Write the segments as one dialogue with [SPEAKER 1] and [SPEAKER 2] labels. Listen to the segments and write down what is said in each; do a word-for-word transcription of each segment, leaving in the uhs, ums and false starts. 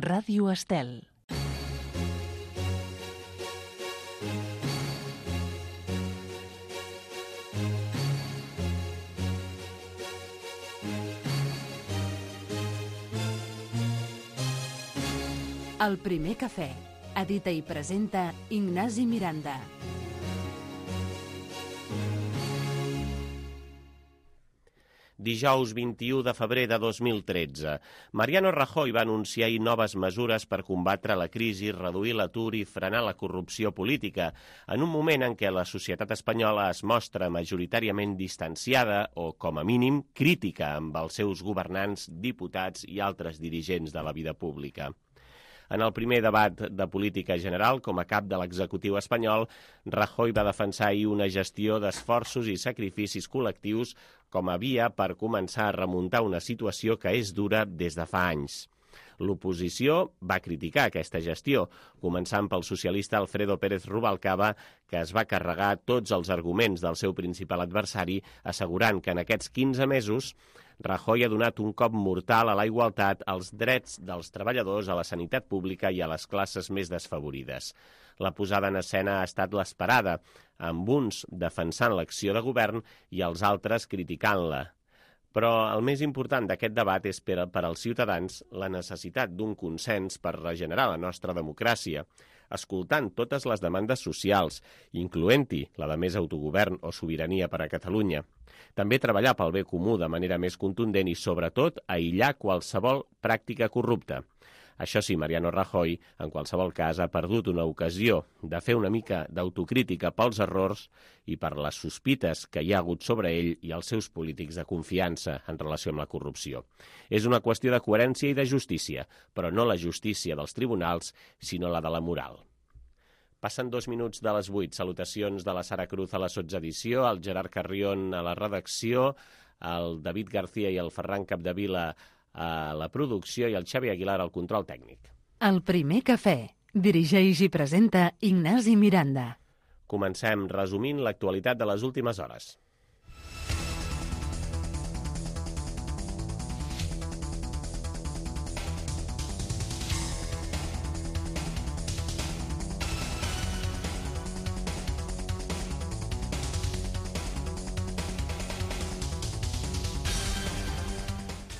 [SPEAKER 1] Ràdio Estel. El primer cafè. Edita i presenta Ignasi Miranda.
[SPEAKER 2] Dijous vint-i-u de febrer de dos mil tretze. Mariano Rajoy va anunciar ahir noves mesures per combatre la crisi, reduir l'atur i frenar la corrupció política, en un moment en què la societat espanyola es mostra majoritàriament distanciada o, com a mínim, crítica amb els seus governants, diputats i altres dirigents de la vida pública. En el primer debat de política general, com a cap de l'executiu espanyol, Rajoy va defensar ahir una gestió d'esforços i sacrificis col·lectius com a via per començar a remuntar una situació que és dura des de fa anys. L'oposició va criticar aquesta gestió, començant pel socialista Alfredo Pérez Rubalcaba, que es va carregar tots els arguments del seu principal adversari, assegurant que en aquests quinze mesos Rajoy ha donat un cop mortal a la igualtat, als drets dels treballadors, a la sanitat pública i a les classes més desfavorides. La posada en escena ha estat l'esperada, amb uns defensant l'acció de govern i els altres criticant-la. Però el més important d'aquest debat és per, per als ciutadans la necessitat d'un consens per regenerar la nostra democràcia, escoltant totes les demandes socials, incloent-hi la de més autogovern o sobirania per a Catalunya. També treballar pel bé comú de manera més contundent i, sobretot, aïllar qualsevol pràctica corrupta. Això sí, Mariano Rajoy, en qualsevol cas, ha perdut una ocasió de fer una mica d'autocrítica pels errors i per les sospites que hi ha hagut sobre ell i els seus polítics de confiança en relació amb la corrupció. És una qüestió de coherència i de justícia, però no la justícia dels tribunals, sinó la de la moral. Passen dos minuts de les vuit. Salutacions de la Sara Cruz a la sotsedició, el Gerard Carrión a la redacció, el David García i el Ferran Capdevila a la producció i el Xavi Aguilar al control tècnic.
[SPEAKER 1] El primer cafè. Dirigeix i presenta Ignasi Miranda.
[SPEAKER 2] Comencem resumint l'actualitat de les últimes hores.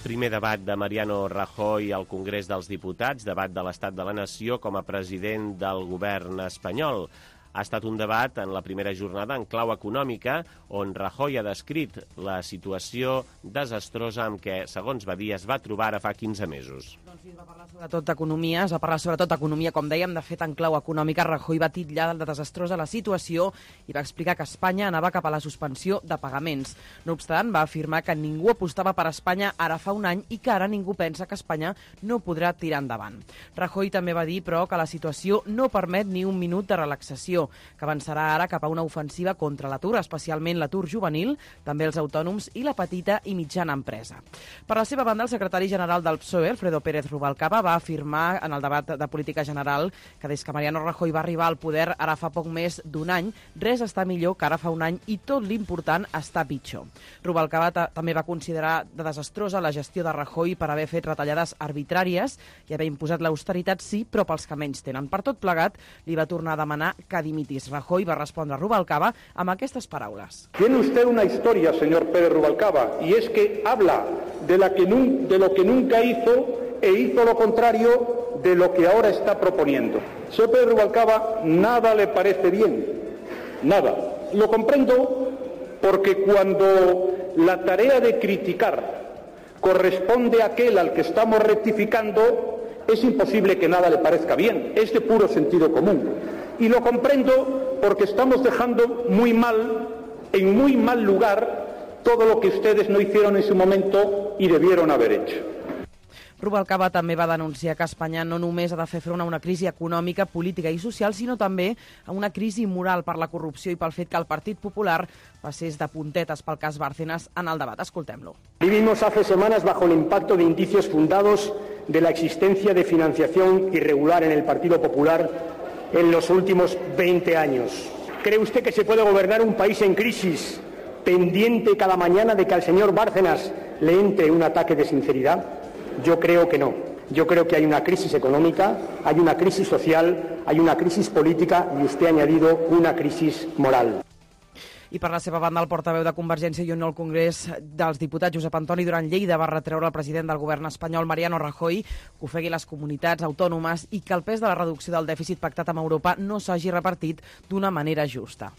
[SPEAKER 2] Primer debat de Mariano Rajoy al Congrés dels Diputats, debat de l'estat de la nació com a president del govern espanyol. Ha estat un debat en la primera jornada en clau econòmica, on Rajoy ha descrit la situació desastrosa amb què, segons va dir, es va trobar ara fa quinze mesos.
[SPEAKER 3] Doncs sí, es va parlar sobretot d'economia, es va parlar sobretot d'economia, com dèiem, de fet en clau econòmica. Rajoy va titllar de desastrosa la situació i va explicar que Espanya anava cap a la suspensió de pagaments. No obstant, va afirmar que ningú apostava per Espanya ara fa un any i que ara ningú pensa que Espanya no podrà tirar endavant. Rajoy també va dir, però, que la situació no permet ni un minut de relaxació, que avançarà ara cap a una ofensiva contra l'atur, especialment l'atur juvenil, també els autònoms i la petita i mitjana empresa. Per la seva banda, el secretari general del P S O E, Alfredo Pérez Rubalcaba, va afirmar en el debat de política general que des que Mariano Rajoy va arribar al poder ara fa poc més d'un any, res està millor que ara fa un any i tot l'important està pitjor. Rubalcaba també va considerar de desastrosa la gestió de Rajoy per haver fet retallades arbitràries i haver imposat l'austeritat, sí, però pels que menys tenen. Per tot plegat, li va tornar a demanar que dimitis. Rajoy va respondre a Rubalcaba amb aquestes paraules.
[SPEAKER 4] Tiene usted una historia, señor Pérez Rubalcaba, y es que habla de, la que nun, de lo que nunca hizo e hizo lo contrario de lo que ahora está proponiendo. Señor Pérez Rubalcaba, nada le parece bien, nada. Lo comprendo porque cuando la tarea de criticar corresponde a aquel al que estamos rectificando, es imposible que nada le parezca bien, es de puro sentido común. Y lo comprendo porque estamos dejando muy mal, en muy mal lugar, todo lo que ustedes no hicieron en su momento y debieron haber hecho.
[SPEAKER 3] Rubalcaba també va denunciar que Espanya no només ha de fer front a una crisi econòmica, política i social, sinó també a una crisi moral per la corrupció i pel fet que el Partit Popular passés de puntetes pel cas Bárcenas en el debat. Escoltem-lo.
[SPEAKER 5] Vivimos hace semanas bajo el impacto de indicios fundados de la existencia de financiación irregular en el Partido Popular en los últimos veinte años. ¿Cree usted que se puede gobernar un país en crisis pendiente cada mañana de que al señor Bárcenas le entre un ataque de sinceridad? Yo creo que no. Yo creo que hay una crisis económica, hay una crisis social, hay una crisis política y usted ha añadido una crisis moral.
[SPEAKER 3] I per la seva banda, el portaveu de Convergència i Unió al Congrés dels Diputats, Josep Antoni Duran Lleida, va retreure al president del govern espanyol, Mariano Rajoy, que ofegui les comunitats autònomes i que el pes de la reducció del dèficit pactat amb Europa no s'hagi repartit d'una manera justa.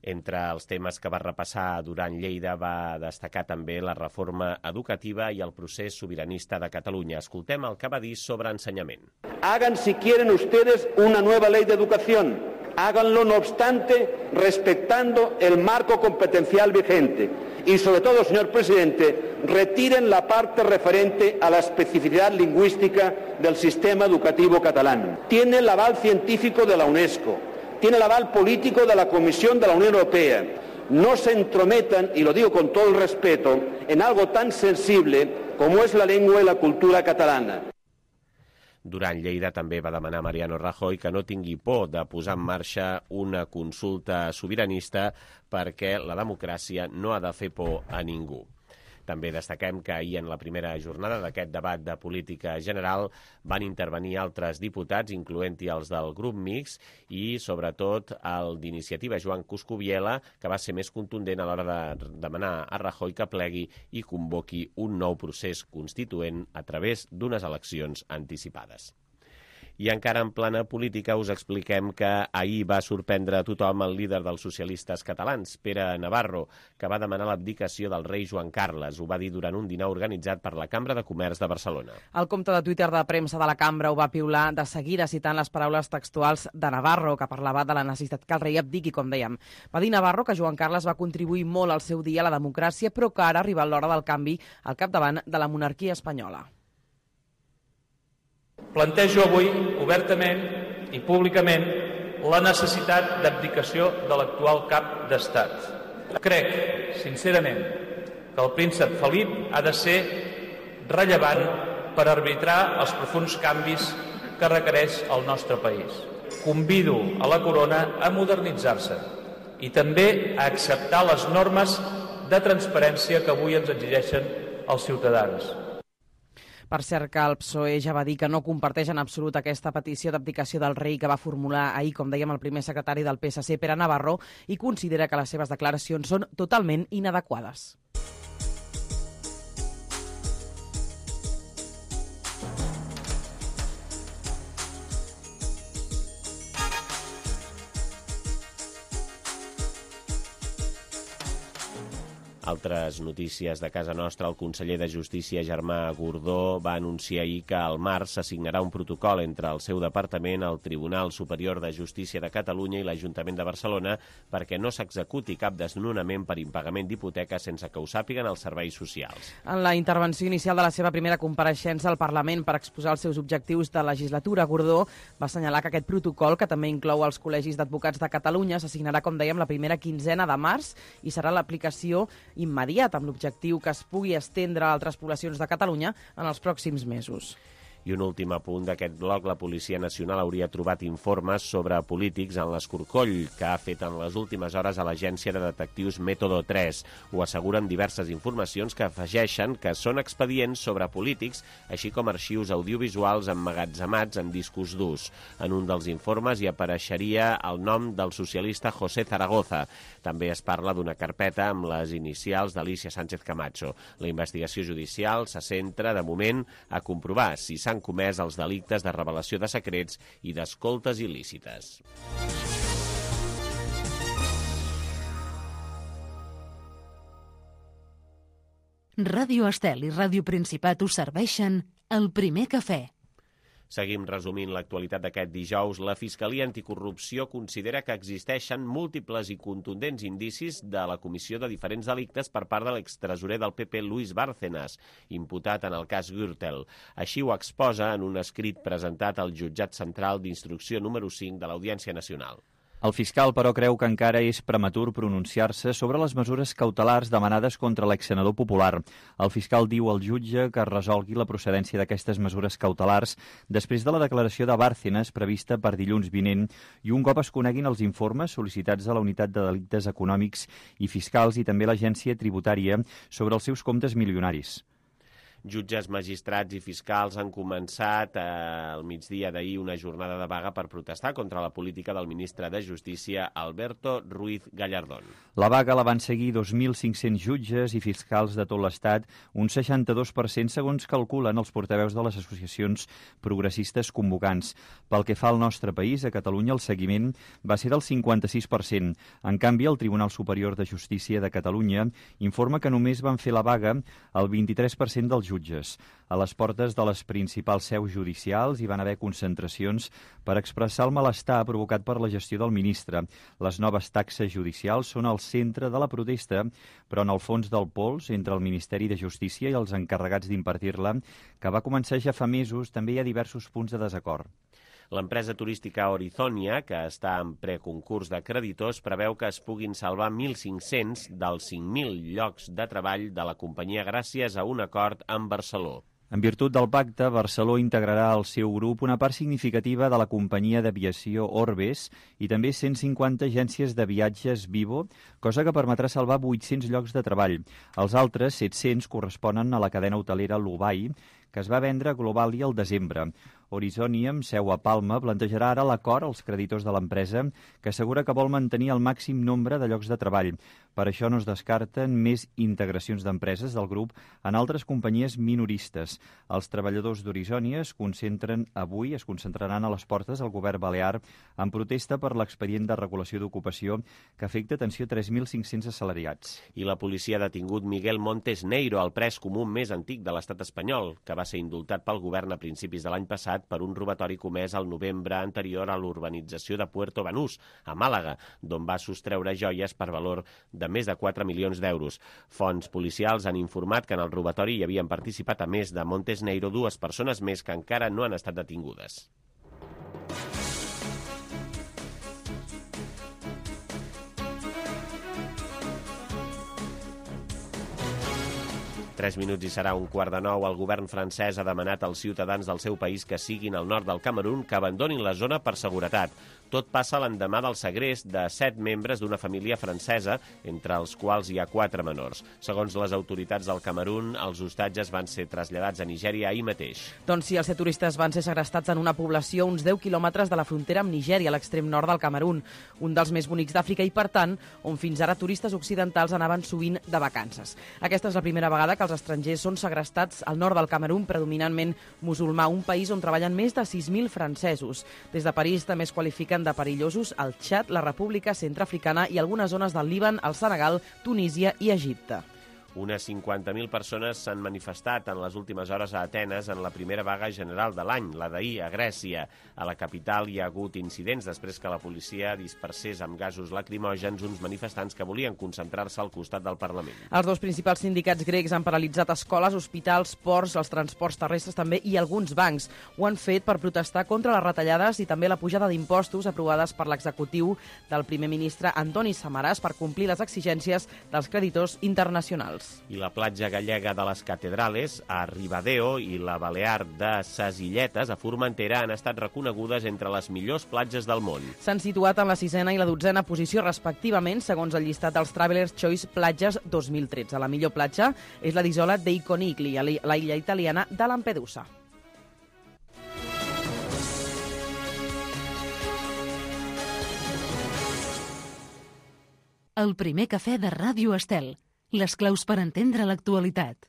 [SPEAKER 2] Entre els temes que va repassar Duran Lleida va destacar també la reforma educativa i el procés sobiranista de Catalunya. Escoltem el que va dir sobre ensenyament.
[SPEAKER 4] Hagan, si quieren ustedes, una nueva ley de educación. Háganlo, no obstante, respetando el marco competencial vigente. Y, sobre todo, señor presidente, retiren la parte referente a la especificidad lingüística del sistema educativo catalán. Tiene el aval científico de la UNESCO. Tiene el aval político de la Comisión de la Unión Europea. No se entrometan, y lo digo con todo el respeto, en algo tan sensible como es la lengua y la cultura catalana.
[SPEAKER 2] Duran Lleida també va demanar a Mariano Rajoy que no tingui por de posar en marxa una consulta sobiranista perquè la democràcia no ha de fer por a ningú. També destaquem que ahir en la primera jornada d'aquest debat de política general van intervenir altres diputats, incloent-hi els del grup mixt i, sobretot, el d'Iniciativa, Joan Coscubiela, que va ser més contundent a l'hora de demanar a Rajoy que plegui i convoqui un nou procés constituent a través d'unes eleccions anticipades. I encara en plana política us expliquem que ahir va sorprendre a tothom el líder dels socialistes catalans, Pere Navarro, que va demanar l'abdicació del rei Joan Carles. Ho va dir durant un dinar organitzat per la Cambra de Comerç de Barcelona.
[SPEAKER 3] El compte de Twitter de premsa de la Cambra ho va piular de seguida citant les paraules textuals de Navarro, que parlava de la necessitat que el rei abdiqui, com dèiem. Va dir Navarro que Joan Carles va contribuir molt al seu dia a la democràcia, però que ara ha arribat l'hora del canvi al capdavant de la monarquia espanyola.
[SPEAKER 6] Plantejo avui, obertament i públicament, la necessitat d'abdicació de l'actual cap d'Estat. Crec, sincerament, que el príncep Felip ha de ser rellevant per arbitrar els profunds canvis que requereix el nostre país. Convido a la corona a modernitzar-se i també a acceptar les normes de transparència que avui ens exigeixen els ciutadans.
[SPEAKER 3] Per cert, que el P S O E ja va dir que no comparteix en absolut aquesta petició d'abdicació del rei que va formular ahir, com dèiem, el primer secretari del P S C, Pere Navarro, i considera que les seves declaracions són totalment inadequades.
[SPEAKER 2] Altres notícies de casa nostra. El conseller de Justícia, Germà Gordó, va anunciar ahir que al març s'assignarà un protocol entre el seu departament, el Tribunal Superior de Justícia de Catalunya i l'Ajuntament de Barcelona perquè no s'executi cap desnonament per impagament d'hipoteca sense que ho sàpiguen els serveis socials.
[SPEAKER 3] En la intervenció inicial de la seva primera compareixença al Parlament per exposar els seus objectius de legislatura, Gordó va assenyalar que aquest protocol, que també inclou els col·legis d'advocats de Catalunya, s'assignarà, com dèiem, la primera quinzena de març i serà l'aplicació immediat, amb l'objectiu que es pugui estendre a altres poblacions de Catalunya en els pròxims mesos.
[SPEAKER 2] I un últim apunt d'aquest bloc, la Policia Nacional hauria trobat informes sobre polítics en l'escorcoll que ha fet en les últimes hores a l'agència de detectius Método tres. Ho asseguren diverses informacions que afegeixen que són expedients sobre polítics, així com arxius audiovisuals emmagatzemats en discos durs. En un dels informes hi apareixeria el nom del socialista José Zaragoza. També es parla d'una carpeta amb les inicials d'Alicia Sánchez Camacho. La investigació judicial se centra, de moment, a comprovar si s'han comès els delictes de revelació de secrets i d'escoltes il·lícites.
[SPEAKER 1] Ràdio Estel i Ràdio Principat us serveixen el primer cafè.
[SPEAKER 2] Seguim resumint l'actualitat d'aquest dijous. La Fiscalia Anticorrupció considera que existeixen múltiples i contundents indicis de la comissió de diferents delictes per part de l'extresorer del P P, Luis Bárcenas, imputat en el cas Gürtel. Així ho exposa en un escrit presentat al Jutjat Central d'Instrucció número cinc de l'Audiència Nacional.
[SPEAKER 7] El fiscal, però, creu que encara és prematur pronunciar-se sobre les mesures cautelars demanades contra l'exsenador popular. El fiscal diu al jutge que es resolgui la procedència d'aquestes mesures cautelars després de la declaració de Bárcenas prevista per dilluns vinent i un cop es coneguin els informes sol·licitats a la Unitat de Delictes Econòmics i Fiscals i també l'Agència Tributària sobre els seus comptes milionaris.
[SPEAKER 2] Jutges, magistrats i fiscals han començat eh, al migdia d'ahir una jornada de vaga per protestar contra la política del ministre de Justícia, Alberto Ruiz Gallardón.
[SPEAKER 7] La vaga la van seguir dos mil cinc-cents jutges i fiscals de tot l'Estat, un seixanta-dos per cent segons calculen els portaveus de les associacions progressistes convocants. Pel que fa al nostre país, a Catalunya el seguiment va ser del cinquanta-sis per cent. En canvi, el Tribunal Superior de Justícia de Catalunya informa que només van fer la vaga el vint-i-tres per cent dels jutges. A les portes de les principals seus judicials hi van haver concentracions per expressar el malestar provocat per la gestió del ministre. Les noves taxes judicials són al centre de la protesta, però en el fons del pols, entre el Ministeri de Justícia i els encarregats d'impartir-la, que va començar ja fa mesos, també hi ha diversos punts de desacord.
[SPEAKER 2] L'empresa turística Horizonia, que està en preconcurs de creditors, preveu que es puguin salvar mil cinc-cents dels cinc mil llocs de treball de la companyia gràcies a un acord amb Barceló.
[SPEAKER 7] En virtut del pacte, Barceló integrarà al seu grup una part significativa de la companyia d'aviació Orbes i també cent cinquanta agències de viatges Vivo, cosa que permetrà salvar vuit-cents llocs de treball. Els altres set-cents corresponen a la cadena hotelera Lubai, que es va vendre a Globalia al desembre. Horizonia, amb seu a Palma, plantejarà ara l'acord als creditors de l'empresa, que assegura que vol mantenir el màxim nombre de llocs de treball. Per això no es descarten més integracions d'empreses del grup en altres companyies minoristes. Els treballadors d'Horizonia es concentren avui, es concentraran a les portes del govern balear en protesta per l'expedient de regulació d'ocupació que afecta, atenció, tres mil cinc-cents assalariats.
[SPEAKER 2] I la policia ha detingut Miguel Montes Neiro, el pres comú més antic de l'estat espanyol, que va ser indultat pel govern a principis de l'any passat per un robatori comès al novembre anterior a l'urbanització de Puerto Banús, a Màlaga, d'on va sostreure joies per valor de més de quatre milions d'euros. Fonts policials han informat que en el robatori hi havien participat, a més de Montes Neiro, dues persones més que encara no han estat detingudes. Tres minuts i serà un quart de nou. El govern francès ha demanat als ciutadans del seu país que siguin al nord del Camerun que abandonin la zona per seguretat. Tot passa l'endemà del segrest de set membres d'una família francesa, entre els quals hi ha quatre menors. Segons les autoritats del Camerun, els hostatges van ser traslladats a Nigèria ahir mateix.
[SPEAKER 3] Doncs sí, els set turistes van ser segrestats en una població a uns deu quilòmetres de la frontera amb Nigèria, a l'extrem nord del Camerun, un dels més bonics d'Àfrica i, per tant, on fins ara turistes occidentals anaven sovint de vacances. Aquesta és la primera vegada que els estrangers són segrestats al nord del Camerun, predominantment musulmà, un país on treballen més de sis mil francesos. Des de París també es qualifiquen de perillosos el Txad, la República Centreafricana i algunes zones del Líban, el Senegal, Tunísia i Egipte.
[SPEAKER 2] Unes cinquanta mil persones s'han manifestat en les últimes hores a Atenes en la primera vaga general de l'any, la d'ahir a Grècia. A la capital hi ha hagut incidents després que la policia dispersés amb gasos lacrimògens uns manifestants que volien concentrar-se al costat del Parlament.
[SPEAKER 3] Els dos principals sindicats grecs han paralitzat escoles, hospitals, ports, els transports terrestres també i alguns bancs. Ho han fet per protestar contra les retallades i també la pujada d'impostos aprovades per l'executiu del primer ministre Antoni Samaras per complir les exigències dels creditors internacionals.
[SPEAKER 2] I la platja gallega de les Catedrales, a Ribadeo, i la Balear de Ses Illetes, a Formentera, han estat reconegudes entre les millors platges del món.
[SPEAKER 3] S'han situat en la sisena i la dotzena posició respectivament, segons el llistat dels Travelers Choice Platges dos mil tretze. La millor platja és la d'Isola dei Conigli, a la illa italiana de Lampedusa.
[SPEAKER 1] El primer cafè de Ràdio Estel. Les claus per entendre l'actualitat.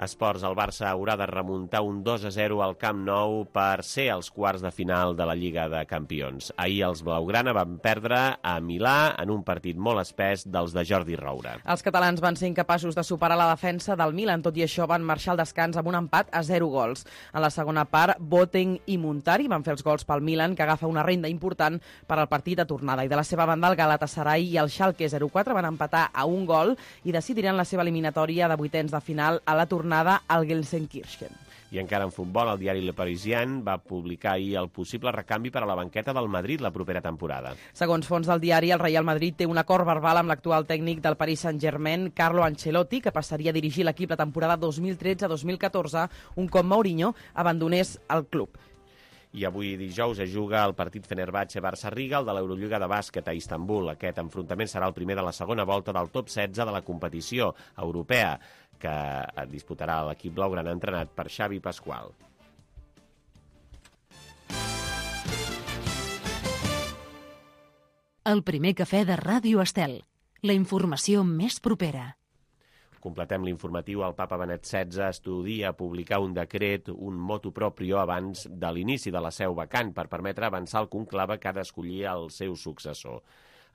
[SPEAKER 2] Esports, el Barça haurà de remuntar un dos a zero al Camp Nou per ser als quarts de final de la Lliga de Campions. Ahir els blaugrana van perdre a Milà en un partit molt espès dels de Jordi Roura.
[SPEAKER 3] Els catalans van ser incapaços de superar la defensa del Milan, tot i això van marxar al descans amb un empat a zero gols. En la segona part, Boateng i Montari van fer els gols pel Milan, que agafa una renda important per al partit de tornada. I de la seva banda, el Galatasaray i el Schalke zero quatre van empatar a un gol i decidiran la seva eliminatòria de vuitens de final a la tornada al Gelsenkirchen.
[SPEAKER 2] I encara en futbol, el diari Le Parisien va publicar ahir el possible recanvi per a la banqueta del Madrid la propera temporada.
[SPEAKER 3] Segons fons del diari, el Real Madrid té un acord verbal amb l'actual tècnic del Paris Saint-Germain, Carlo Ancelotti, que passaria a dirigir l'equip la temporada dos mil tretze dos mil catorze, un cop Mourinho abandonés el club.
[SPEAKER 2] I avui dijous es juga el partit Fenerbahçe-Barça-Riga, el de l'Eurolliga de bàsquet a Istanbul. Aquest enfrontament serà el primer de la segona volta del top setze de la competició europea, que disputarà l'equip blaugrana entrenat per Xavi Pasqual.
[SPEAKER 1] El primer cafè de Ràdio Estel. La informació més propera.
[SPEAKER 2] Completem l'informatiu. El papa Benet setze estudia publicar un decret, un motu proprio, abans de l'inici de la seu vacant per permetre avançar el conclave que ha d'escollir el seu successor.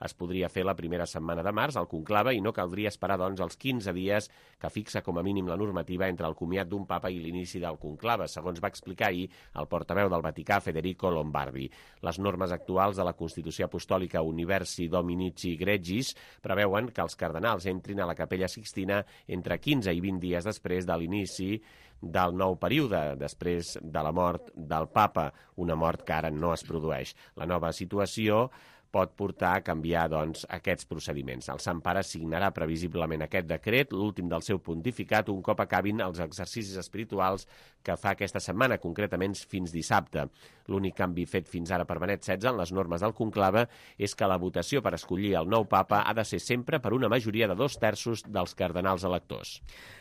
[SPEAKER 2] Es podria fer la primera setmana de març, el conclave, i no caldria esperar, doncs, els quinze dies que fixa com a mínim la normativa entre el comiat d'un papa i l'inici del conclave, segons va explicar ahir el portaveu del Vaticà, Federico Lombardi. Les normes actuals de la Constitució Apostòlica Universi Dominici Gregis preveuen que els cardenals entrin a la Capella Sixtina entre quinze i vint dies després de l'inici del nou període, després de la mort del papa, una mort que ara no es produeix. La nova situació pot portar a canviar, doncs, aquests procediments. El Sant Pare signarà previsiblement aquest decret, l'últim del seu pontificat, un cop acabin els exercicis espirituals que fa aquesta setmana, concretament fins dissabte. L'únic canvi fet fins ara per Benet setze en les normes del conclave és que la votació per escollir el nou papa ha de ser sempre per una majoria de dos terços dels cardenals electors.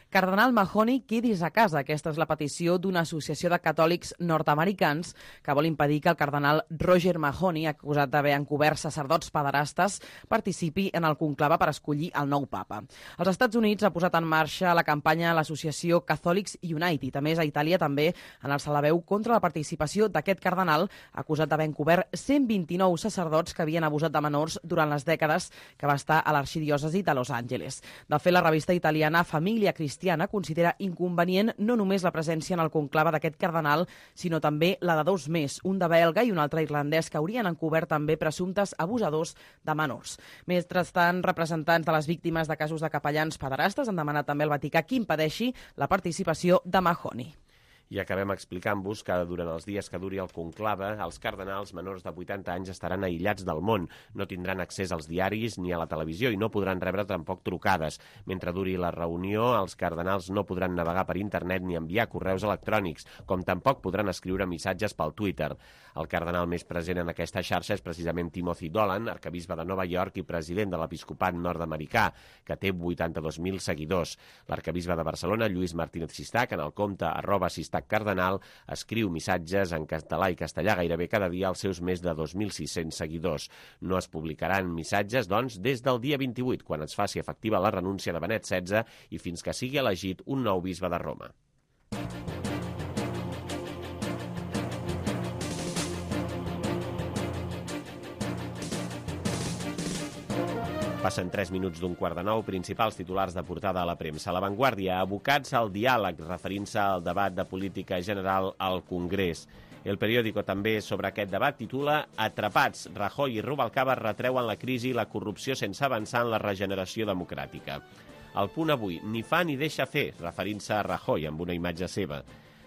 [SPEAKER 3] Cardenal Mahony, quedis a casa. Aquesta és la petició d'una associació de catòlics nord-americans que vol impedir que el cardenal Roger Mahony, acusat d'haver encobert sacerdots pederastes, participi en el conclave per escollir el nou papa. Els Estats Units ha posat en marxa la campanya a l'associació Catholics United. A més, a Itàlia també han alçat la veu contra la participació d'aquest cardenal acusat d'haver encobert cent vint-i-nou sacerdots que havien abusat de menors durant les dècades que va estar a l'arxidiòcesi de Los Angeles. De fet, la revista italiana Família Cristiana considera inconvenient no només la presència en el conclave d'aquest cardenal, sinó també la de dos més, un de belga i un altre irlandès, que haurien encobert també presumptes abusadors de menors. Mentrestant, representants de les víctimes de casos de capellans pederastes han demanat també al Vaticà que impedeixi la participació de Mahony.
[SPEAKER 2] I acabem explicant-vos que durant els dies que duri el conclave, els cardenals menors de vuitanta anys estaran aïllats del món, no tindran accés als diaris ni a la televisió i no podran rebre tampoc trucades. Mentre duri la reunió, els cardenals no podran navegar per internet ni enviar correus electrònics, com tampoc podran escriure missatges pel Twitter. El cardenal més present en aquesta xarxa és precisament Timothy Dolan, arquebisbe de Nova York i president de l'episcopat nord-americà, que té vuitanta-dos mil seguidors. L'arquebisbe de Barcelona, Lluís Martínez Sistac, en el compte arroba Sistac Cardenal, escriu missatges en català i castellà gairebé cada dia als seus més de dos mil sis-cents seguidors. No es publicaran missatges, doncs, des del dia vint-i-vuit, quan es faci efectiva la renúncia de Benet setze i fins que sigui elegit un nou bisbe de Roma. Passen tres minuts d'un quart de nou. Principals titulars de portada a la premsa. La Vanguardia, abocats al diàleg, referint-se al debat de política general al Congrés. El periòdico també sobre aquest debat titula Atrapats, Rajoy i Rubalcaba retreuen la crisi i la corrupció sense avançar en la regeneració democràtica. El Punt avui, ni fa ni deixa fer, referint-se a Rajoy amb una imatge seva.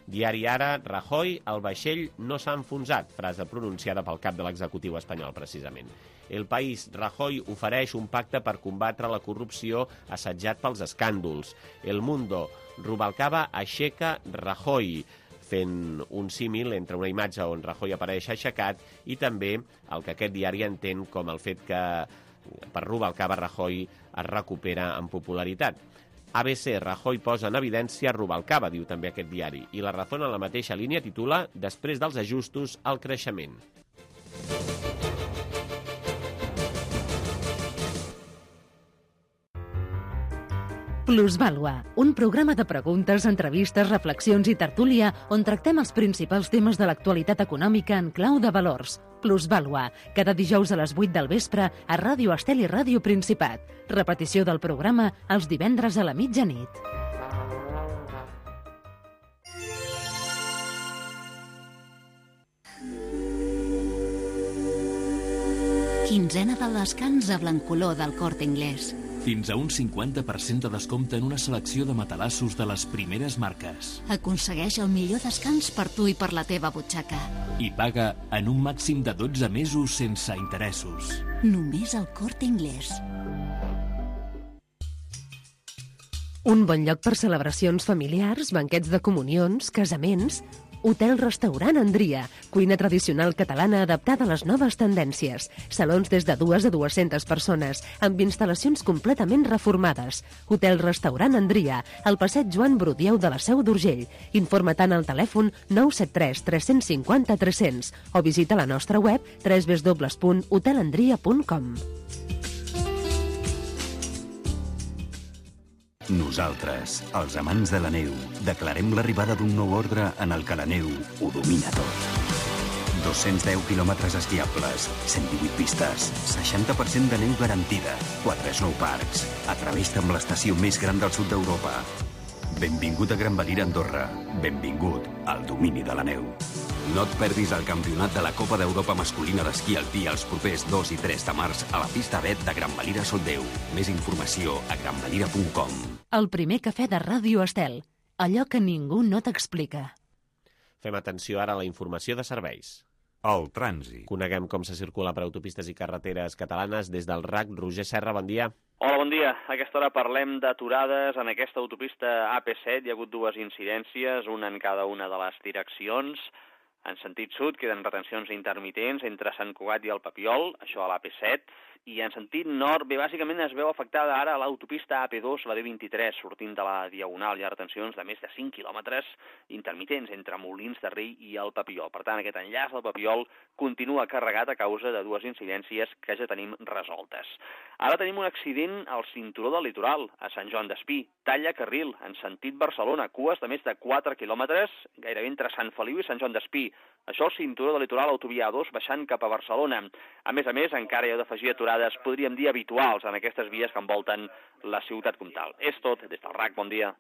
[SPEAKER 2] Diari Ara, Rajoy, el vaixell no s'ha enfonsat, frase pronunciada pel cap de l'executiu espanyol, precisament. El País, Rajoy ofereix un pacte per combatre la corrupció assetjat pels escàndols. El Mundo, Rubalcaba aixeca Rajoy, fent un símil entre una imatge on Rajoy apareix aixecat i també el que aquest diari entén com el fet que per Rubalcaba Rajoy es recupera en popularitat. A B C, Rajoy posa en evidència Rubalcaba, diu també aquest diari, i La Razón en la mateixa línia titula Després dels ajustos, el creixement.
[SPEAKER 1] Plusvàlua, un programa de preguntes, entrevistes, reflexions i tertúlia on tractem els principals temes de l'actualitat econòmica en clau de valors. Plusvàlua, cada dijous a les vuit del vespre a Ràdio Estel i Ràdio Principat. Repetició del programa els divendres a la mitjanit.
[SPEAKER 8] Quinzena de descans a Blancolor del Corte Inglés. Fins a un cinquanta per cent de descompte en una selecció de matalassos de les primeres marques.
[SPEAKER 9] Aconsegueix el millor descans per tu i per la teva butxaca.
[SPEAKER 8] I paga en un màxim de dotze mesos sense interessos.
[SPEAKER 9] Només al Corte Inglés.
[SPEAKER 1] Un bon lloc per celebracions familiars, banquets de comunions, casaments... Hotel-restaurant Andria, cuina tradicional catalana adaptada a les noves tendències. Salons des de dues a dues-centes persones, amb instal·lacions completament reformades. Hotel-restaurant Andria, al passeig Joan Brudieu de la Seu d'Urgell. Informa tant al telèfon nou set tres tres cinc zero tres cents o visita la nostra web w w w punt hotel andria punt com.
[SPEAKER 10] Nosaltres, els amants de la neu, declarem l'arribada d'un nou ordre en el que la neu ho domina tot. dos-cents deu quilòmetres esquiables, cent divuit pistes, seixanta per cent de neu garantida, quatre snowparks, atreveix-te amb l'estació més gran del sud d'Europa. Benvingut a Gran Valira, Andorra. Benvingut al domini de la neu. No et perdis el campionat de la Copa d'Europa masculina d'esquí alpí els propers dos i tres de març a la pista B de Gran Valira Soldeu. Més informació a gran valira punt com.
[SPEAKER 1] El primer cafè de Ràdio Estel. Allò que ningú no t'explica.
[SPEAKER 2] Fem atenció ara a la informació de serveis.
[SPEAKER 10] El trànsit.
[SPEAKER 2] Coneguem com se circula per autopistes i carreteres catalanes des del R A C. Roger Serra, bon dia.
[SPEAKER 11] Hola, bon dia. A aquesta hora parlem d'aturades en aquesta autopista A P set. Hi ha hagut dues incidències, una en cada una de les direccions. En sentit sud queden retencions intermitents entre Sant Cugat i el Papiol, això a l'A P set, i en sentit nord, bé, bàsicament es veu afectada ara l'autopista A P dos, la D vint-i-tres, sortint de la Diagonal. Hi ha retencions de més de cinc quilòmetres intermitents entre Molins de Rei i el Papiol. Per tant, aquest enllaç del Papiol continua carregat a causa de dues incidències que ja tenim resoltes. Ara tenim un accident al cinturó del litoral, a Sant Joan d'Espí. Talla carril, en sentit Barcelona, cues de més de quatre quilòmetres, gairebé entre Sant Feliu i Sant Joan d'Espí. Això al cinturó de litoral autovia A dos baixant cap a Barcelona. A més a més, encara hi ha d'afegir aturades, podríem dir habituals, en aquestes vies que envolten la ciutat comtal. És tot, des del R A C, bon dia.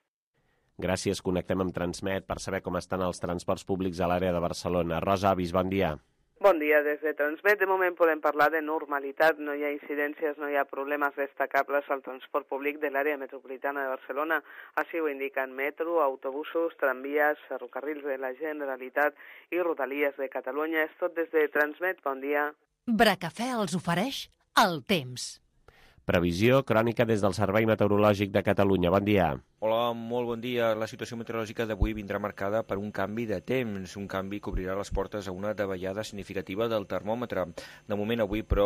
[SPEAKER 2] Gràcies, connectem amb Transmet per saber com estan els transports públics a l'àrea de Barcelona. Rosa Avis, bon dia.
[SPEAKER 12] Bon dia, des de Transmet. De moment podem parlar de normalitat, no hi ha incidències, no hi ha problemes destacables al transport públic de l'àrea metropolitana de Barcelona. Així ho indiquen metro, autobusos, tramvies, ferrocarrils de la Generalitat i rodalies de Catalunya. És tot des de Transmet. Bon dia.
[SPEAKER 1] Bracafè els ofereix el temps.
[SPEAKER 2] Previsió crònica des del Servei Meteorològic de Catalunya. Bon dia.
[SPEAKER 13] Hola, molt bon dia. La situació meteorològica d'avui vindrà marcada per un canvi de temps, un canvi que obrirà les portes a una davallada significativa del termòmetre. De moment avui, però,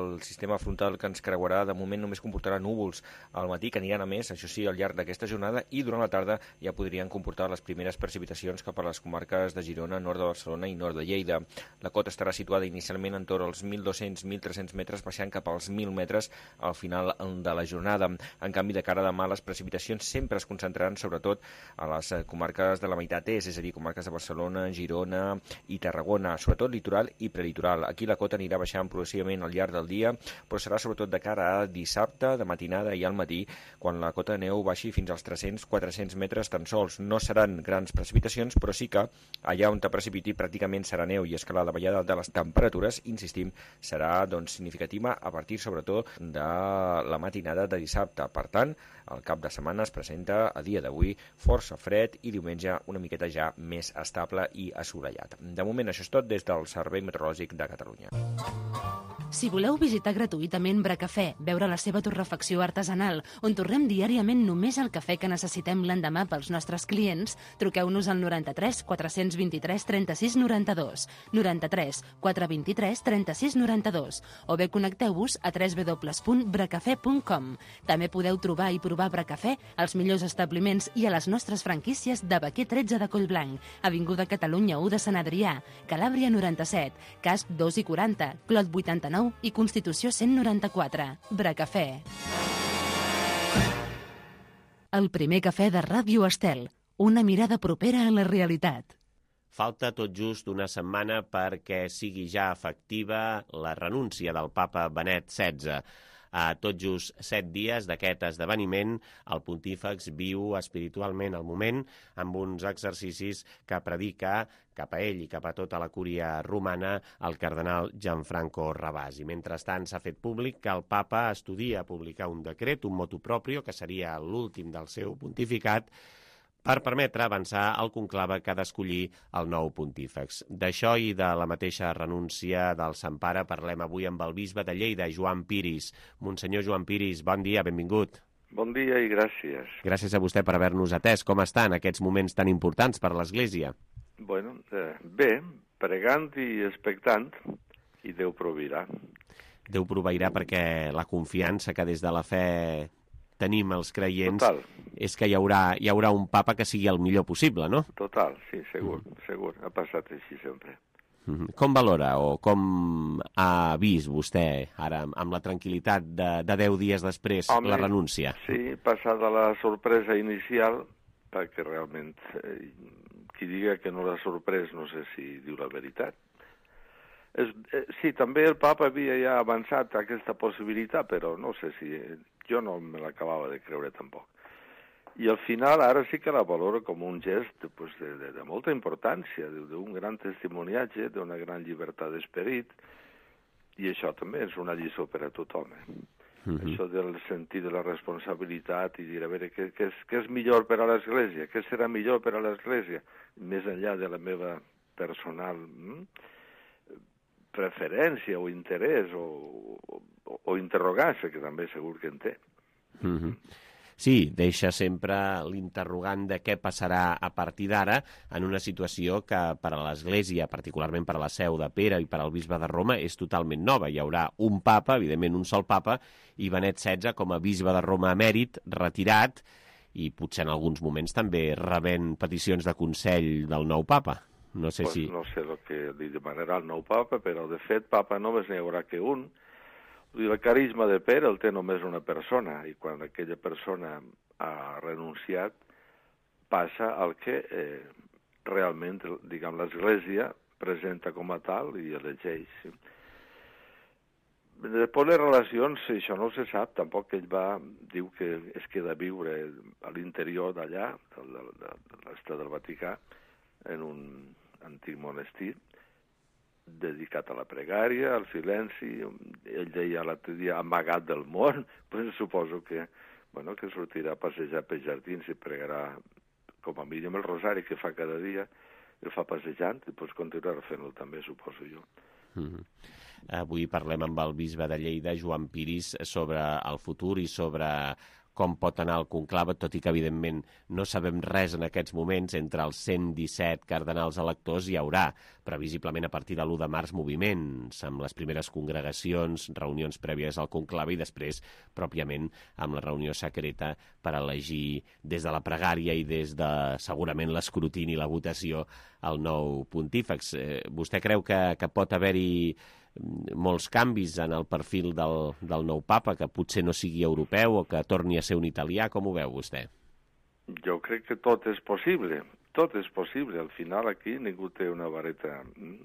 [SPEAKER 13] el sistema frontal que ens creuarà de moment només comportarà núvols al matí, que aniran a més, això sí, al llarg d'aquesta jornada, i durant la tarda ja podrien comportar les primeres precipitacions cap a les comarques de Girona, nord de Barcelona i nord de Lleida. La cota estarà situada inicialment entorn als mil dos-cents a mil tres-cents metres, baixant cap als mil metres al final de la jornada. En canvi, de cara a demà, les precipitacions sempre es concentraran sobretot a les comarques de la meitat est, és a dir, comarques de Barcelona, Girona i Tarragona, sobretot litoral i prelitoral. Aquí la cota anirà baixant progressivament al llarg del dia, però serà sobretot de cara a dissabte, de matinada i al matí, quan la cota de neu baixi fins als tres-cents a quatre-cents metres tan sols. No seran grans precipitacions, però sí que allà on te precipiti pràcticament serà neu, i és que la davallada de les temperatures, insistim, serà doncs, significativa a partir sobretot de la matinada de dissabte. Per tant, el cap de setmana es presenta a dia d'avui força fred i diumenge una miqueta ja més estable i assolellat. De moment això és tot des del Servei Meteorològic de Catalunya.
[SPEAKER 1] Si voleu visitar gratuïtament Bracafè, veure la seva torrefacció artesanal, on torrem diàriament només el cafè que necessitem l'endemà pels nostres clients, truqueu-nos al noranta-tres quatre-cents vint-i-tres trenta-sis noranta-dos, noranta-tres quatre vint-i-tres trenta-sis noranta-dos, o bé connecteu-vos a w w w punt bracafè punt com. També podeu trobar i provar Bracafè als millors establiments i a les nostres franquícies de Baquer tretze de Collblanc, Avinguda Catalunya u de Sant Adrià, Calàbria noranta-set, Casp dos i quaranta, Clot vuitanta-nou i Constitució cent noranta-quatre. Bracafè. El primer cafè de Ràdio Estel. Una mirada propera a la realitat.
[SPEAKER 2] Falta tot just una setmana perquè sigui ja efectiva la renúncia del papa Benet setze. A tot just set dies d'aquest esdeveniment, el pontífex viu espiritualment el moment amb uns exercicis que predica cap a ell i cap a tota la cúria romana el cardenal Gianfranco Ravasi. Mentrestant, s'ha fet públic que el papa estudia publicar un decret, un motu proprio, que seria l'últim del seu pontificat, per permetre avançar el conclave que ha d'escollir el nou pontífex. D'això i de la mateixa renúncia del Sant Pare parlem avui amb el bisbe de Lleida, Joan Piris. Monsenyor Joan Piris, bon dia, benvingut.
[SPEAKER 14] Bon dia i gràcies.
[SPEAKER 2] Gràcies a vostè per haver-nos atès. Com està en aquests moments tan importants per l'Església?
[SPEAKER 14] Bueno, eh, bé, pregant i expectant, i Déu proveirà.
[SPEAKER 2] Déu proveirà perquè la confiança que des de la fe tenim els creients
[SPEAKER 14] Total.
[SPEAKER 2] És que hi haurà, hi haurà un papa que sigui el millor possible, no?
[SPEAKER 14] Total, sí, segur, mm. segur. Ha passat així sempre.
[SPEAKER 2] Mm-hmm. Com valora o com ha vist vostè ara amb la tranquil·litat de, de deu dies després Home, la renúncia?
[SPEAKER 14] Sí, passada la sorpresa inicial, perquè realment eh, qui diga que no l'ha sorprès no sé si diu la veritat. És, eh, sí, també el papa havia ja avançat aquesta possibilitat, però no sé si... Eh, jo no me l'acabava de creure tampoc. I al final ara sí que la valoro com un gest pues, de, de, de molta importància, d'un gran testimoniatge, d'una gran llibertat d'esperit, i això també és una lliçó per a tothom. Eh? Mm-hmm. Això del sentit de la responsabilitat i dir, a veure, què, què, és, què és millor per a l'Església? Què serà millor per a l'Església? Més enllà de la meva personal hm? preferència o interès o, o, o interrogància, que també segur que en té.
[SPEAKER 2] Mm-hmm. Sí, deixa sempre l'interrogant de què passarà a partir d'ara en una situació que per a l'Església, particularment per a la seu de Pere i per al bisbe de Roma, és totalment nova. Hi haurà un papa, evidentment un sol papa, i Benet setze com a bisbe de Roma emèrit, retirat, i potser en alguns moments també rebent peticions de consell del nou papa. No sé
[SPEAKER 14] pues
[SPEAKER 2] si...
[SPEAKER 14] No sé el que li demanarà el nou papa, però de fet papa només n'hi haurà que un. El carisma de Pere el té només una persona, i quan aquella persona ha renunciat passa al que eh, realment, diguem, l'Església presenta com a tal i elegeix. Després les relacions, això no se sap, tampoc ell va, diu que es queda a viure a l'interior d'allà, de, de, de, de l'estat del Vaticà, en un antic monestir, dedicat a la pregària, al silenci. Ell deia l'altre dia, amagat del món, pues suposo que, bueno, que sortirà a passejar pels jardins i pregarà, com a mínim el rosari que fa cada dia, el fa passejant, i pues continuarà fent-lo també, suposo jo.
[SPEAKER 2] Mm-hmm. Avui parlem amb el bisbe de Lleida, Joan Piris, sobre el futur i sobre com pot anar el conclave, tot i que, evidentment, no sabem res en aquests moments. Entre els cent disset cardenals electors hi haurà, previsiblement a partir de l'u de març, moviments, amb les primeres congregacions, reunions prèvies al conclave i després, pròpiament, amb la reunió secreta per elegir des de la pregària i des de, segurament, l'escrutini i la votació el nou pontífex. Eh, vostè creu que, que pot haver-hi molts canvis en el perfil del, del nou papa, que potser no sigui europeu o que torni a ser un italià? Com ho veu vostè?
[SPEAKER 14] Jo crec que tot és possible, tot és possible. Al final aquí ningú té una vareta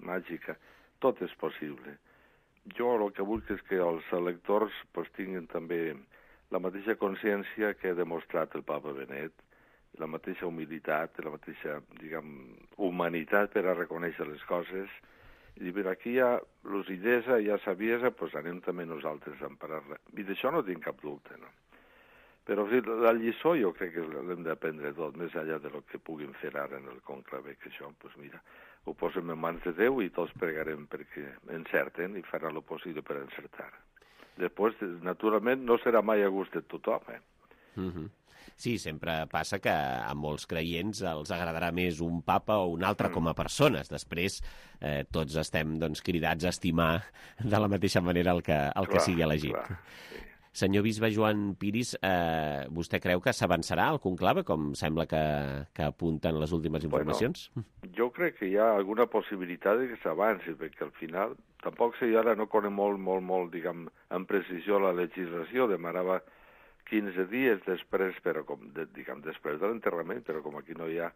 [SPEAKER 14] màgica, tot és possible. Jo el que vull és que els electors pues, tinguin també la mateixa consciència que ha demostrat el papa Benet, la mateixa humilitat, la mateixa, diguem, humanitat per a reconèixer les coses. I dir, aquí hi ha lucidesa, hi ha saviesa, doncs anem també nosaltres a emparar-la. I d'això no tinc cap dubte, no? Però sí, la lliçó jo crec que l'hem d'aprendre tot, més enllà de lo que puguin fer ara en el conclave, que això, doncs mira, ho posem en mans de Déu i tots pregarem perquè encerten i faran el possible per encertar. Després, naturalment, no serà mai a gust de tothom, eh?
[SPEAKER 2] Mm-hmm. Sí, sempre passa que a molts creients els agradarà més un papa o un altre mm. com a persones. Després eh, tots estem doncs, cridats a estimar de la mateixa manera el que, el clar, que sigui elegit. Clar, sí. Senyor bisbe Joan Piris, eh, vostè creu que s'avançarà el conclave, com sembla que, que apunten les últimes informacions?
[SPEAKER 14] Bueno, jo crec que hi ha alguna possibilitat de que s'avanci, perquè al final tampoc si ara no conec molt, molt, molt, diguem, amb precisió la legislació, demanava quinze dies després, però com, de, diguem, després de l'enterrament, però com aquí no hi ha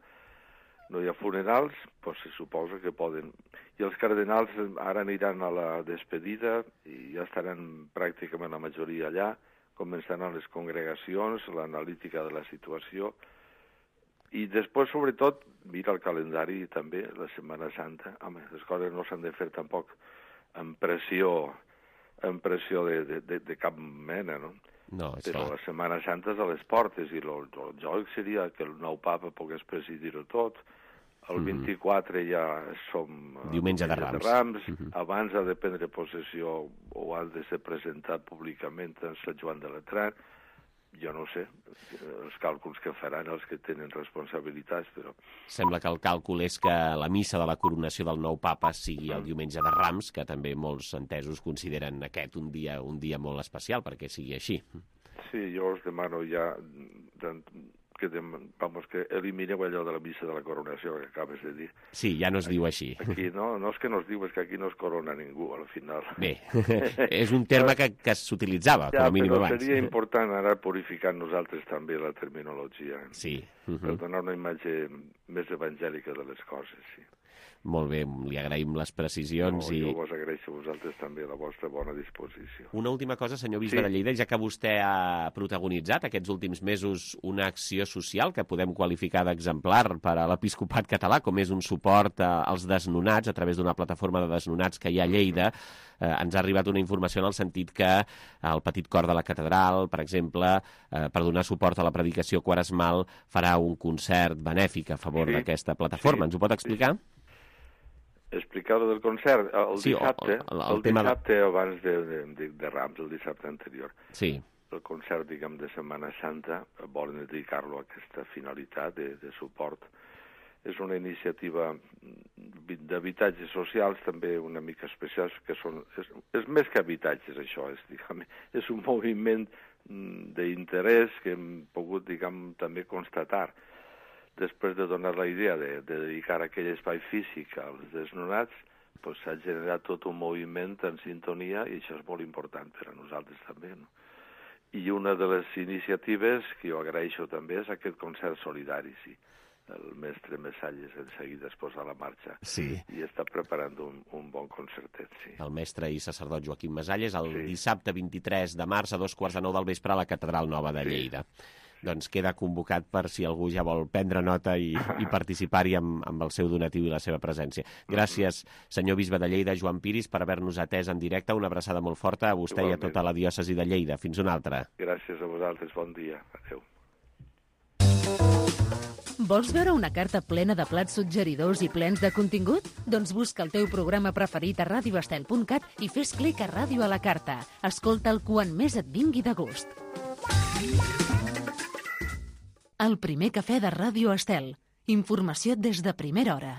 [SPEAKER 14] no hi ha funerals, doncs se suposa que poden. I els cardenals ara aniran a la despedida i ja estaran pràcticament la majoria allà, començaran les congregacions, l'analítica de la situació, i després, sobretot, mira el calendari també, la Setmana Santa. Home, les coses no s'han de fer tampoc amb pressió, amb pressió de, de, de, de cap mena, no?
[SPEAKER 2] No, és
[SPEAKER 14] Però
[SPEAKER 2] clar.
[SPEAKER 14] la Setmana Santa és a les portes i el joc seria que el nou papa pogués presidir-ho tot. El vint-i-quatre ja som...
[SPEAKER 2] Diumenge de Rams.
[SPEAKER 14] De Rams. Mm-hmm. Abans ha de prendre possessió o ha de ser presentat públicament en Sant Joan de Latran. Jo no sé els càlculs que faran els que tenen responsabilitats, però...
[SPEAKER 2] Sembla que el càlcul és que la missa de la coronació del nou papa sigui el diumenge de Rams, que també molts entesos consideren aquest un dia un dia molt especial perquè sigui així.
[SPEAKER 14] Sí, jo us demano ja que, dem, vamos, que elimineu allò de la missa de la coronació que acabes de dir.
[SPEAKER 2] Sí, ja no es diu així.
[SPEAKER 14] Aquí no, no és que no es diu, és que aquí no es corona ningú, al final.
[SPEAKER 2] Bé, és un terme que, que s'utilitzava, com a mínim abans.
[SPEAKER 14] Ja, però seria important anar purificant nosaltres també la terminologia.
[SPEAKER 2] Sí.
[SPEAKER 14] Uh-huh. Per donar una imatge més evangèlica de les coses, sí.
[SPEAKER 2] Molt bé, li agraïm les precisions.
[SPEAKER 14] No,
[SPEAKER 2] i...
[SPEAKER 14] Jo vos agraeixo a vosaltres també la vostra bona disposició.
[SPEAKER 2] Una última cosa, senyor bisbe sí. de Lleida, ja que vostè ha protagonitzat aquests últims mesos una acció social que podem qualificar d'exemplar per a l'episcopat català, com és un suport als desnonats a través d'una plataforma de desnonats que hi ha a Lleida. Eh, ens ha arribat una informació en el sentit que el Petit Cor de la Catedral, per exemple, eh, per donar suport a la predicació quaresmal, farà un concert benèfic a favor sí. d'aquesta plataforma. Sí. Ens ho pot explicar? Sí.
[SPEAKER 14] Explicar-ho del concert, el
[SPEAKER 2] sí,
[SPEAKER 14] dissabte,
[SPEAKER 2] el, el,
[SPEAKER 14] el, el
[SPEAKER 2] tema
[SPEAKER 14] dissabte de... abans de, de, de Rams, el dissabte anterior.
[SPEAKER 2] Sí.
[SPEAKER 14] El concert, diguem, de Setmana Santa, volen dedicar-lo a aquesta finalitat de, de suport. És una iniciativa d'habitatges socials, també una mica especials, que són... És, és més que habitatges, això, és, diguem, és un moviment d'interès que hem pogut, diguem, també constatar. Després de donar la idea de, de dedicar aquell espai físic als desnonats, doncs s'ha generat tot un moviment en sintonia i això és molt important per a nosaltres també, no? I una de les iniciatives que jo agraeixo també és aquest concert solidari, sí. El mestre Messalles en seguida es posa a la marxa
[SPEAKER 2] sí.
[SPEAKER 14] i està preparant un, un bon concertet, sí.
[SPEAKER 2] El mestre i sacerdot Joaquim Mesalles el
[SPEAKER 14] sí.
[SPEAKER 2] dissabte vint-i-tres de març a dos quarts de nou del vespre a la Catedral Nova de Lleida. Sí. Doncs queda convocat per si algú ja vol prendre nota i, i participar-hi amb, amb el seu donatiu i la seva presència. Gràcies, senyor bisbe de Lleida, Joan Piris, per haver-nos atès en directe. Una abraçada molt forta a vostè Igualment. I a tota la diòcesi de Lleida. Fins una altra.
[SPEAKER 14] Gràcies a vosaltres. Bon dia. Adéu.
[SPEAKER 1] Vols veure una carta plena de plats suggeridors i plens de contingut? Doncs busca el teu programa preferit a radio estel punt cat i fes clic a Ràdio a la Carta. Escolta'l quan més et vingui de gust. El primer cafè de Ràdio Estel. Informació des de primera hora.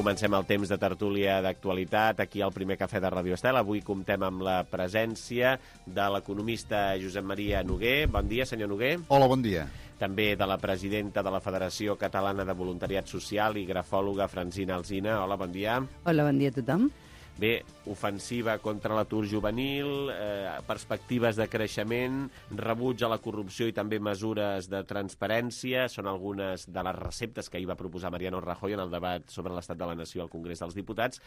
[SPEAKER 2] Comencem el temps de tertúlia d'actualitat aquí al primer cafè de Ràdio Estel. Avui comptem amb la presència de l'economista Josep Maria Noguer. Bon dia, senyor Noguer.
[SPEAKER 15] Hola, bon dia.
[SPEAKER 2] També de la presidenta de la Federació Catalana de Voluntariat Social i grafòloga Francina Alsina. Hola, bon dia.
[SPEAKER 16] Hola, bon dia a tothom.
[SPEAKER 2] Bé, ofensiva contra l'atur juvenil, eh, perspectives de creixement, rebuig a la corrupció i també mesures de transparència. Són algunes de les receptes que ahir va proposar Mariano Rajoy en el debat sobre l'estat de la nació al Congrés dels Diputats,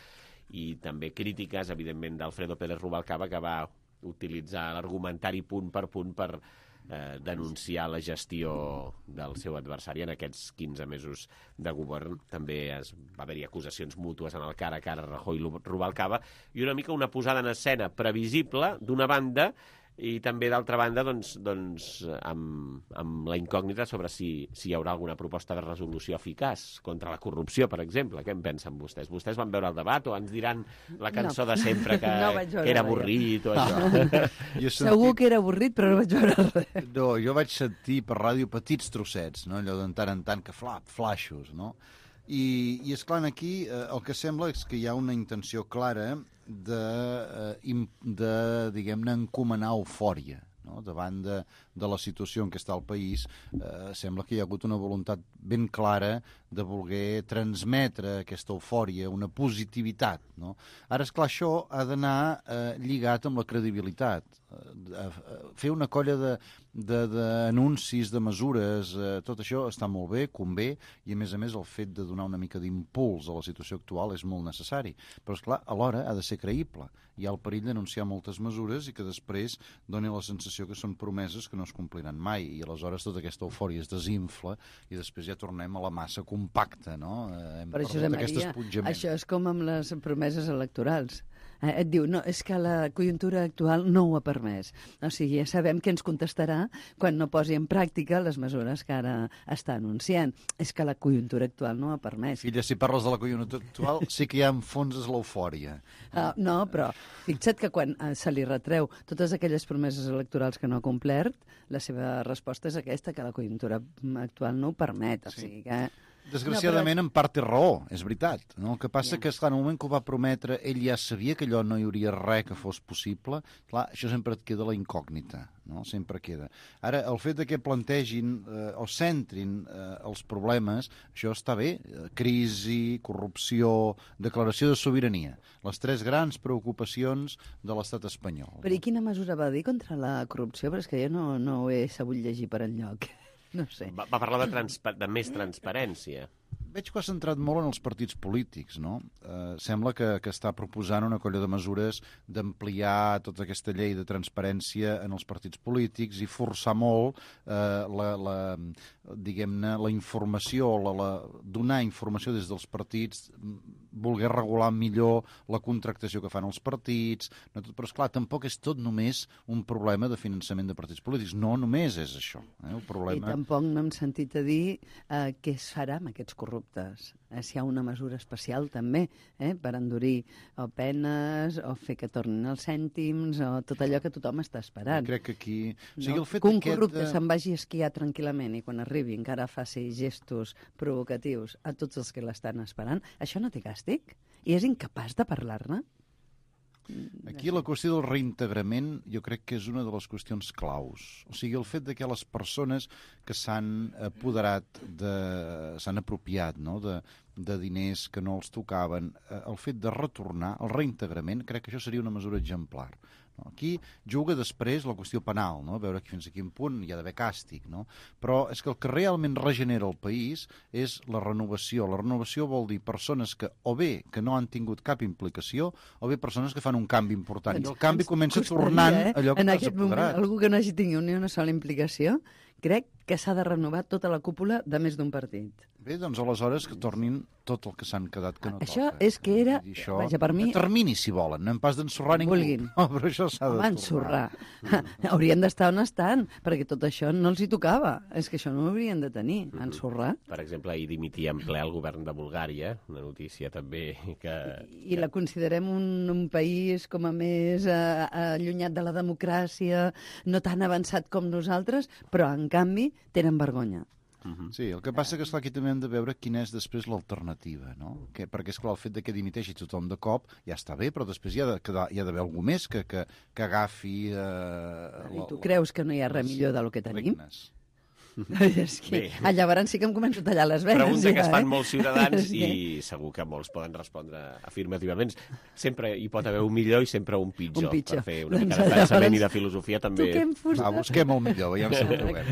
[SPEAKER 2] i també crítiques, evidentment, d'Alfredo Pérez Rubalcaba, que va utilitzar l'argumentari punt per punt per eh, denunciar la gestió del seu adversari en aquests quinze mesos de govern. També es, va haver-hi acusacions mútues en el cara a cara Rajoy-Rubalcaba i una mica una posada en escena previsible d'una banda i també, d'altra banda, doncs, doncs, amb, amb la incògnita sobre si, si hi haurà alguna proposta de resolució eficaç contra la corrupció, per exemple. Què en pensen vostès? Vostès van veure el debat o ens diran la cançó no. de sempre que, no que era avorrit o això?
[SPEAKER 15] Jo sentit...
[SPEAKER 3] Segur que era avorrit, però no vaig veure res.
[SPEAKER 15] No, jo vaig sentir per ràdio petits trossets, no? Allò de tant en tant que flap, flaixos, no? I, i esclar, aquí eh, el que sembla és que hi ha una intenció clara de, eh, de diguem-ne, encomanar eufòria, no? Davant de, de la situació en què està el país. Eh, sembla que hi ha hagut una voluntat ben clara de voler transmetre aquesta eufòria, una positivitat, no? Ara, esclar, això ha d'anar eh, lligat amb la credibilitat. Eh, fer una colla d'anuncis, de, de, de mesures, eh, tot això està molt bé, convé, i a més a més el fet de donar una mica d'impuls a la situació actual és molt necessari. Però, esclar, alhora ha de ser creïble. Hi ha el perill d'anunciar moltes mesures i que després doni la sensació que són promeses que no es compliran mai, i aleshores tota aquesta eufòria es desinfla i després ja tornem a la massa compacta, no? Eh, hem
[SPEAKER 16] Però, Josep Maria, això és com amb les promeses electorals. Eh, et diu, no, és que la conjuntura actual no ho ha permès. O sigui, ja sabem què ens contestarà quan no posi en pràctica les mesures que ara està anunciant. És que la conjuntura actual no ho ha permès.
[SPEAKER 15] Filla, si parles de la conjuntura actual, sí que hi ha en fons és l'eufòria.
[SPEAKER 16] Uh, no, però fixa't que quan uh, se li retreu totes aquelles promeses electorals que no ha complert, la seva resposta és aquesta, que la conjuntura actual no ho permet. O
[SPEAKER 15] Sí.
[SPEAKER 16] sigui que...
[SPEAKER 15] Desgraciadament,
[SPEAKER 16] no, però...
[SPEAKER 15] en part té raó, és veritat. No? El que passa yeah. que, esclar, en el moment que ho va prometre, ell ja sabia que allò no hi hauria res que fos possible. Clar, això sempre et queda la incògnita, no? Sempre queda. Ara, el fet de que plantegin eh, o centrin eh, els problemes, això està bé. Crisi, corrupció, declaració de sobirania. Les tres grans preocupacions de l'estat espanyol.
[SPEAKER 16] Però i quina mesura va dir contra la corrupció? Però és que jo no, no ho he sabut llegir per enlloc. No sé.
[SPEAKER 2] Va, va parlar de, transpa de més transparència.
[SPEAKER 15] Veig que ha centrat molt en els partits polítics, no? Eh, sembla que, que està proposant una colla de mesures d'ampliar tota aquesta llei de transparència en els partits polítics i forçar molt eh, la, la, diguem-ne, la informació, la, la, donar informació des dels partits, voler regular millor la contractació que fan els partits, no tot, però esclar, tampoc és tot només un problema de finançament de partits polítics, no només és això. Eh? El problema...
[SPEAKER 16] I tampoc no hem sentit a dir eh, què es farà amb aquests corruptes. Eh, si hi ha una mesura especial també, eh, per endurir o penes, o fer que tornin els cèntims, o tot allò que tothom està esperant.
[SPEAKER 15] Jo crec que aquí... O sigui,
[SPEAKER 16] no?
[SPEAKER 15] el fet
[SPEAKER 16] que un
[SPEAKER 15] aquest...
[SPEAKER 16] corrupte se'n vagi a esquiar tranquil·lament i quan arribi encara faci gestos provocatius a tots els que l'estan esperant, això no té càstig? I és incapaç de parlar-ne?
[SPEAKER 15] Aquí la qüestió del reintegrament jo crec que és una de les qüestions claus. O sigui, el fet de que les persones que s'han apoderat, de, s'han apropiat, no?, de, de diners que no els tocaven, el fet de retornar, el reintegrament, crec que això seria una mesura exemplar. No? Aquí juga després la qüestió penal, no? Veure fins a quin punt hi ha d'haver càstig, no? Però és que el que realment regenera el país és la renovació. La renovació vol dir persones que o bé que no han tingut cap implicació o bé persones que fan un canvi important. I el canvi comença tornant
[SPEAKER 16] eh?
[SPEAKER 15] allò que
[SPEAKER 16] en
[SPEAKER 15] t'has
[SPEAKER 16] aquest
[SPEAKER 15] apoderat.
[SPEAKER 16] Moment, algú que no hagi tingut ni una sola implicació, crec que s'ha de renovar tota la cúpula de més d'un partit.
[SPEAKER 15] Bé, doncs aleshores que tornin tot el que s'han quedat que no
[SPEAKER 16] això
[SPEAKER 15] toca.
[SPEAKER 16] és que era,
[SPEAKER 15] això,
[SPEAKER 16] vaja, per mi...
[SPEAKER 15] a termini, si volen, no hem pas d'ensorrar ningú.
[SPEAKER 16] Vulguin.
[SPEAKER 15] No, però això s'ha de
[SPEAKER 16] Home, ensorrar. Haurien d'estar on estan, perquè tot això no els hi tocava. És que això no ho haurien de tenir, mm -hmm. ensorrar.
[SPEAKER 2] Per exemple, ahir dimitia en ple el govern de Bulgària, una notícia també que...
[SPEAKER 16] I, i la considerem un, un país com a més eh, allunyat de la democràcia, no tan avançat com nosaltres, però en canvi tenen vergonya.
[SPEAKER 15] Sí, el que passa que, esclar, aquí també hem de veure quina és després l'alternativa, no? Que, perquè, esclar, el fet de que dimiteixi tothom de cop ja està bé, però després hi ha d'haver algú més que, que, que agafi... Eh,
[SPEAKER 16] I tu creus que no hi ha res millor del que tenim?
[SPEAKER 15] Regnes.
[SPEAKER 16] És que ah, llavors sí que em començo a tallar les venes.
[SPEAKER 2] Pregunta que
[SPEAKER 16] ja,
[SPEAKER 2] es fan
[SPEAKER 16] eh?
[SPEAKER 2] molts ciutadans i segur que molts poden respondre afirmativament. Sempre hi pot haver un millor i sempre un pitjor.
[SPEAKER 16] Un pitjor.
[SPEAKER 2] Per fer una mica
[SPEAKER 16] Doncs
[SPEAKER 2] de pensament
[SPEAKER 16] llavors,
[SPEAKER 2] i de filosofia també.
[SPEAKER 16] toquem fusta.
[SPEAKER 15] Va, busquem el millor, veiem si ho trobem.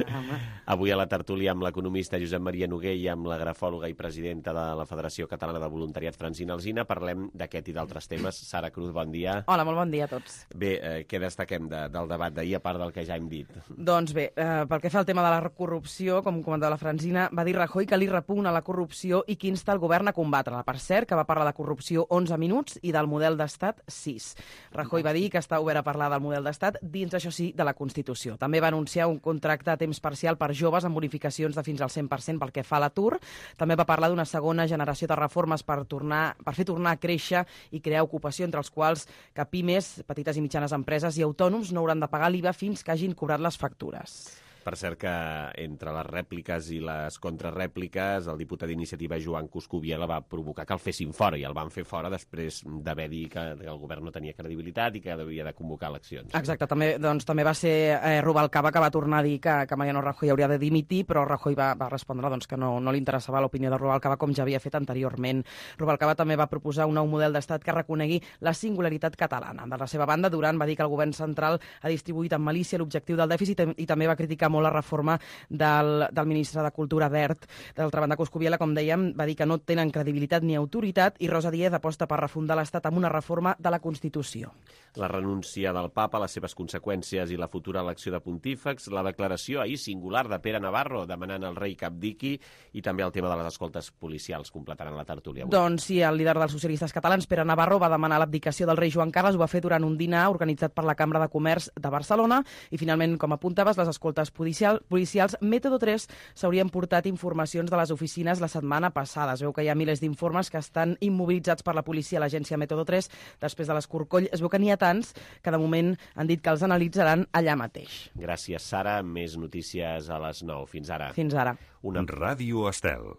[SPEAKER 2] Avui a la tertúlia amb l'economista Josep Maria Noguer i amb la grafòloga i presidenta de la Federació Catalana de Voluntariat Francina Alsina parlem d'aquest i d'altres temes. Sara Cruz, bon dia.
[SPEAKER 3] Hola, molt bon dia a tots.
[SPEAKER 2] Bé, eh, què destaquem de, del debat d'ahir, a part del que ja hem dit?
[SPEAKER 3] Doncs bé, eh, pel que fa al tema de la corrupció, com comentava la Francina, va dir Rajoy que li repugna la corrupció i que insta el govern a combatre-la. Per cert, que va parlar de corrupció onze minuts i del model d'estat sis. Rajoy va dir que està obert a parlar del model d'estat dins, això sí, de la Constitució. També va anunciar un contracte a temps parcial per joves amb bonificacions de fins al cent per cent pel que fa a l'atur. També va parlar d'una segona generació de reformes per, tornar, per fer tornar a créixer i crear ocupació, entre els quals que pimes, petites i mitjanes empreses i autònoms no hauran de pagar l'I V A fins que hagin cobrat les factures.
[SPEAKER 2] Per cert que entre les rèpliques i les contrarèpliques el diputat d'iniciativa Joan Coscubiela va provocar que el fessin fora i el van fer fora després d'haver dit que el govern no tenia credibilitat i que havia de convocar eleccions.
[SPEAKER 3] Exacte, també, doncs, també va ser eh, Rubalcaba que va tornar a dir que, que Mariano Rajoy hauria de dimitir, però Rajoy va, va respondre doncs, que no, no li interessava l'opinió de Rubalcaba com ja havia fet anteriorment. Rubalcaba també va proposar un nou model d'estat que reconegui la singularitat catalana. De la seva banda, Duran va dir que el govern central ha distribuït amb malícia l'objectiu del dèficit i també va criticar molt la reforma del, del ministre de Cultura Wert. D'altra banda, Coscubiela, com dèiem, va dir que no tenen credibilitat ni autoritat i Rosa Díez aposta per refundar l'Estat amb una reforma de la Constitució.
[SPEAKER 2] La renúncia del papa, les seves conseqüències i la futura elecció de pontífex, la declaració ahir singular de Pere Navarro demanant al rei que abdiqui i també el tema de les escoltes policials completaran la tertúlia avui.
[SPEAKER 3] Doncs sí, el líder dels socialistes catalans, Pere Navarro, va demanar l'abdicació del rei Joan Carles, ho va fer durant un dinar organitzat per la Cambra de Comerç de Barcelona i finalment, com apuntaves, les escoltes policials policials, Método tres s'haurien portat informacions de les oficines la setmana passada. Es veu que hi ha milers d'informes que estan immobilitzats per la policia a l'agència Método tres després de l'escorcoll. Es veu que n'hi ha tants que de moment han dit que els analitzaran allà mateix.
[SPEAKER 2] Gràcies, Sara. Més notícies a les nou. Fins ara.
[SPEAKER 3] Fins ara.
[SPEAKER 10] Una Ràdio Estel.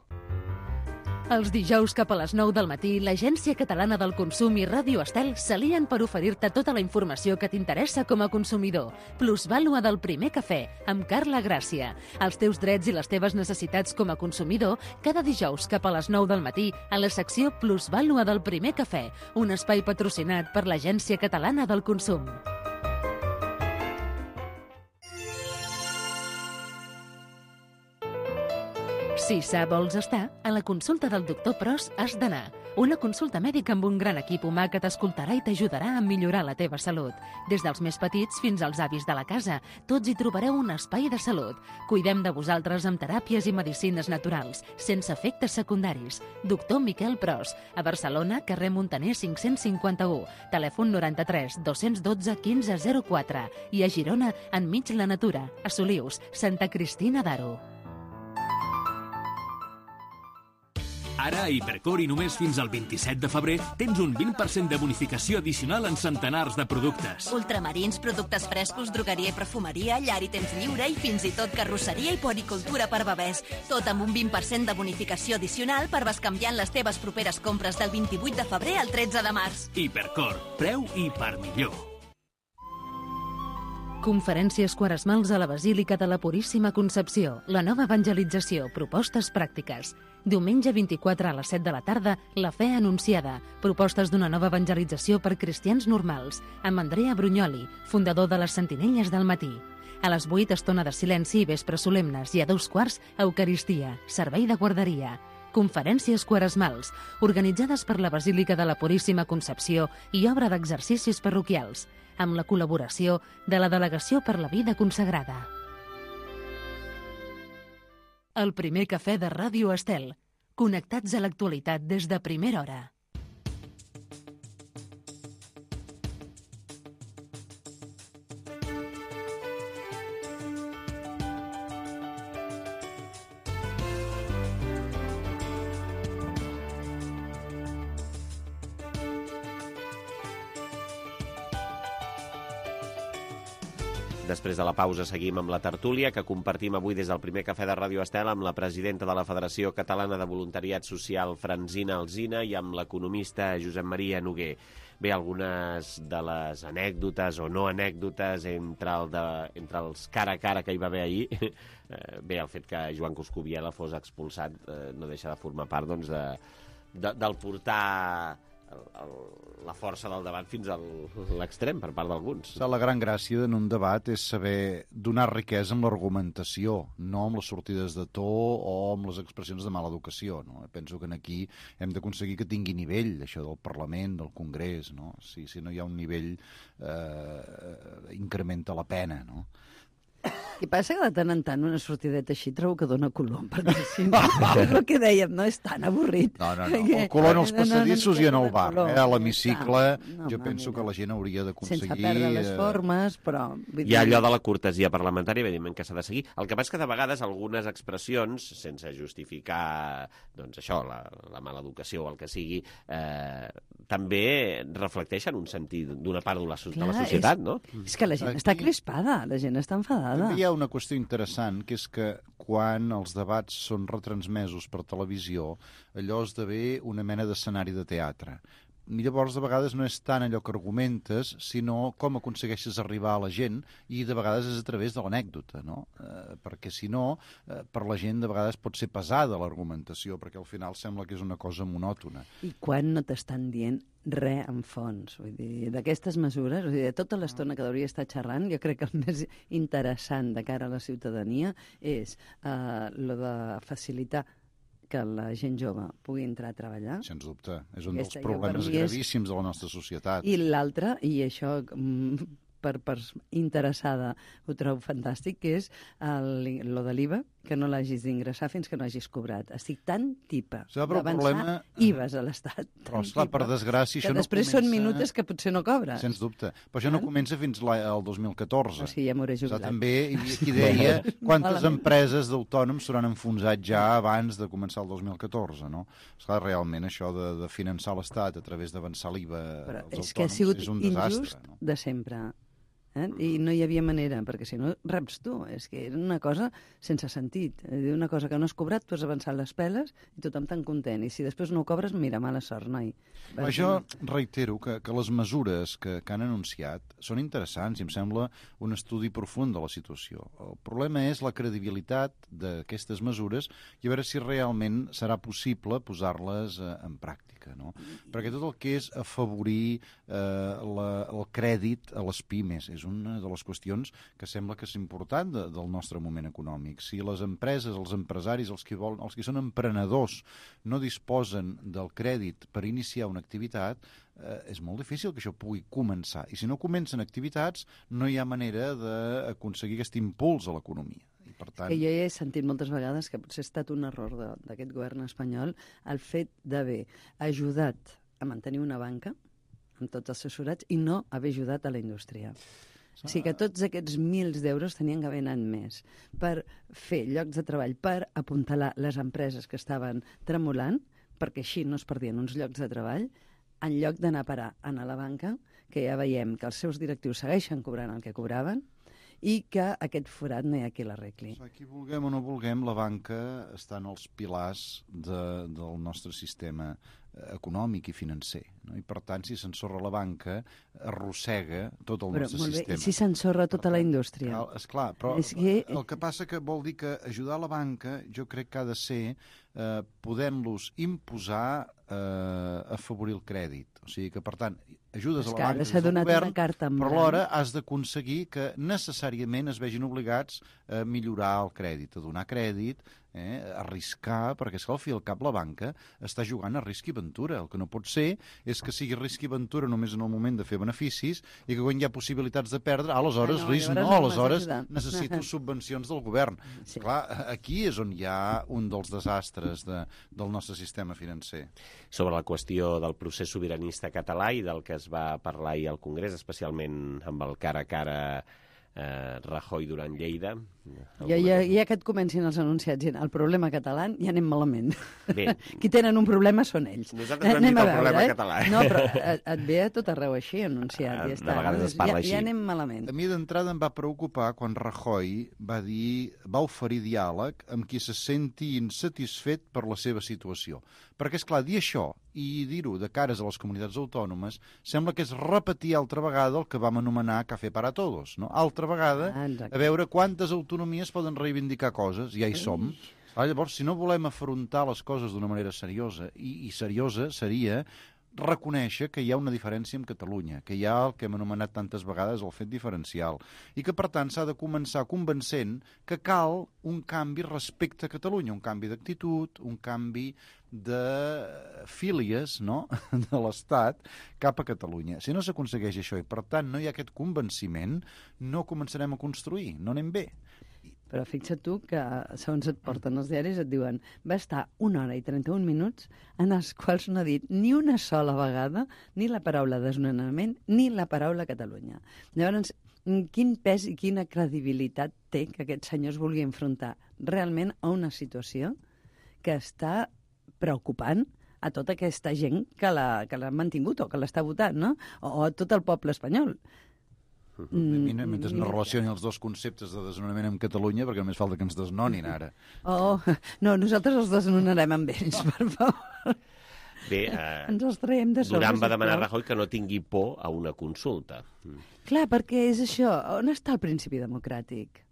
[SPEAKER 1] Els dijous cap a les nou del matí, l'Agència Catalana del Consum i Ràdio Estel s'alien per oferir-te tota la informació que t'interessa com a consumidor. Plusvàlua del primer cafè, amb Carla Gràcia. Els teus drets i les teves necessitats com a consumidor, cada dijous cap a les nou del matí, a la secció Plusvàlua del primer cafè, un espai patrocinat per l'Agència Catalana del Consum. Si sa vols estar, a la consulta del doctor Pros has d'anar. Una consulta mèdica amb un gran equip humà que t'escoltarà i t'ajudarà a millorar la teva salut. Des dels més petits fins als avis de la casa, tots hi trobareu un espai de salut. Cuidem de vosaltres amb teràpies i medicines naturals, sense efectes secundaris. Doctor Miquel Pros, a Barcelona, carrer Montaner cinc-cents cinquanta-u, telèfon noranta-tres dos-cents dotze quinze zero quatre i a Girona, enmig la natura, a Solius, Santa Cristina d'Aro.
[SPEAKER 8] Ara, a Hipercor i només fins al vint-i-set de febrer, tens un vint per cent de bonificació addicional en centenars de productes.
[SPEAKER 17] Ultramarins, productes frescos, drogueria i perfumeria, llar i temps lliure i fins i tot carrosseria i puericultura per bebès. Tot amb un vint per cent de bonificació addicional per bescanviar les teves properes compres del vint-i-vuit de febrer al tretze de març.
[SPEAKER 8] Hipercor, preu i per millor.
[SPEAKER 1] Conferències quaresmals a la Basílica de la Puríssima Concepció. La nova evangelització, propostes pràctiques. Diumenge vint-i-quatre a les set de la tarda, La fe anunciada. Propostes d'una nova evangelització per cristians normals. Amb Andrea Brugnoli, fundador de les Sentinelles del Matí. A les vuit, estona de silenci i vespre solemnes. I a dos quarts, Eucaristia, servei de guarderia. Conferències quaresmals, organitzades per la Basílica de la Puríssima Concepció i obra d'exercicis parroquials, amb la col·laboració de la Delegació per la Vida Consagrada. El primer cafè de Ràdio Estel. Connectats a l'actualitat des de primera hora.
[SPEAKER 2] Després de la pausa seguim amb la tertúlia que compartim avui des del primer cafè de Ràdio Estel amb la presidenta de la Federació Catalana de Voluntariat Social, Francina Alsina, i amb l'economista Josep Maria Noguer. Bé, algunes de les anècdotes o no anècdotes entre, el de, entre els cara a cara que hi va haver ahir, bé, el fet que Joan Coscubiela fos expulsat no deixa de formar part doncs, de, de, del portar el, el, la força del debat fins a l'extrem per part d'alguns.
[SPEAKER 15] La gran gràcia en un debat és saber donar riquesa amb l'argumentació, no amb les sortides de to o amb les expressions de mala educació. No? Penso que aquí hem d'aconseguir que tingui nivell, això del Parlament, del Congrés. No? Si, si no hi ha un nivell, eh, incrementa la pena, no?
[SPEAKER 16] I passa que de tant en tant una sortideta així trobo que dona color, perquè si no, és el que dèiem, no és tan avorrit.
[SPEAKER 15] No, no, no, el color en els passadissos i en el bar, eh? A l'hemicicle, jo penso que la gent hauria d'aconseguir...
[SPEAKER 16] Sense perdre les formes, però...
[SPEAKER 2] Hi ha allò de la cortesia parlamentària, evidentment que s'ha de seguir. El que passa és que de vegades algunes expressions, sense justificar, doncs això, la, la mala educació o el que sigui, eh, també reflecteixen un sentit d'una part de la, de la societat,
[SPEAKER 16] és,
[SPEAKER 2] no?
[SPEAKER 16] És que la gent està crispada, la gent està enfadada.
[SPEAKER 15] També hi ha una qüestió interessant, que és que quan els debats són retransmesos per televisió, allò esdevé una mena d'escenari de teatre. I llavors, de vegades, no és tant allò que argumentes, sinó com aconsegueixes arribar a la gent, i de vegades és a través de l'anècdota, no? Eh, perquè, si no, eh, per la gent de vegades pot ser pesada l'argumentació, perquè al final sembla que és una cosa monòtona.
[SPEAKER 16] I quan no t'estan dient res en fons, vull dir, d'aquestes mesures, vull dir, de tota l'estona que hauria estar xerrant, jo crec que el més interessant de cara a la ciutadania és eh, lo de facilitar que la gent jove pugui entrar a treballar.
[SPEAKER 15] Sens dubte. És un dels problemes gravíssims de la nostra societat.
[SPEAKER 16] I l'altre, i això per, per interessada ho trobo fantàstic, que és el, lo de l'I V A, que no l'hagis d'ingressar fins que no hagis cobrat. Estic tan tipa d'avançar problema... I V As a l'Estat.
[SPEAKER 15] Però, esclar, per desgràcia, això
[SPEAKER 16] no comença... Que després són minutes que potser no cobres.
[SPEAKER 15] Sens dubte. Però això no comença fins al dos mil catorze.
[SPEAKER 16] O sigui, ja m'hauré jubilat.
[SPEAKER 15] També hi havia qui deia quantes empreses d'autònoms s'hauran enfonsat ja abans de començar el dos mil catorze, no? Esclar, realment, això de, de finançar l'Estat a través d'avançar l'I V A als autònoms és, que ha sigut
[SPEAKER 16] és
[SPEAKER 15] un desastre.
[SPEAKER 16] Injust, no? De sempre. Eh? I no hi havia manera, perquè si no reps tu. És que era una cosa sense sentit. Una cosa que no has cobrat, tu has avançat les peles i tothom tan content. I si després no ho cobres, mira, mala sort, noi.
[SPEAKER 15] Però jo reitero que, que les mesures que, que han anunciat són interessants i em sembla un estudi profund de la situació. El problema és la credibilitat d'aquestes mesures i a veure si realment serà possible posar-les eh, en pràctica, no? Perquè tot el que és afavorir eh, la, el crèdit a les pimes és una de les qüestions que sembla que és important de, del nostre moment econòmic. Si les empreses, els empresaris, els que, volen, els que són emprenedors, no disposen del crèdit per iniciar una activitat, eh, és molt difícil que això pugui començar. I si no comencen activitats, no hi ha manera d'aconseguir aquest impuls a l'economia. Per tant...
[SPEAKER 16] Que jo he sentit moltes vegades que potser ha estat un error d'aquest govern espanyol el fet d'haver ajudat a mantenir una banca amb tots els assessorats i no haver ajudat a la indústria. O sigui que tots aquests mils d'euros tenien que haver anat més per fer llocs de treball, per apuntalar les empreses que estaven tremolant, perquè així no es perdien uns llocs de treball, en lloc d'anar a parar a la banca, que ja veiem que els seus directius segueixen cobrant el que cobraven, i que aquest forat no hi ha qui l'arregli.
[SPEAKER 15] Aquí vulguem o no vulguem, la banca està en els pilars de, del nostre sistema econòmic i financer, no? I per tant, si s'ensorra la banca, arrossega tot el
[SPEAKER 16] però,
[SPEAKER 15] nostre
[SPEAKER 16] molt bé,
[SPEAKER 15] sistema.
[SPEAKER 16] I si s'ensorra tota tant, la indústria?
[SPEAKER 15] Cal, esclar, però és que... el que passa que vol dir que ajudar la banca jo crec que ha de ser eh, podent-los imposar eh, afavorir el crèdit. O sigui que, per tant, ajudes a la banca des del govern, però alhora has d'aconseguir que necessàriament es vegin obligats a millorar el crèdit, a donar crèdit, eh, a arriscar, perquè és que al fi al cap la banca està jugant a risc i ventura. El que no pot ser és que sigui risc i ventura només en el moment de fer beneficis i que quan hi ha possibilitats de perdre, aleshores ah, no, risc no, aleshores necessito subvencions del govern. Sí. Clar, aquí és on hi ha un dels desastres de, del nostre sistema financer.
[SPEAKER 2] Sobre la qüestió del procés sobiranista català i del que es va parlar ahir al Congrés, especialment amb el cara a cara eh, Rajoy durant Lleida.
[SPEAKER 16] Ja, ja, ja que et comencin els anunciats, el problema català ja anem malament.
[SPEAKER 2] Bé.
[SPEAKER 16] Qui tenen un problema són ells.
[SPEAKER 2] Nosaltres no hem dit el problema
[SPEAKER 16] eh?
[SPEAKER 2] català.
[SPEAKER 16] No, però et, et ve a tot arreu així anunciat. Ja està.
[SPEAKER 2] De vegades es parla
[SPEAKER 16] ja,
[SPEAKER 2] així.
[SPEAKER 16] Ja anem malament.
[SPEAKER 15] A mi d'entrada em va preocupar quan Rajoy va dir, va oferir diàleg amb qui se senti insatisfet per la seva situació. Perquè, és clar, dir això i dir-ho de cares a les comunitats autònomes sembla que és repetir altra vegada el que vam anomenar Café para Todos, no? Altra vegada,
[SPEAKER 16] ah,
[SPEAKER 15] a veure quantes autonomies poden reivindicar coses, ja hi som. Ah, llavors, si no volem afrontar les coses d'una manera seriosa, i, i seriosa seria reconèixer que hi ha una diferència amb Catalunya, que hi ha el que hem anomenat tantes vegades el fet diferencial, i que, per tant, s'ha de començar convencent que cal un canvi respecte a Catalunya, un canvi d'actitud, un canvi de fílies, no?, de l'Estat cap a Catalunya. Si no s'aconsegueix això i, per tant, no hi ha aquest convenciment, no començarem a construir, no anem bé.
[SPEAKER 16] Però fixa't tu que, segons et porten els diaris, et diuen va estar una hora i trenta-un minuts en els quals no ha dit ni una sola vegada ni la paraula desnonament ni la paraula Catalunya. Llavors, quin pes i quina credibilitat té que aquest senyor es vulgui enfrontar realment a una situació que està preocupant a tota aquesta gent que l'ha que l'ha mantingut o que l'està votant, no? O a tot el poble espanyol.
[SPEAKER 15] Mm, mentre no relacioni els dos conceptes de desnonament amb Catalunya, perquè només falta que ens desnonin ara.
[SPEAKER 16] Oh, no, nosaltres els desnonarem amb ells, per favor.
[SPEAKER 2] Bé, eh,
[SPEAKER 16] ens els traiem de sobre.
[SPEAKER 2] Duran va demanar a Rajoy que no tingui por a una consulta.
[SPEAKER 16] Clar, perquè és això, on està el principi democràtic?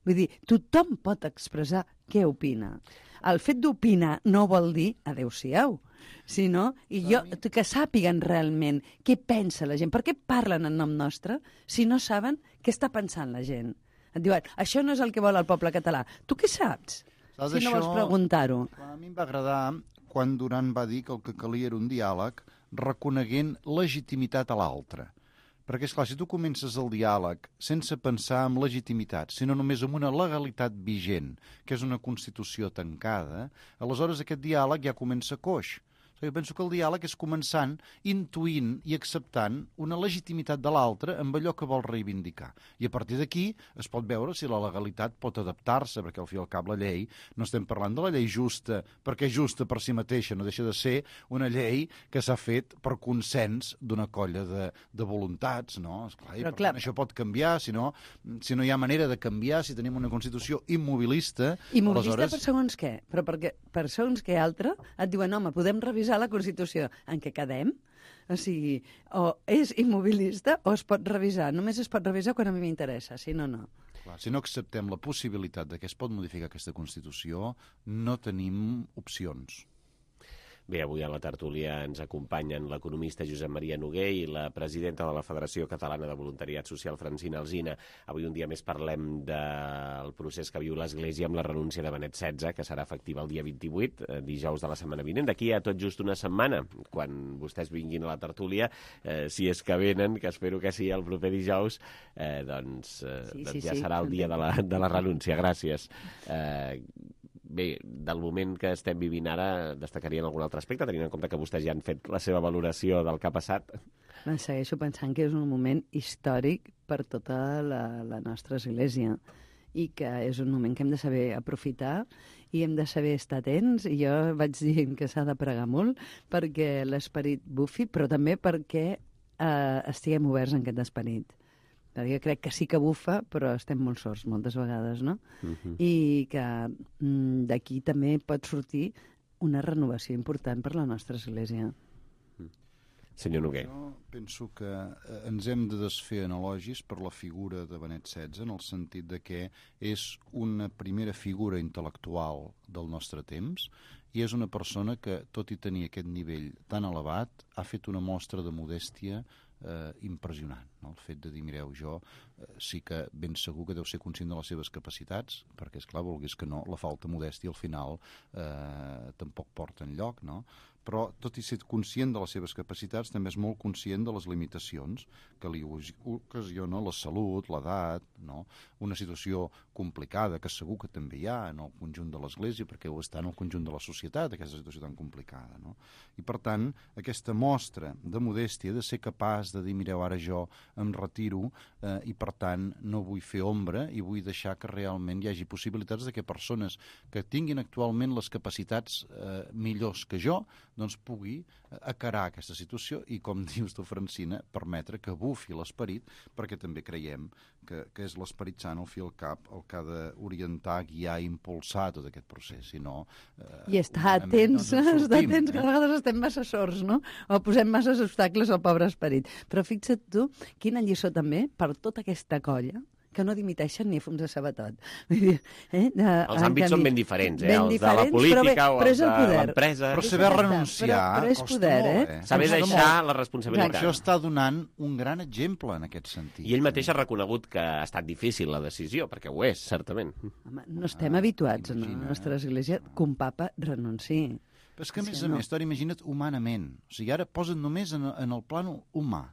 [SPEAKER 16] Vull dir, tothom pot expressar què opina. El fet d'opinar no vol dir adeu-siau, sinó i jo, que sàpiguen realment què pensa la gent. Per què parlen en nom nostre si no saben què està pensant la gent? Et diuen, això no és el que vol el poble català. Tu què saps?
[SPEAKER 15] Saps
[SPEAKER 16] si no
[SPEAKER 15] això,
[SPEAKER 16] vols preguntar-ho.
[SPEAKER 15] A mi em va agradar quan Duran va dir que el que calia era un diàleg reconeguent legitimitat a l'altre. Perquè, esclar, si tu comences el diàleg sense pensar en legitimitat, sinó només en una legalitat vigent, que és una Constitució tancada, aleshores aquest diàleg ja comença coix. Jo penso que el diàleg és començant intuint i acceptant una legitimitat de l'altre amb allò que vol reivindicar. I a partir d'aquí es pot veure si la legalitat pot adaptar-se, perquè al fi i al cap la llei, no estem parlant de la llei justa, perquè justa per si mateixa, no deixa de ser una llei que s'ha fet per consens d'una colla de, de voluntats, no? Esclar, i per tant, això pot canviar, si no, si no hi ha manera de canviar, si tenim una Constitució immobilista...
[SPEAKER 16] Immobilista
[SPEAKER 15] aleshores...
[SPEAKER 16] per segons què? Però perquè per segons què altre et diuen, home, podem revisar la Constitució. En què quedem? O sigui, o és immobilista o es pot revisar. Només es pot revisar quan a mi m'interessa, si no, no.
[SPEAKER 15] Clar, si no acceptem la possibilitat de que es pot modificar aquesta Constitució, no tenim opcions.
[SPEAKER 2] Bé, avui a la tertúlia ens acompanyen l'economista Josep Maria Noguer i la presidenta de la Federació Catalana de Voluntariat Social, Francina Alsina. Avui un dia més parlem del procés que viu l'Església amb la renúncia de Benet setze, que serà efectiva el dia vint-i-vuit, dijous de la setmana vinent. D'aquí a tot just una setmana, quan vostès vinguin a la tertúlia, eh, si és que venen, que espero que sí el proper dijous, eh, doncs, eh, sí, doncs sí, ja sí, serà el dia de la, de la renúncia. Gràcies. Eh, Bé, del moment que estem vivint ara, destacarien algun altre aspecte, tenint en compte que vostès ja han fet la seva valoració del que ha passat?
[SPEAKER 16] Segueixo pensant que és un moment històric per tota la, la nostra església i que és un moment que hem de saber aprofitar i hem de saber estar atents. I jo vaig dient que s'ha de pregar molt perquè l'esperit bufi, però també perquè eh, estiguem oberts en aquest esperit. Jo crec que sí que bufa, però estem molt sords moltes vegades, no? Uh-huh. I que mm, d'aquí també pot sortir una renovació important per la nostra església.
[SPEAKER 2] Uh-huh. Senyor Noguer.
[SPEAKER 15] Jo penso que eh, ens hem de desfer en elogis per la figura de Benet setze, en el sentit de que és una primera figura intel·lectual del nostre temps i és una persona que, tot i tenir aquest nivell tan elevat, ha fet una mostra de modèstia eh, impressionant, no? El fet de dir, mireu, jo eh, sí que ben segur que deu ser conscient de les seves capacitats, perquè, esclar, vulguis que no, la falta modèstia al final eh, tampoc porta enlloc, no? Però, tot i ser conscient de les seves capacitats, també és molt conscient de les limitacions que li ocasiona la salut, l'edat, no? Una situació complicada, que segur que també hi ha en el conjunt de l'Església, perquè ho està en el conjunt de la societat, societat, aquesta situació tan complicada, no? I, per tant, aquesta mostra de modèstia, de ser capaç de dir, mireu, ara jo em retiro eh, i, per tant, no vull fer ombra i vull deixar que realment hi hagi possibilitats de que persones que tinguin actualment les capacitats eh, millors que jo, doncs pugui acarar aquesta situació i, com dius tu, Francina, permetre que bufi l'esperit, perquè també creiem que, que és l'esperit sant, al fi al cap, el que ha d'orientar, guiar i impulsar tot aquest procés, si no... Eh,
[SPEAKER 16] I estar atents, no estar atents, que a vegades estem massa sords, no? O posem massa obstacles al pobre esperit. Però fixa't tu, quina lliçó també per tota aquesta colla que no dimiteixen ni a fons de sabatot. Eh? De,
[SPEAKER 2] els àmbits són ben diferents, eh?
[SPEAKER 16] Ben
[SPEAKER 2] els
[SPEAKER 16] diferents,
[SPEAKER 2] de la política
[SPEAKER 16] bé,
[SPEAKER 2] o els de l'empresa.
[SPEAKER 15] Però saber renunciar
[SPEAKER 16] però, però és
[SPEAKER 15] costa
[SPEAKER 16] poder,
[SPEAKER 15] molt,
[SPEAKER 16] eh?
[SPEAKER 15] eh?
[SPEAKER 2] Saber deixar la responsabilitat.
[SPEAKER 15] Això està donant un gran exemple en aquest sentit.
[SPEAKER 2] I ell mateix ha reconegut que ha estat difícil la decisió, perquè ho és, certament.
[SPEAKER 16] Home, no estem ah, habituats imagina, en la nostra església que un papa renunciï.
[SPEAKER 15] Però és que, a més a més, Toni, imagina't humanament. O sigui, ara posa't només en, en el plano humà.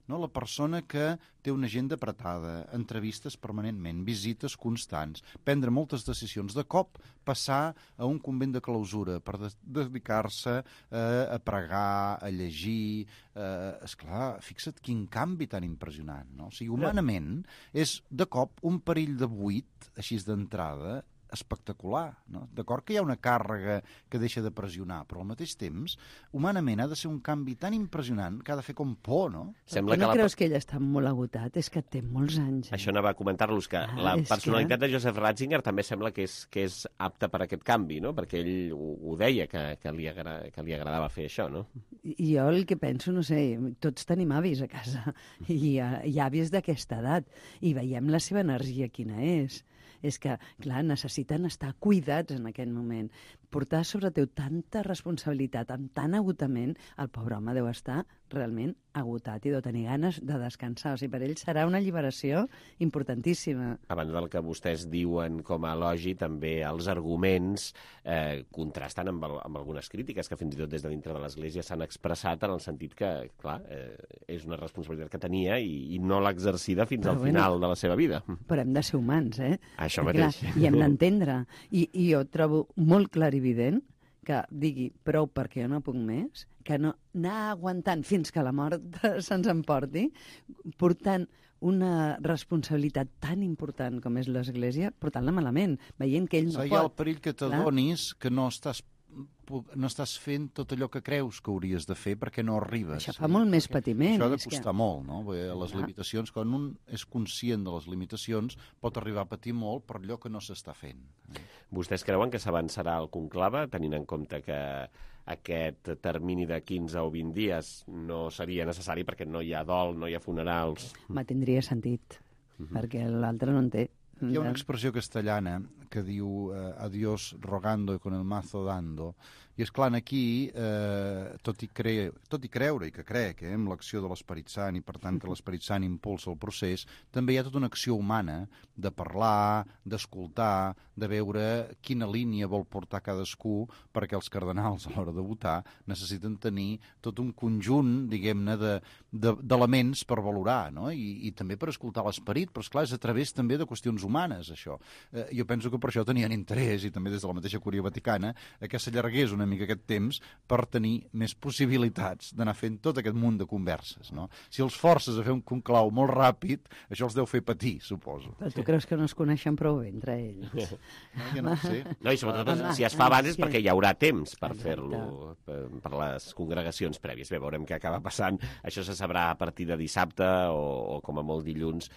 [SPEAKER 15] No? La persona que té una agenda apretada, entrevistes permanentment, visites constants, prendre moltes decisions, de cop passar a un convent de clausura per de dedicar-se eh, a pregar, a llegir... Eh, esclar, fixa't quin canvi tan impressionant. No? O sigui, humanament és de cop un perill de buit, així d'entrada, espectacular, no? D'acord que hi ha una càrrega que deixa de pressionar, però al mateix temps, humanament ha de ser un canvi tan impressionant que ha de fer com por, no?
[SPEAKER 16] Sembla no que la... creus que ell està molt agotat? És que té molts anys. Eh?
[SPEAKER 2] Això anava a comentar-los, que ah, la personalitat que... de Joseph Ratzinger també sembla que és, que és apta per aquest canvi, no? Perquè ell ho, ho deia, que, que, li agra... que li agradava fer això, no?
[SPEAKER 16] I jo el que penso, no sé, tots tenim avis a casa i, i avis d'aquesta edat i veiem la seva energia quina és. És que, clar, necessiten estar cuidats en aquest moment. Portar sobre teu tanta responsabilitat, amb tant agotament, el pobre home deu estar realment agotat i deu tenir ganes de descansar. O sigui, per ell serà una alliberació importantíssima.
[SPEAKER 2] A banda del que vostès diuen com a elogi, també els arguments eh, contrasten amb, el, amb algunes crítiques que fins i tot des de dintre de l'Església s'han expressat en el sentit que, clar, eh, és una responsabilitat que tenia i, i no l'ha exercida fins però al bueno, final de la seva vida.
[SPEAKER 16] Però hem de ser humans, eh?
[SPEAKER 2] Això mateix.
[SPEAKER 16] Clar, i hem d'entendre. I, I jo trobo molt clarivident que digui prou perquè jo no puc més, que no anar aguantant fins que la mort se'ns emporti, portant una responsabilitat tan important com és l'Església, portant-la malament, veient que ell no pot.
[SPEAKER 15] Hi ha el perill que t'adonis que no estàs no estàs fent tot allò que creus que hauries de fer perquè no arribes.
[SPEAKER 16] Això fa molt més patiment.
[SPEAKER 15] Això ha de costar que... molt, no? Les limitacions, quan un és conscient de les limitacions, pot arribar a patir molt per allò que no s'està fent.
[SPEAKER 2] Vostès creuen que s'avançarà el conclave, tenint en compte que aquest termini de quinze o vint dies no seria necessari perquè no hi ha dol, no hi ha funerals?
[SPEAKER 16] Me tindria sentit, uh-huh. perquè l'altre no en té.
[SPEAKER 15] Hi ha una expressió castellana que diu eh, adiós rogando y con el mazo dando, i és clar, aquí, eh, tot, i cre... tot i creure i que crec eh, amb l'acció de l'Esperit Sant i per tant que l'Esperit Sant impulsa el procés, també hi ha tota una acció humana de parlar, d'escoltar, de veure quina línia vol portar cadascú, perquè els cardenals a l'hora de votar necessiten tenir tot un conjunt, diguem-ne, d'elements de, de, per valorar, no? I, i també per escoltar l'Esperit, però esclar, és a través també de qüestions humanes, això. Eh, jo penso que per això tenien interès, i també des de la mateixa Cúria Vaticana, que s'allargués una mica aquest temps per tenir més possibilitats d'anar fent tot aquest munt de converses, no? Si els forces a fer un conclau molt ràpid, això els deu fer patir, suposo.
[SPEAKER 16] Però tu creus que no es coneixen prou bé entre ells?
[SPEAKER 15] No, jo no ho sé.
[SPEAKER 2] No, i sobretot Home, si es fa abans és perquè hi haurà temps per fer-lo, per, per les congregacions prèvies. Bé, veurem què acaba passant. Això se sabrà a partir de dissabte o, o com a molt dilluns,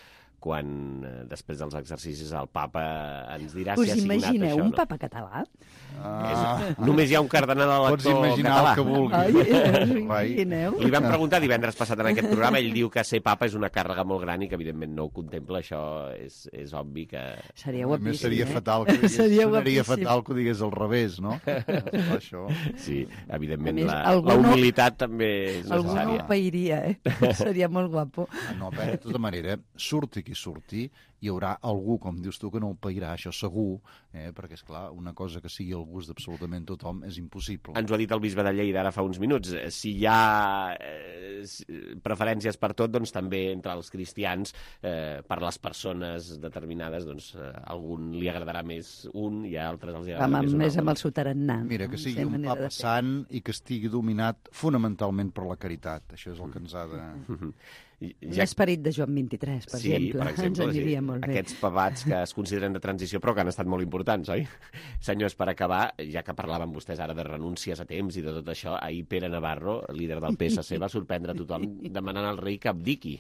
[SPEAKER 2] quan eh, després dels exercicis el papa ens dirà
[SPEAKER 16] Us
[SPEAKER 2] si ha signat això.
[SPEAKER 16] Us imagineu un
[SPEAKER 2] no?
[SPEAKER 16] papa català?
[SPEAKER 2] Ah. És, només hi ha un cardenal elector
[SPEAKER 15] Pots imaginar
[SPEAKER 2] català.
[SPEAKER 15] El que vulguis.
[SPEAKER 16] Ai, us imagineu?
[SPEAKER 2] Li vam preguntar divendres passat en aquest programa, ell diu que ser papa és una càrrega molt gran i que evidentment no ho contempla, això és, és obvi que...
[SPEAKER 16] Seria guapíssim,
[SPEAKER 15] seria
[SPEAKER 16] eh?
[SPEAKER 15] fatal que digués,
[SPEAKER 16] seria,
[SPEAKER 15] seria fatal que ho digués al revés, no? Això.
[SPEAKER 2] Sí, evidentment
[SPEAKER 16] més,
[SPEAKER 2] la,
[SPEAKER 16] la
[SPEAKER 2] humilitat no, també és necessària.
[SPEAKER 16] Algú no ho pairia, eh? Seria molt guapo.
[SPEAKER 15] No, bé, de tota manera, surti qui surti, hi haurà algú, com dius tu, que no el pairà, això segur, eh? perquè, és clar, una cosa que sigui el gust d'absolutament tothom és impossible.
[SPEAKER 2] Ens ho ha dit el bisbe de Lleida ara fa uns minuts. Si hi ha eh, preferències per tot, doncs també entre els cristians, eh, per les persones determinades, doncs a algun li agradarà més un i a altres els agradarà
[SPEAKER 16] Amb,
[SPEAKER 2] més un
[SPEAKER 16] més
[SPEAKER 2] altre.
[SPEAKER 16] amb el sotarannà.
[SPEAKER 15] Mira, que sigui un
[SPEAKER 16] manera
[SPEAKER 15] papa
[SPEAKER 16] de fer.
[SPEAKER 15] sant i que estigui dominat fonamentalment per la caritat. Això és el que ens ha de...
[SPEAKER 2] Ja...
[SPEAKER 16] L'esperit de Joan vint-i-tres, per
[SPEAKER 2] sí,
[SPEAKER 16] exemple.
[SPEAKER 2] per exemple,
[SPEAKER 16] Ens aniria
[SPEAKER 2] sí.
[SPEAKER 16] molt bé.
[SPEAKER 2] Aquests pavats que es consideren de transició però que han estat molt importants, oi? Senyors, per acabar, ja que parlaven vostès ara de renúncies a temps i de tot això, ahir Pere Navarro, líder del P S C, va sorprendre tothom demanant al rei que abdiqui.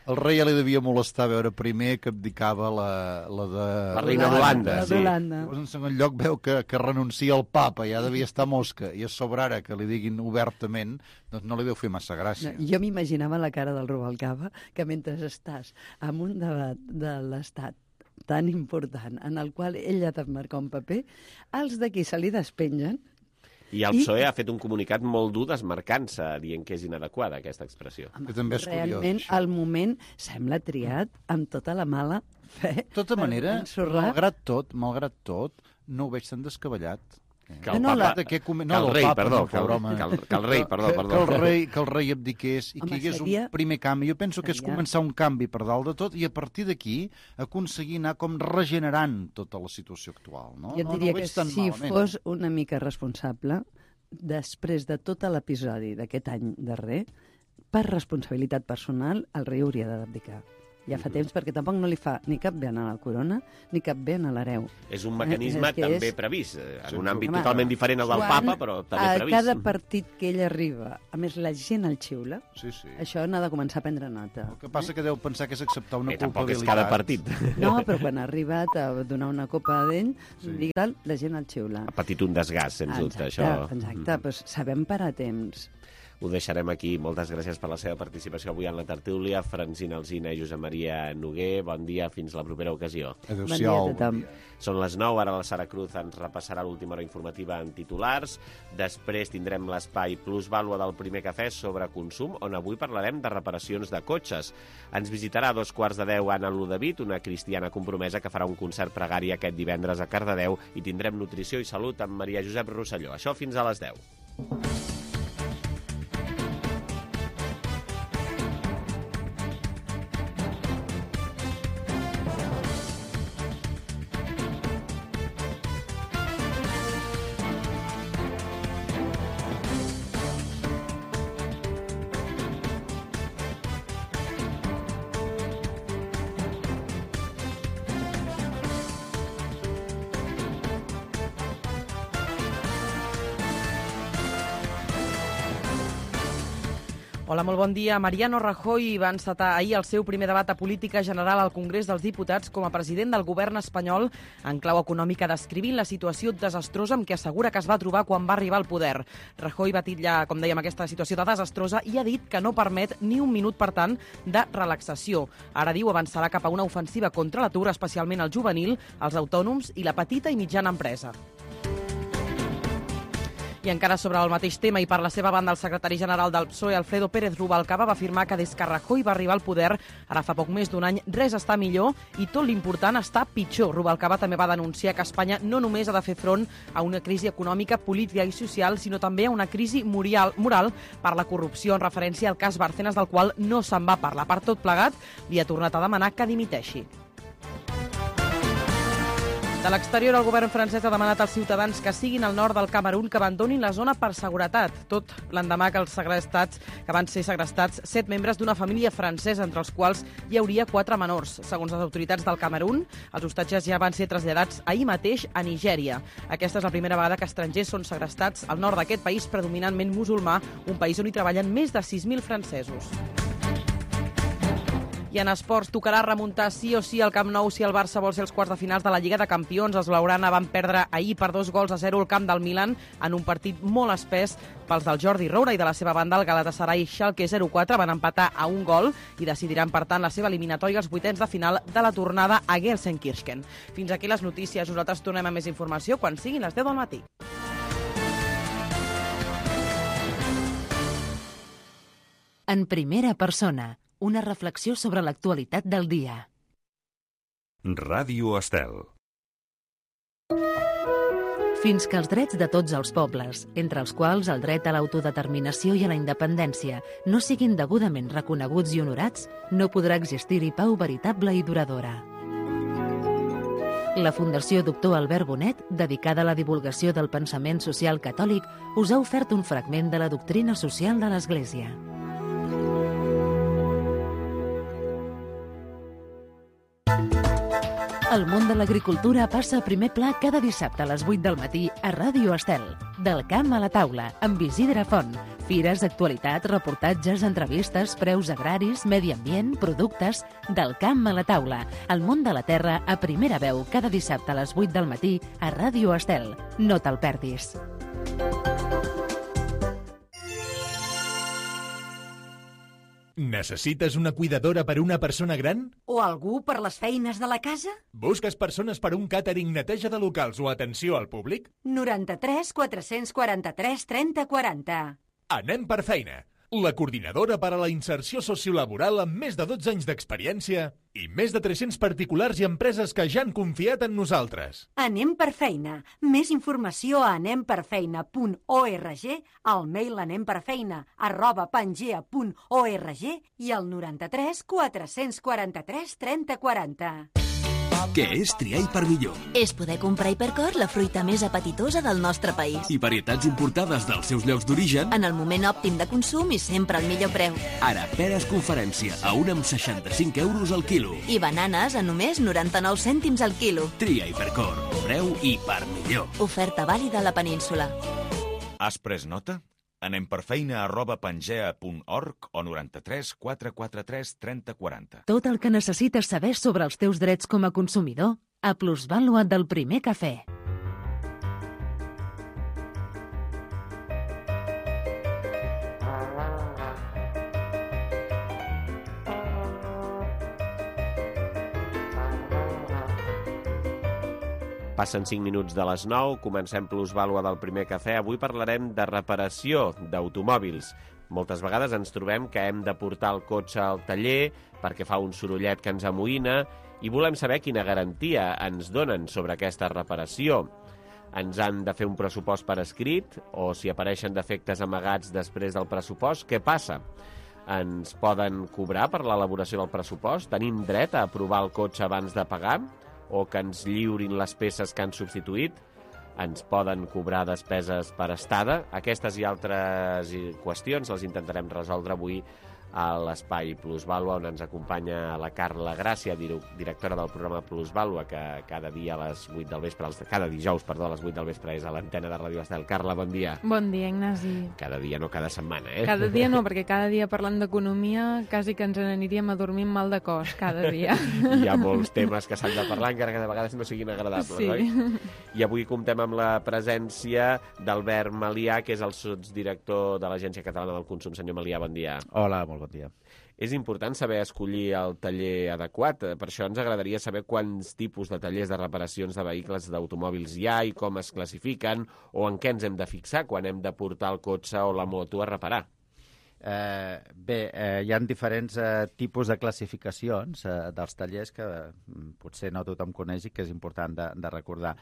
[SPEAKER 15] El rei ja li devia molestar veure primer que abdicava la, la de...
[SPEAKER 2] La reina d'Holanda,
[SPEAKER 16] La
[SPEAKER 2] sí.
[SPEAKER 16] d'Holanda.
[SPEAKER 15] Llavors, en segon lloc, veu que, que renuncia al papa, ja devia estar mosca, i a sobre ara que li diguin obertament, doncs no li deu fer massa gràcia.
[SPEAKER 16] No, jo m'imaginava la cara del Rubalcaba, que mentre estàs en un debat de l'Estat tan important, en el qual ell ha de marcar un paper, els d'aquí se li despengen.
[SPEAKER 2] I el
[SPEAKER 16] I-
[SPEAKER 2] P S O E ha fet un comunicat molt dur desmarcant-se, dient que és inadequada aquesta expressió.
[SPEAKER 15] Que també és curiós,
[SPEAKER 16] Realment,
[SPEAKER 15] això.
[SPEAKER 16] el moment sembla triat amb tota la mala fe.
[SPEAKER 15] De tota
[SPEAKER 16] per
[SPEAKER 15] manera,
[SPEAKER 16] ensorrar.
[SPEAKER 15] malgrat tot, malgrat tot, no ho veig tan descabellat.
[SPEAKER 2] Que el,
[SPEAKER 16] No, no,
[SPEAKER 2] papa,
[SPEAKER 16] la-
[SPEAKER 15] que, com...
[SPEAKER 2] que el rei,
[SPEAKER 15] papa,
[SPEAKER 2] perdó,
[SPEAKER 15] no,
[SPEAKER 2] que el,
[SPEAKER 15] pobre home.
[SPEAKER 2] que el, que el rei, perdó,
[SPEAKER 15] que,
[SPEAKER 2] perdó.
[SPEAKER 15] Que el rei, que el rei abdiqués i
[SPEAKER 16] Home,
[SPEAKER 15] que hi hagués
[SPEAKER 16] seria-
[SPEAKER 15] un primer canvi. Jo penso que és
[SPEAKER 16] seria-
[SPEAKER 15] començar un canvi per dalt de tot i a partir d'aquí aconseguir anar com regenerant tota la situació actual. No?
[SPEAKER 16] Jo et
[SPEAKER 15] no,
[SPEAKER 16] diria
[SPEAKER 15] no ho
[SPEAKER 16] que
[SPEAKER 15] veig tan
[SPEAKER 16] si
[SPEAKER 15] malament.
[SPEAKER 16] fos una mica responsable, després de tot l'episodi d'aquest any darrer, per responsabilitat personal, el rei hauria d'abdicar. Ja fa temps, perquè tampoc no li fa ni cap bé a la corona, ni cap bé a l'hereu.
[SPEAKER 2] És un mecanisme
[SPEAKER 16] Eh, és que
[SPEAKER 2] també
[SPEAKER 16] és-
[SPEAKER 2] previst, eh, en
[SPEAKER 15] Sí,
[SPEAKER 2] un àmbit
[SPEAKER 16] home,
[SPEAKER 2] totalment diferent al del
[SPEAKER 16] Quan
[SPEAKER 2] papa, però també
[SPEAKER 16] a
[SPEAKER 2] previst.
[SPEAKER 16] cada partit que ell arriba, a més la gent el xiula,
[SPEAKER 15] Sí, sí.
[SPEAKER 16] això n'ha de començar a prendre nota.
[SPEAKER 15] El que passa que deu pensar que és acceptar una
[SPEAKER 2] Bé, tampoc és
[SPEAKER 15] culpabilitat.
[SPEAKER 2] cada partit.
[SPEAKER 16] No, però quan ha arribat a donar una copa d'ell, sí. la gent el xiula.
[SPEAKER 2] Ha patit un desgast, sens dubte,
[SPEAKER 16] Exacte,
[SPEAKER 2] això.
[SPEAKER 16] exacte, doncs sabem parar a temps.
[SPEAKER 2] Ho deixarem aquí. Moltes gràcies per la seva participació avui en la tertúlia. Francina Alsina i Josep Maria Noguer, bon dia, fins la propera ocasió.
[SPEAKER 16] Bon dia a tothom.
[SPEAKER 2] Són les nou, ara la Sara Cruz ens repassarà l'última hora informativa en titulars. Després tindrem l'espai Plus Vàlua del Primer Cafè sobre consum, on avui parlarem de reparacions de cotxes. Ens visitarà a dos quarts de deu Anna Ludavit, una cristiana compromesa que farà un concert pregari aquest divendres a Cardedeu, i tindrem nutrició i salut amb Maria Josep Rosselló. Això fins a les deu.
[SPEAKER 3] Hola, molt bon dia. Mariano Rajoy va encetar ahir el seu primer debat de política general al Congrés dels Diputats com a president del govern espanyol en clau econòmica, descrivint la situació desastrosa amb què assegura que es va trobar quan va arribar al poder. Rajoy va titllar, com dèiem, aquesta situació de desastrosa i ha dit que no permet ni un minut, per tant, de relaxació. Ara diu avançarà cap a una ofensiva contra l'atur, especialment el juvenil, els autònoms i la petita i mitjana empresa. I encara sobre el mateix tema i per la seva banda, el secretari general del P S O E, Alfredo Pérez Rubalcaba, va afirmar que des que Rajoy va arribar al poder, ara fa poc més d'un any, res està millor i tot l'important està pitjor. Rubalcaba també va denunciar que Espanya no només ha de fer front a una crisi econòmica, política i social, sinó també a una crisi moral, moral per la corrupció, en referència al cas Bárcenas, del qual no se'n va parlar. Per tot plegat, li ha tornat a demanar que dimiteixi. De l'exterior, el govern francès ha demanat als ciutadans que siguin al nord del Camerun que abandonin la zona per seguretat, tot l'endemà que els segrestats, que van ser segrestats set membres d'una família francesa, entre els quals hi hauria quatre menors. Segons les autoritats del Camerun, els hostatges ja van ser traslladats ahir mateix a Nigèria. Aquesta és la primera vegada que estrangers són segrestats al nord d'aquest país predominantment musulmà, un país on hi treballen més de sis mil francesos. I en esports tocarà remuntar sí o sí al Camp Nou si el Barça vol ser els quarts de finals de la Lliga de Campions. Els blaugrana van perdre ahir per dos gols a zero al camp del Milan en un partit molt espès pels del Jordi Roura, i de la seva banda el Galatasaray i Schalke zero quatre van empatar a un gol i decidiran, per tant, la seva eliminatòria als vuitens de final de la tornada a Gelsenkirchen. Fins aquí les notícies. Nosaltres tornem a més informació quan siguin les deu del matí.
[SPEAKER 1] En primera persona, una reflexió sobre l'actualitat del dia.
[SPEAKER 10] Ràdio Estel.
[SPEAKER 1] Fins que els drets de tots els pobles, entre els quals el dret a l'autodeterminació i a la independència, no siguin degudament reconeguts i honorats, no podrà existir-hi pau veritable i duradora. La Fundació Doctor Albert Bonet, dedicada a la divulgació del pensament social catòlic, us ha ofert un fragment de la doctrina social de l'Església. El món de l'agricultura passa a primer pla cada dissabte a les vuit del matí a Ràdio Estel. Del camp a la taula, amb Isidre Font. Fires, actualitats, reportatges, entrevistes, preus agraris, medi ambient, productes... Del camp a la taula. El món de la terra a primera veu cada dissabte a les vuit del matí a Ràdio Estel. No te'l perdis.
[SPEAKER 18] Necessites una cuidadora per a una persona gran?
[SPEAKER 19] O algú per les feines de la casa?
[SPEAKER 18] Busques persones per a un càtering, neteja de locals o atenció al públic?
[SPEAKER 19] noranta-tres quatre-cents quaranta-tres trenta quaranta.
[SPEAKER 18] Anem per feina. La coordinadora per a la inserció sociolaboral amb més de dotze anys d'experiència i més de tres-cents particulars i empreses que ja han confiat en nosaltres.
[SPEAKER 19] Anem per feina. Més informació a anemperfeina punt org, al mail anemperfeina arroba pangea punt org i al noranta-tres quatre-cents quaranta-tres trenta quaranta.
[SPEAKER 8] Què és triar Hipermillor?
[SPEAKER 17] És poder comprar Hipercor, la fruita més apetitosa del nostre país.
[SPEAKER 8] I varietats importades dels seus llocs d'origen
[SPEAKER 17] En el moment òptim de consum i sempre al millor preu.
[SPEAKER 8] Ara, peres conferència, a un amb seixanta-cinc euros al quilo.
[SPEAKER 17] I bananes a només noranta-nou cèntims al quilo.
[SPEAKER 8] Tria Hipercor, preu Hipermillor.
[SPEAKER 17] Oferta vàlida a la península.
[SPEAKER 20] Has pres nota? Anem per feina arroba pangea punt org o noranta-tres quatre quaranta-tres trenta quaranta.
[SPEAKER 1] Tot el que necessites saber sobre els teus drets com a consumidor a Plusvàlua del Primer Cafè.
[SPEAKER 2] Passen cinc minuts de les nou, comencem Plusvàlua del Primer Cafè. Avui parlarem de reparació d'automòbils. Moltes vegades ens trobem que hem de portar el cotxe al taller perquè fa un sorollet que ens amoïna i volem saber quina garantia ens donen sobre aquesta reparació. Ens han de fer un pressupost per escrit o si apareixen defectes amagats després del pressupost, què passa? Ens poden cobrar per l'elaboració del pressupost? Tenim dret a aprovar el cotxe abans de pagar? O que ens lliurin les peces que han substituït? Ens poden cobrar despeses per estada? Aquestes i altres qüestions les intentarem resoldre avui a l'Espai Plusvàlua, on ens acompanya la Carla Gràcia, directora del programa Plusvàlua, que cada dia a les vuit del vespre, cada dijous, perdó, a les vuit del vespre és a l'antena de Ràdio Estel. Carla, bon dia.
[SPEAKER 21] Bon dia, Ignasi.
[SPEAKER 2] Cada dia, no cada setmana, eh?
[SPEAKER 21] Cada dia no, perquè cada dia parlant d'economia quasi que ens n'aniríem a dormir amb mal de cos, cada dia.
[SPEAKER 2] Hi ha molts temes que s'han de parlar, encara que de vegades no siguin agradables,
[SPEAKER 21] sí.
[SPEAKER 2] Oi? I avui comptem amb la presència d'Albert Malià, que és el sotsdirector de l'Agència Catalana del Consum. Senyor Malià, bon dia.
[SPEAKER 22] Hola, molt bon dia.
[SPEAKER 2] És important saber escollir el taller adequat. Per això ens agradaria saber quants tipus de tallers de reparacions de vehicles d'automòbils hi ha i com es classifiquen o en què ens hem de fixar quan hem de portar el cotxe o la moto a reparar.
[SPEAKER 22] Eh, bé, eh, hi ha diferents eh, tipus de classificacions eh, dels tallers que eh, potser no tothom coneix i que és important de, de recordar.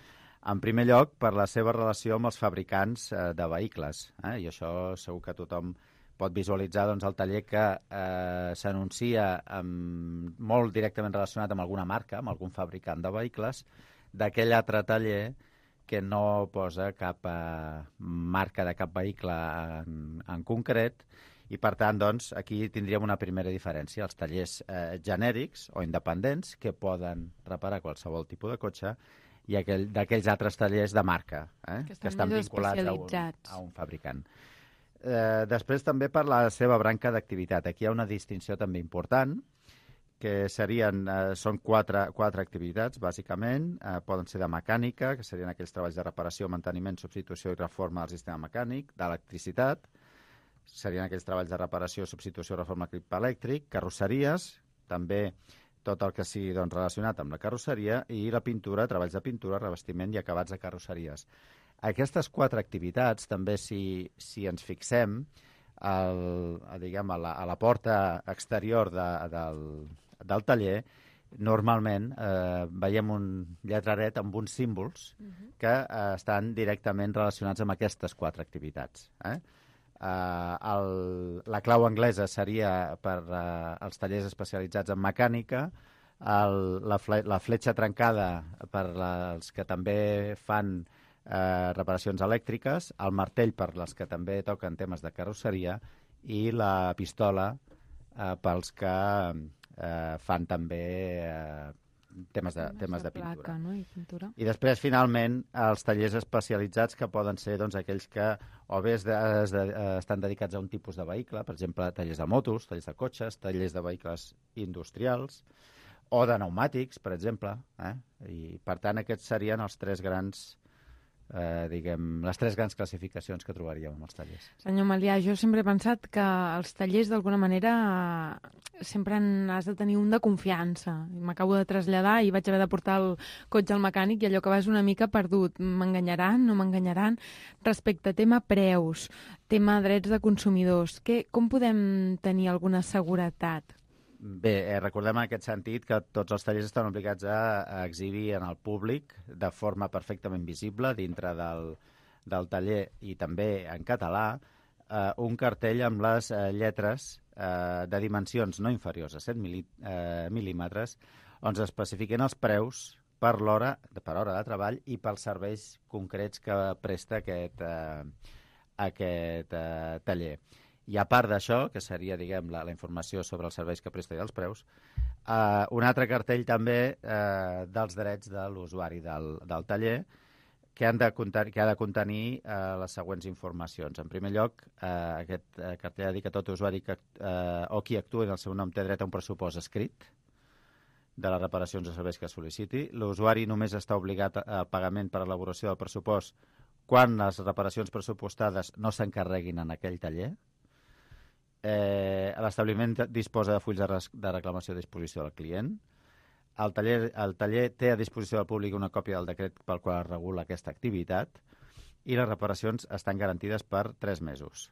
[SPEAKER 22] En primer lloc, per la seva relació amb els fabricants eh, de vehicles, eh? I això segur que tothom pot visualitzar doncs, el taller que eh, s'anuncia amb, molt directament relacionat amb alguna marca, amb algun fabricant de vehicles, d'aquell altre taller que no posa cap eh, marca de cap vehicle en, en concret, i per tant, doncs, aquí tindríem una primera diferència. Els tallers eh, genèrics o independents que poden reparar qualsevol tipus de cotxe i aquell, d'aquells altres tallers de marca, eh, que, que estan vinculats a un, a un fabricant. Eh, després també per la seva branca d'activitat. Aquí hi ha una distinció també important, que serien, eh, són quatre, quatre activitats, bàsicament. Eh, poden ser de mecànica, que serien aquells treballs de reparació, manteniment, substitució i reforma del sistema mecànic, d'electricitat, serien aquells treballs de reparació, substitució, reforma d'equip elèctric, carrosseries, també tot el que sigui doncs, relacionat amb la carrosseria, i la pintura, treballs de pintura, revestiment i acabats de carrosseries. Aquestes quatre activitats, també, si, si ens fixem el, diguem, a, la, a la porta exterior de, del, del taller, normalment eh, veiem un lletraret amb uns símbols uh-huh. que eh, estan directament relacionats amb aquestes quatre activitats. Eh? Eh, el, la clau anglesa seria per eh, els tallers especialitzats en mecànica, el, la, fle, la fletxa trencada per als que també fan eh, reparacions elèctriques, el martell per les que també toquen temes de carrosseria i la pistola eh, pels que eh, fan també eh, temes de, temes de pintura.
[SPEAKER 21] Placa, no? I pintura.
[SPEAKER 22] I després, finalment, els tallers especialitzats que poden ser doncs, aquells que o bé es de, es de, estan dedicats a un tipus de vehicle, per exemple, tallers de motos, tallers de cotxes, tallers de vehicles industrials, o de pneumàtics, per exemple. Eh? I, per tant, aquests serien els tres grans Eh, diguem, les tres grans classificacions que trobaríem en els tallers.
[SPEAKER 21] Senyor Malià, jo sempre he pensat que els tallers d'alguna manera sempre has de tenir un de confiança. M'acabo de traslladar i vaig haver de portar el cotxe al mecànic i allò que vas una mica perdut. M'enganyaran, no m'enganyaran? Respecte a tema preus, tema drets de consumidors, que, com podem tenir alguna seguretat?
[SPEAKER 22] Bé, eh, recordem en aquest sentit que tots els tallers estan obligats a, a exhibir en el públic de forma perfectament visible dintre del, del taller i també en català eh, un cartell amb les eh, lletres eh, de dimensions no inferiors a set mil, eh, mil·límetres on s'especifiquen els preus per l'hora per hora de treball i pels serveis concrets que presta aquest, eh, aquest eh, taller. I a part d'això, que seria, diguem, la, la informació sobre els serveis que presta i els preus, eh, un altre cartell també eh, dels drets de l'usuari del, del taller que, han de contenir, que ha de contenir eh, les següents informacions. En primer lloc, eh, aquest eh, cartell ha de dir que tot usuari que, eh, o qui actuï en el seu nom té dret a un pressupost escrit de les reparacions o serveis que sol·liciti. L'usuari només està obligat a pagament per elaboració del pressupost quan les reparacions pressupostades no s'encarreguin en aquell taller. Eh, L'establiment disposa de fulls de, res, de reclamació a disposició del client. El taller, el taller té a disposició del públic una còpia del decret pel qual es regula aquesta activitat i les reparacions estan garantides per tres mesos.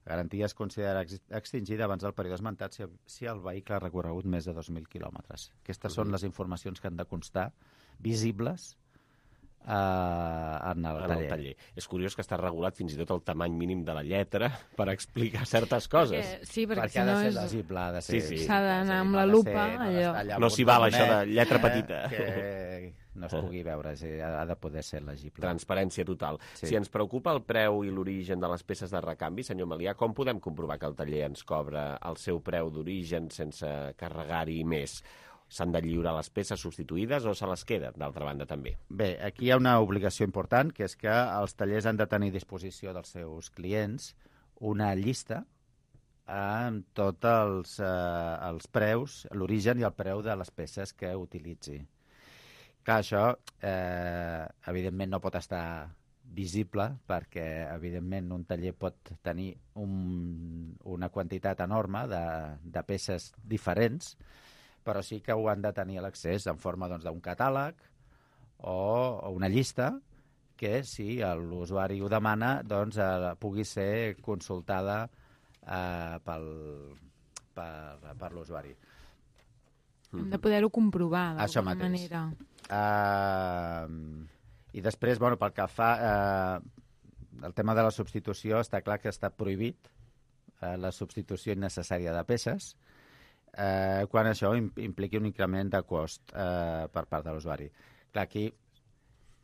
[SPEAKER 22] La garantia es considera ex extingida abans del període esmentat si, si el vehicle ha recorregut més de dos mil quilòmetres. Aquestes són les informacions que han de constar visibles Uh, en, el,
[SPEAKER 2] en el taller. És curiós que està regulat fins i tot el tamany mínim de la lletra per explicar certes coses.
[SPEAKER 21] Perquè, sí, perquè,
[SPEAKER 22] perquè
[SPEAKER 21] si
[SPEAKER 22] ha de
[SPEAKER 21] no
[SPEAKER 22] ser
[SPEAKER 21] és...
[SPEAKER 22] legible, ha de ser...
[SPEAKER 2] Sí, sí.
[SPEAKER 21] S'ha d'anar amb la lupa, allò...
[SPEAKER 2] No s'hi val això de lletra
[SPEAKER 22] eh,
[SPEAKER 2] petita.
[SPEAKER 22] Que no es pugui veure, sí, ha de poder ser legible.
[SPEAKER 2] Transparència total. Sí. Si ens preocupa el preu i l'origen de les peces de recanvi, senyor Malià, com podem comprovar que el taller ens cobra el seu preu d'origen sense carregar-hi més? S'han de lliurar les peces substituïdes o se les queda, d'altra banda, també?
[SPEAKER 22] Bé, aquí hi ha una obligació important, que és que els tallers han de tenir a disposició dels seus clients una llista amb tots els, eh, els preus, l'origen i el preu de les peces que utilitzi. Clar, això, eh, evidentment, no pot estar visible perquè, evidentment, un taller pot tenir un, una quantitat enorme de, de peces diferents, però sí que ho han de tenir a l'accés en forma doncs, d'un catàleg o, o una llista que, si l'usuari ho demana, doncs, eh, pugui ser consultada eh, pel, per, per l'usuari.
[SPEAKER 21] Hem de poder-ho comprovar
[SPEAKER 22] d'alguna
[SPEAKER 21] manera.
[SPEAKER 22] Uh, I després, bueno, pel que fa... Uh, el tema de la substitució està clar que està prohibit, uh, la substitució innecessària de peces, Eh, quan això impliqui un increment de cost eh, per part de l'usuari. Clar, aquí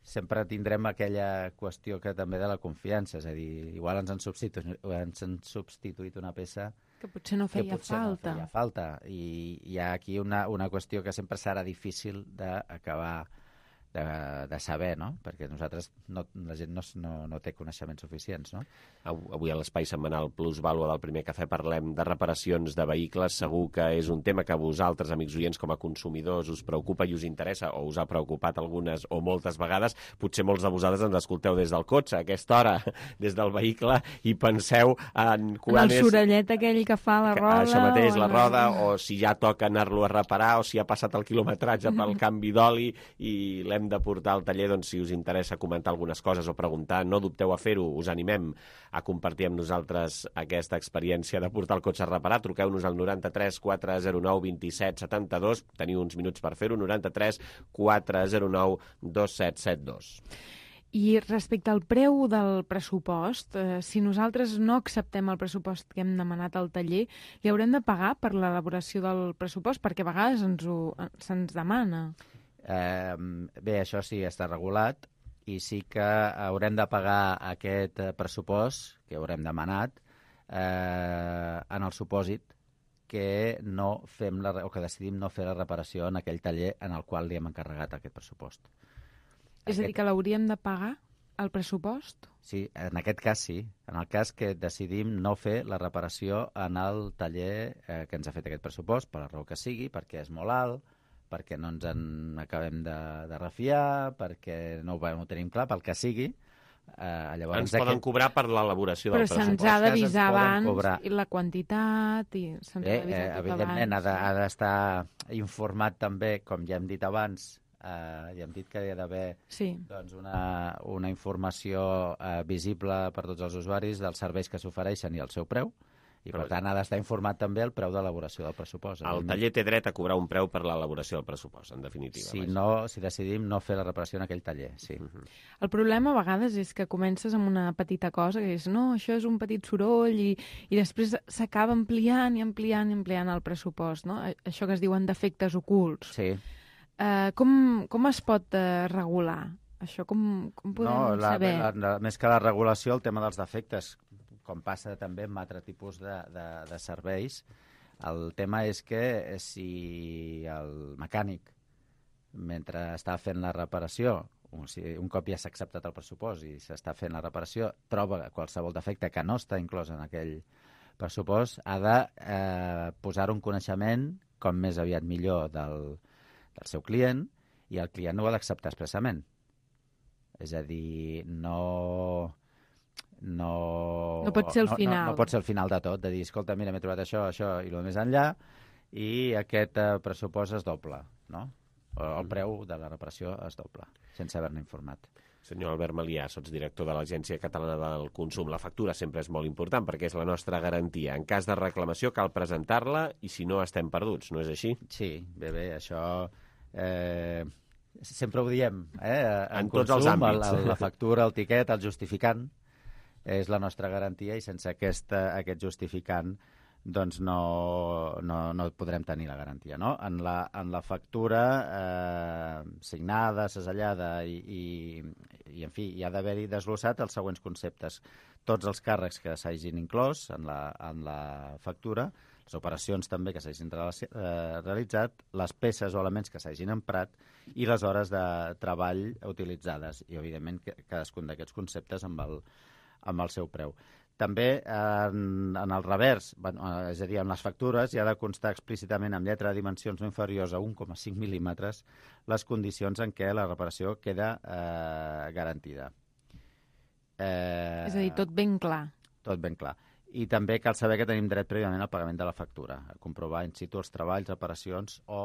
[SPEAKER 22] sempre tindrem aquella qüestió que també de la confiança, és a dir, igual ens han substituït, ens han substituït una peça
[SPEAKER 21] que potser no feia
[SPEAKER 22] que potser
[SPEAKER 21] falta.
[SPEAKER 22] No feia falta. I hi ha aquí una, una qüestió que sempre serà difícil d'acabar de, de saber, no? Perquè nosaltres, no, la gent no, no, no té coneixements suficients, no?
[SPEAKER 2] Avui a l'Espai Setmanal Plus Vàlua del Primer Cafè parlem de reparacions de vehicles. Segur que és un tema que a vosaltres, amics oients, com a consumidors, us preocupa i us interessa, o us ha preocupat algunes o moltes vegades. Potser molts de vosaltres ens escolteu des del cotxe, a aquesta hora, des del vehicle, i penseu en quan
[SPEAKER 21] el
[SPEAKER 2] és...
[SPEAKER 21] sorellet aquell que fa la roda...
[SPEAKER 2] Això mateix,
[SPEAKER 21] o
[SPEAKER 2] la roda, o si ja toca anar-lo a reparar, o si ha passat el quilometratge pel canvi d'oli i l'hem hem de portar al taller, doncs si us interessa comentar algunes coses o preguntar, no dubteu a fer-ho, us animem a compartir amb nosaltres aquesta experiència de portar el cotxe reparat. Truqueu-nos al noranta-tres quatre zero nou dos set set dos, teniu uns minuts per fer-ho, noranta-tres quatre zero nou dos set set dos.
[SPEAKER 21] I respecte al preu del pressupost, eh, si nosaltres no acceptem el pressupost que hem demanat al taller, li haurem de pagar per l'elaboració del pressupost? Perquè a vegades ens ho, se'ns demana.
[SPEAKER 22] Eh, bé, això sí, està regulat i sí que haurem de pagar aquest pressupost que haurem demanat eh, en el supòsit que no fem la, o que decidim no fer la reparació en aquell taller en el qual li hem encarregat aquest pressupost.
[SPEAKER 21] És a dir, que l'hauríem de pagar, el pressupost?
[SPEAKER 22] Sí, en aquest cas sí. En el cas que decidim no fer la reparació en el taller eh, que ens ha fet aquest pressupost, per la raó que sigui, perquè és molt alt, perquè no ens en acabem de, de refiar, perquè no ho, no ho tenim clar, pel que sigui. Eh, llavors
[SPEAKER 2] ens poden aquest... cobrar per l'elaboració del pressupost.
[SPEAKER 21] Però se'ns ha d'avisar abans, cobrar. I la quantitat, i se'ns
[SPEAKER 22] Bé,
[SPEAKER 21] ha d'avisar
[SPEAKER 22] eh,
[SPEAKER 21] tot
[SPEAKER 22] evidentment,
[SPEAKER 21] abans.
[SPEAKER 22] ha d'estar informat també, com ja hem dit abans, Uh, ja hem dit que hi ha d'haver
[SPEAKER 21] sí.
[SPEAKER 22] doncs, una, una informació uh, visible per tots els usuaris dels serveis que s'ofereixen i el seu preu, i per tant ha d'estar informat també el preu d'elaboració del pressupost.
[SPEAKER 2] El taller té dret a cobrar un preu per l'elaboració del pressupost, en definitiva.
[SPEAKER 22] Si, no, si decidim no fer la reparació en aquell taller, sí.
[SPEAKER 2] Uh-huh.
[SPEAKER 21] El problema a vegades és que comences amb una petita cosa, que és, no, això és un petit soroll, i, i després s'acaba ampliant i ampliant i ampliant el pressupost, no? Això que es diuen defectes ocults.
[SPEAKER 22] Sí.
[SPEAKER 21] Uh, com, com es pot uh, regular? Això com, com podem
[SPEAKER 22] no, la,
[SPEAKER 21] saber?
[SPEAKER 22] La, la, més que la regulació, el tema dels defectes, com passa també amb altre tipus de, de, de serveis, el tema és que si el mecànic, mentre està fent la reparació, o sigui, un cop ja s'ha acceptat el pressupost i s'està fent la reparació, troba qualsevol defecte que no està inclòs en aquell pressupost, ha de eh, posar un coneixement, com més aviat millor, del del seu client, i el client ho ha d'acceptar expressament. És a dir, no... No,
[SPEAKER 21] no pot ser el
[SPEAKER 22] no,
[SPEAKER 21] final.
[SPEAKER 22] No, no pot ser el final de tot, de dir, escolta, mira, m'he trobat això, això i el més enllà, i aquest eh, pressupost es doble, no? O el preu de la reparació es doble, sense haver-ne informat.
[SPEAKER 2] Senyor Albert Malià, sots director de l'Agència Catalana del Consum. La factura sempre és molt important perquè és la nostra garantia. En cas de reclamació cal presentar-la i si no estem perduts, no és així?
[SPEAKER 22] Sí, bé, bé, això... Eh, sempre ho diem, eh? En,
[SPEAKER 2] en
[SPEAKER 22] consum,
[SPEAKER 2] tots els àmbits.
[SPEAKER 22] El, la factura, el tiquet, el justificant, és la nostra garantia i sense aquesta, aquest justificant doncs no, no, no podrem tenir la garantia. No? En, la, en la factura eh, signada, segellada i, i, i, en fi, hi ha d'haver-hi desglossat els següents conceptes. Tots els càrrecs que s'hagin inclòs en la, en la factura, les operacions també que s'hagin realitzat, les peces o elements que s'hagin emprat i les hores de treball utilitzades. I, evidentment, cadascun d'aquests conceptes amb el, amb el seu preu. També en, en el revers, és a dir, en les factures, hi ha de constar explícitament amb lletra de dimensions no inferiors a un coma cinc mil·límetres les condicions en què la reparació queda eh, garantida.
[SPEAKER 21] Eh, és a dir, tot ben clar.
[SPEAKER 22] Tot ben clar. I també cal saber que tenim dret prèviament al pagament de la factura, a comprovar in situ els treballs, reparacions o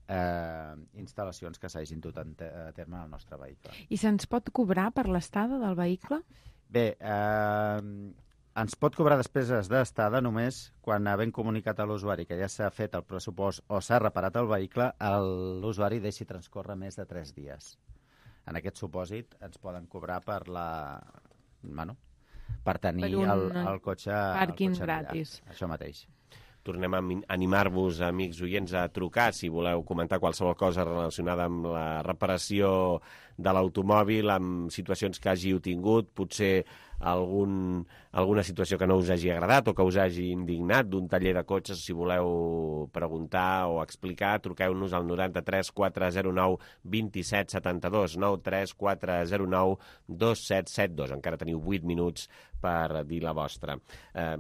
[SPEAKER 22] eh, instal·lacions que s'hagin dut a terme en el nostre vehicle.
[SPEAKER 21] I se'ns pot cobrar per l'estada del vehicle?
[SPEAKER 22] Bé, eh, ens pot cobrar despeses d'estada només quan havent comunicat a l'usuari que ja s'ha fet el pressupost o s'ha reparat el vehicle, l'usuari deixi transcórrer més de tres dies. En aquest supòsit ens poden cobrar per la... Bueno, per tenir per el, el cotxe...
[SPEAKER 21] Pàrquing
[SPEAKER 22] el cotxe
[SPEAKER 21] gratis.
[SPEAKER 22] Allà. Això mateix.
[SPEAKER 2] Tornem a animar-vos, amics oients, a trucar si voleu comentar qualsevol cosa relacionada amb la reparació de l'automòbil, amb situacions que hàgiu tingut, potser algun, alguna situació que no us hagi agradat o que us hagi indignat d'un taller de cotxes. Si voleu preguntar o explicar, truqueu-nos al noranta-tres quatre zero nou dos set set dos, nou tres quatre zero nou dos set set dos. Encara teniu vuit minuts per dir la vostra. Eh,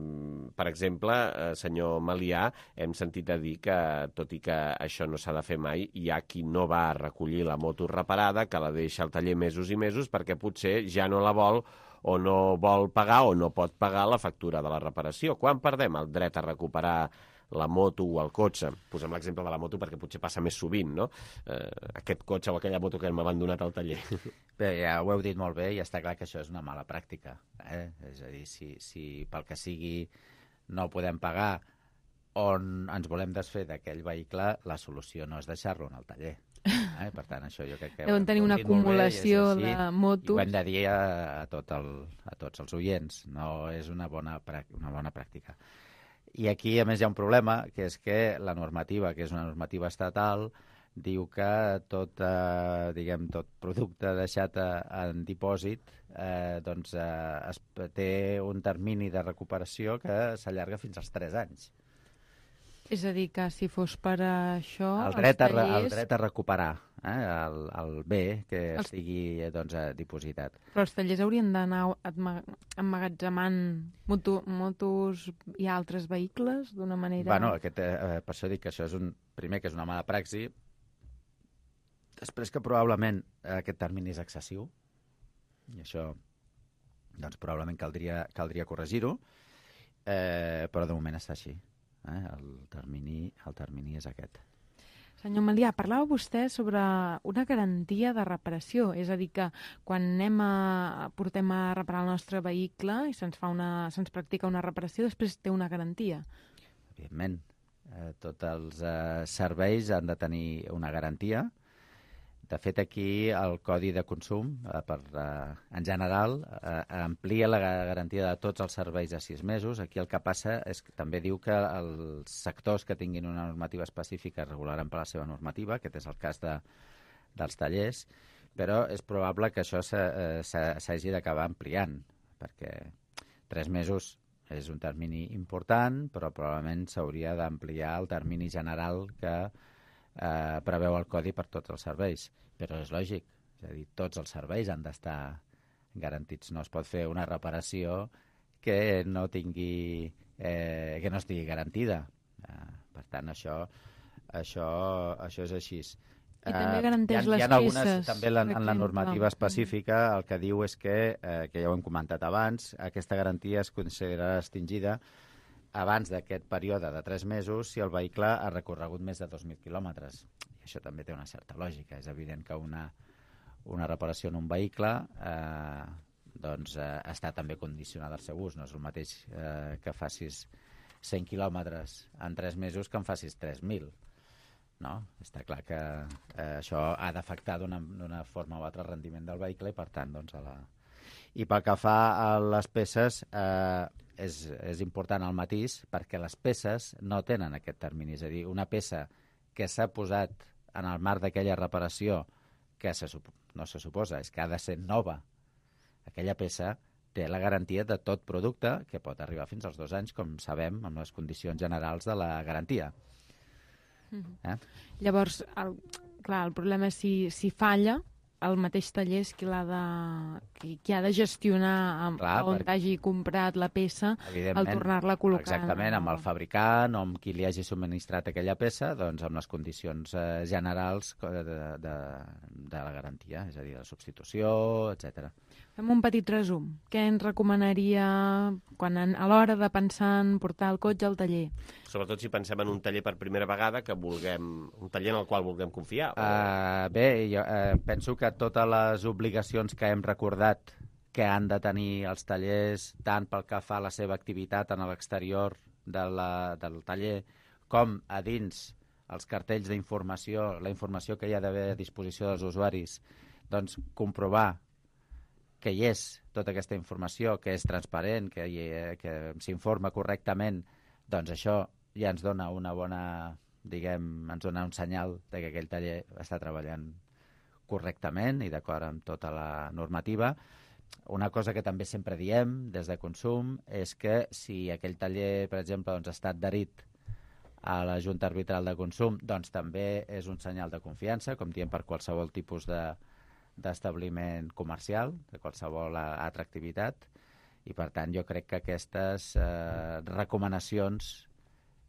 [SPEAKER 2] per exemple, eh, senyor Malià, hem sentit a dir que, tot i que això no s'ha de fer mai, hi ha qui no va a recollir la moto reparada, que la deixa al taller mesos i mesos perquè potser ja no la vol o no vol pagar o no pot pagar la factura de la reparació. Quan perdem el dret a recuperar la moto o el cotxe. Posem l'exemple de la moto perquè potser passa més sovint, no? Eh, aquest cotxe o aquella moto que hem abandonat al taller.
[SPEAKER 22] Bé, ja ho heu dit molt bé i està clar que això és una mala pràctica. Eh? És a dir, si, si pel que sigui no podem pagar on ens volem desfer d'aquell vehicle, la solució no és deixar-lo en el taller. Eh? Per tant, això jo crec que...
[SPEAKER 21] Deuen tenir una acumulació de motos.
[SPEAKER 22] Ho hem de dir a, a, tot el, a tots els oients. No és una bona, una bona pràctica. I aquí, a més, hi ha un problema, que és que la normativa, que és una normativa estatal, diu que tot, eh, diguem, tot producte deixat en dipòsit eh, doncs, eh, es, té un termini de recuperació que s'allarga fins als tres anys.
[SPEAKER 21] És a dir, que si fos per això...
[SPEAKER 22] El dret,
[SPEAKER 21] els tallers...
[SPEAKER 22] a, el dret a recuperar eh, el, el bé que els... estigui doncs, dipositat.
[SPEAKER 21] Però els tallers haurien d'anar emmagatzemant moto, motos i altres vehicles d'una manera...
[SPEAKER 22] Bueno, aquest, eh, per això dic que això és un... Primer, que és una mala praxi. Després que probablement aquest termini és excessiu. I això, doncs, probablement caldria, caldria corregir-ho. Eh, però de moment està així. Eh? El, termini, el termini és aquest.
[SPEAKER 21] Senyor Melià, parlava vostè sobre una garantia de reparació, és a dir, que quan anem a, portem a reparar el nostre vehicle i se'ns fa una, se'ns practica una reparació, després té una garantia.
[SPEAKER 22] Evidentment, eh, tots els eh, serveis han de tenir una garantia. De fet, aquí el Codi de Consum, eh, per, eh, en general, eh, amplia la garantia de tots els serveis a sis mesos. Aquí el que passa és que també diu que els sectors que tinguin una normativa específica es regularan per la seva normativa, aquest és el cas de, dels tallers, però és probable que això s'hagi d'acabar ampliant, perquè tres mesos és un termini important, però probablement s'hauria d'ampliar el termini general que eh, preveu el Codi per tots els serveis. Però és lògic, és a dir, tots els serveis han d'estar garantits. No es pot fer una reparació que no tingui, eh, que no estigui garantida. Eh, per tant, això, això, això és així.
[SPEAKER 21] I també garanteix
[SPEAKER 22] uh,
[SPEAKER 21] les
[SPEAKER 22] hi ha, hi ha algunes,
[SPEAKER 21] peces.
[SPEAKER 22] També la, en la normativa específica el que diu és que, eh, que ja ho hem comentat abans, aquesta garantia es considerarà extingida abans d'aquest període de tres mesos si el vehicle ha recorregut més de dos mil quilòmetres. I això també té una certa lògica. És evident que una, una reparació en un vehicle eh, doncs, eh, està també condicionada al seu ús. No és el mateix eh, que facis cent quilòmetres en tres mesos que en facis tres mil. No? Està clar que eh, això ha d'afectar d'una forma o altra el rendiment del vehicle i, per tant, doncs, a la... I pel que fa a les peces, eh, és, és important el matís perquè les peces no tenen aquest termini. És a dir, una peça que s'ha posat en el marc d'aquella reparació que se, no se suposa, és que ha de ser nova. Aquella peça té la garantia de tot producte que pot arribar fins als dos anys, com sabem, amb les condicions generals de la garantia.
[SPEAKER 21] Eh? Llavors, el, clar, el problema és si, si falla, el mateix taller és qui, l'ha de, qui, qui ha de gestionar amb, clar, on per... hagi comprat la peça al tornar-la a col·locar.
[SPEAKER 22] Exactament, amb el fabricant o amb qui li hagi subministrat aquella peça, doncs amb les condicions eh, generals de, de, de la garantia, és a dir, de substitució, etcètera.
[SPEAKER 21] Fem un petit resum. Què ens recomanaria quan en, a l'hora de pensar en portar el cotxe al taller?
[SPEAKER 2] Sobretot si pensem en un taller per primera vegada, que vulguem un taller en el qual vulguem confiar. O...
[SPEAKER 22] Uh, bé, jo uh, penso que totes les obligacions que hem recordat que han de tenir els tallers, tant pel que fa a la seva activitat en l'exterior de la, del taller, com a dins els cartells d'informació, la informació que hi ha d'haver a disposició dels usuaris, doncs comprovar que hi és tota aquesta informació, que és transparent, que, hi, que s'informa correctament, doncs això ja ens dona una bona, diguem, ens dona un senyal de que aquell taller està treballant correctament i d'acord amb tota la normativa. Una cosa que també sempre diem des de Consum és que si aquell taller, per exemple, doncs, està adherit a la Junta Arbitral de Consum, doncs també és un senyal de confiança, com diem per qualsevol tipus de d'establiment comercial, de qualsevol altra activitat, i per tant jo crec que aquestes eh, recomanacions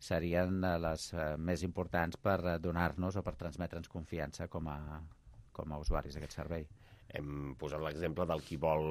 [SPEAKER 22] serien les eh, més importants per donar-nos o per transmetre'ns confiança com a, com a usuaris d'aquest servei.
[SPEAKER 2] Hem posat l'exemple del qui vol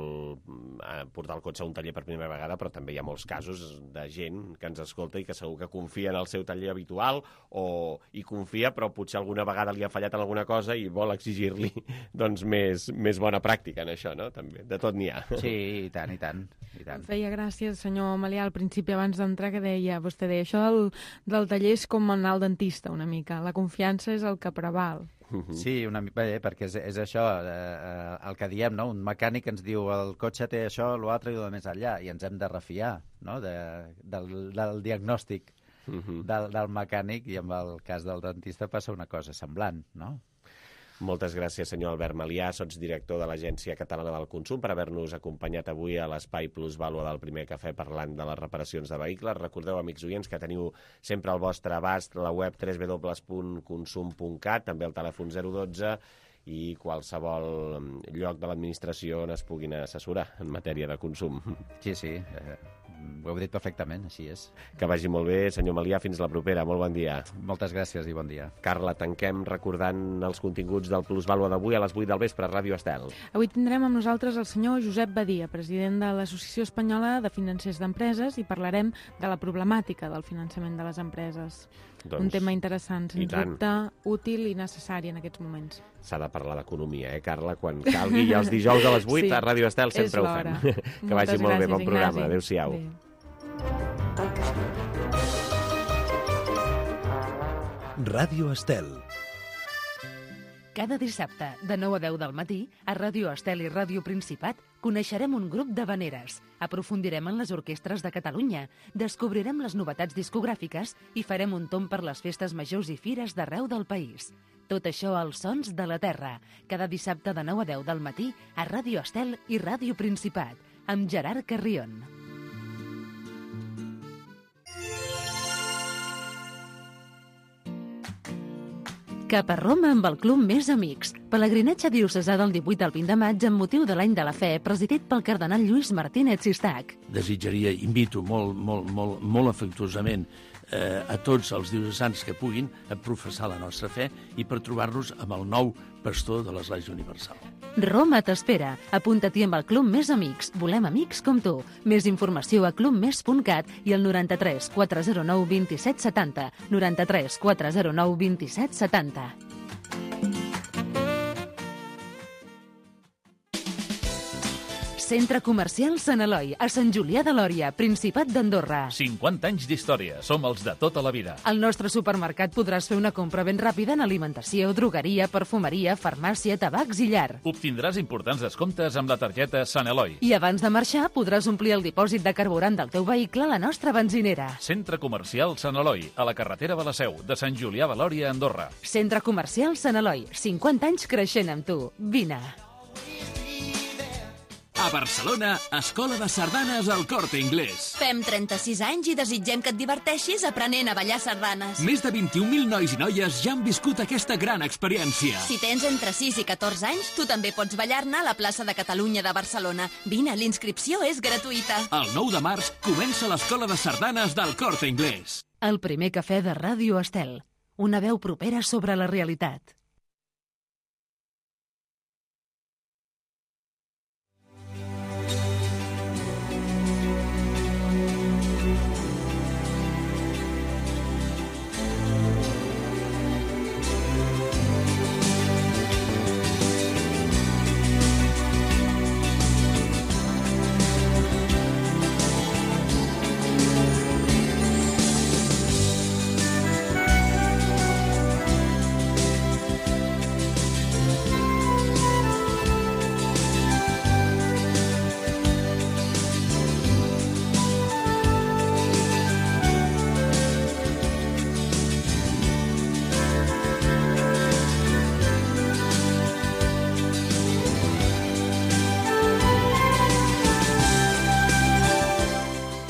[SPEAKER 2] portar el cotxe a un taller per primera vegada, però també hi ha molts casos de gent que ens escolta i que segur que confia en el seu taller habitual o hi confia, però potser alguna vegada li ha fallat en alguna cosa i vol exigir-li doncs, més, més bona pràctica en això, no? També, de tot n'hi ha.
[SPEAKER 22] Sí, i tant, i tant. I tant.
[SPEAKER 21] Em feia gràcia, senyor Malià, al principi, abans d'entrar, que deia, vostè deia, això del, del taller és com anar al dentista, una mica. La confiança és el que preval.
[SPEAKER 22] Sí, una mica, bé, perquè és, és això, eh, el que diem, no? Un mecànic ens diu el cotxe té això, l'altre i el més enllà, i ens hem de refiar, no? de, del, del diagnòstic uh-huh. del, del mecànic, i en el cas del dentista passa una cosa semblant, no?
[SPEAKER 2] Moltes gràcies, senyor Albert Malià, sotsdirector de l'Agència Catalana del Consum, per haver-nos acompanyat avui a l'Espai Plus Vàlua del Primer Cafè parlant de les reparacions de vehicles. Recordeu, amics oients, que teniu sempre al vostre abast la web w w w punt consum punt cat, també el telèfon zero dotze i qualsevol lloc de l'administració on es puguin assessorar en matèria de consum.
[SPEAKER 22] Sí, sí, eh, ho heu dit perfectament, així és.
[SPEAKER 2] Que vagi molt bé, senyor Malià, fins la propera. Molt bon dia.
[SPEAKER 22] Moltes gràcies i bon dia.
[SPEAKER 2] Carla, tanquem recordant els continguts del Plus Vàlua d'avui a les vuit del vespre a Ràdio Estel.
[SPEAKER 21] Avui tindrem amb nosaltres el senyor Josep Badia, president de l'Associació Espanyola de Financers d'Empreses, i parlarem de la problemàtica del finançament de les empreses. Doncs, un tema interessant, sens dubte, útil i necessari en aquests moments.
[SPEAKER 2] S'ha de parlar d'economia, eh, Carla? Quan calgui, i els dijous a les vuit sí, a Ràdio Estel sempre ho fem. Que vagi molt gràcies, bé, bon programa. Adéu-siau.
[SPEAKER 4] Ràdio Estel.
[SPEAKER 1] Cada dissabte, de nou a deu del matí, a Ràdio Estel i Ràdio Principat, coneixerem un grup d'havaneres, aprofundirem en les orquestres de Catalunya, descobrirem les novetats discogràfiques i farem un tomb per les festes majors i fires d'arreu del país. Tot això als Sons de la Terra, cada dissabte de nou a deu del matí a Ràdio Estel i Ràdio Principat, amb Gerard Carrion. Cap a Roma amb el Club Més Amics. Pelegrinatge diocesà del divuit al vint de maig amb motiu de l'Any de la Fe, presidit pel cardenal Lluís Martínez Sistac.
[SPEAKER 5] Desitjaria, invito molt, molt, molt, molt afectuosament eh, a tots els diocesans que puguin a professar la nostra fe i per trobar-nos amb el nou pastor de l'Església Universal.
[SPEAKER 1] Roma t'espera. Apunta-t'hi amb el Club Més Amics. Volem amics com tu. Més informació a club més punt cat i al noranta-tres quatre zero nou vint set setanta. noranta-tres quatre zero nou vint set setanta. Centre Comercial Sant Eloi, a Sant Julià de Lòria, Principat d'Andorra.
[SPEAKER 8] cinquanta anys d'història. Som els de tota la vida.
[SPEAKER 1] Al nostre supermercat podràs fer una compra ben ràpida en alimentació, drogueria, perfumeria, farmàcia, tabacs i llar.
[SPEAKER 8] Obtindràs importants descomptes amb la targeta Sant Eloi.
[SPEAKER 1] I abans de marxar podràs omplir el dipòsit de carburant del teu vehicle a la nostra benzinera.
[SPEAKER 8] Centre Comercial Sant Eloi, a la carretera de la Seu, de Sant Julià de Lòria, Andorra.
[SPEAKER 1] Centre Comercial Sant Eloi, cinquanta anys creixent amb tu. Vine.
[SPEAKER 8] A Barcelona, Escola de Sardanes al Corte Inglés.
[SPEAKER 17] Fem trenta-sis anys i desitgem que et diverteixis aprenent a ballar sardanes.
[SPEAKER 8] Més de vint-i-un mil nois i noies ja han viscut aquesta gran experiència.
[SPEAKER 17] Si tens entre sis i catorze anys, tu també pots ballar-ne a la plaça de Catalunya de Barcelona. Vine, l'inscripció és gratuïta.
[SPEAKER 8] El nou de març comença l'Escola de Sardanes del Corte Inglés.
[SPEAKER 1] El primer cafè de Ràdio Estel. Una veu propera sobre la realitat.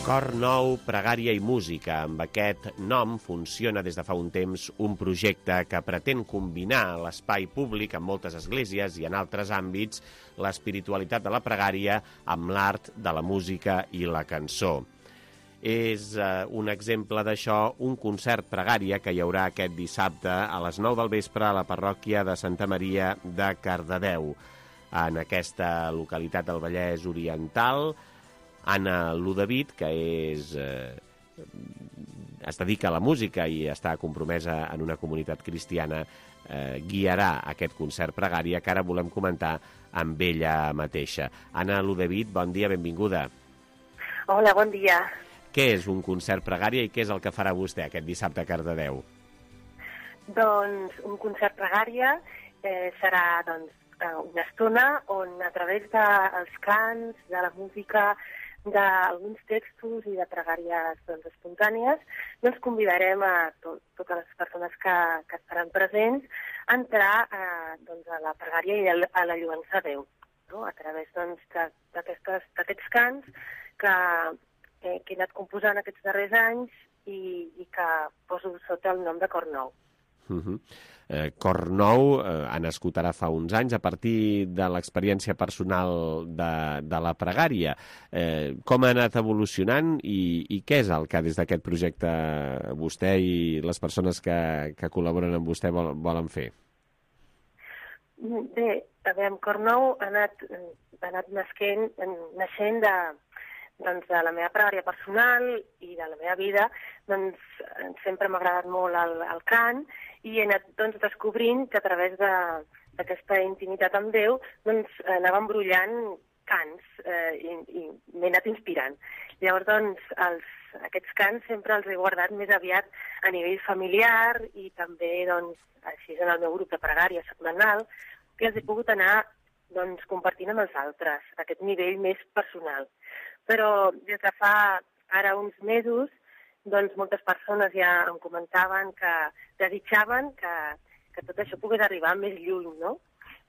[SPEAKER 2] Cor nou, pregària i música. Amb aquest nom funciona des de fa un temps un projecte que pretén combinar l'espai públic en moltes esglésies i en altres àmbits l'espiritualitat de la pregària amb l'art de la música i la cançó. És eh, un exemple d'això un concert pregària que hi haurà aquest dissabte a les nou del vespre a la parròquia de Santa Maria de Cardedeu. en aquesta localitat del Vallès Oriental. Anna Ludavid, que és, eh, es dedica a la música i està compromesa en una comunitat cristiana, eh, guiarà aquest concert pregària que ara volem comentar amb ella mateixa. Anna Ludavid, bon dia, benvinguda.
[SPEAKER 6] Hola, bon dia.
[SPEAKER 2] Què és un concert pregària i què és el que farà vostè aquest dissabte a Cardedeu?
[SPEAKER 6] Doncs un concert pregària eh, serà doncs, una estona on a través dels cants, de la música, d'alguns textos i de pregàries doncs, espontànies, doncs convidarem a to totes les persones que, que estaran presents a entrar eh, doncs, a la pregària i a la lluança a Déu, no? A través doncs, d'aquests cants que, eh, que he anat composant aquests darrers anys i, i que poso sota el nom de Cor Nou.
[SPEAKER 2] Uh -huh. eh, Cor Nou eh, ha nascut ara fa uns anys a partir de l'experiència personal de, de la pregària. Eh, com ha anat evolucionant i, i què és el que des d'aquest projecte vostè i les persones que, que col·laboren amb vostè vol, volen fer?
[SPEAKER 6] Bé, a veure, Cor Nou ha anat, ha anat nasquent, naixent de, doncs, de la meva pregària personal i de la meva vida. Doncs sempre m'ha agradat molt el, el cant i he anat doncs, descobrint que a través d'aquesta intimitat amb Déu doncs, anava embrollant cants eh, i, i m'he anat inspirant. Llavors, doncs, els, aquests cants sempre els he guardat més aviat a nivell familiar i també, doncs, així en el meu grup de pregària setmanal, que els he pogut anar doncs, compartint amb els altres, a aquest nivell més personal. Però des de fa ara uns mesos, doncs moltes persones ja em comentaven que desitjaven que, que tot això pogués arribar més lluny, no?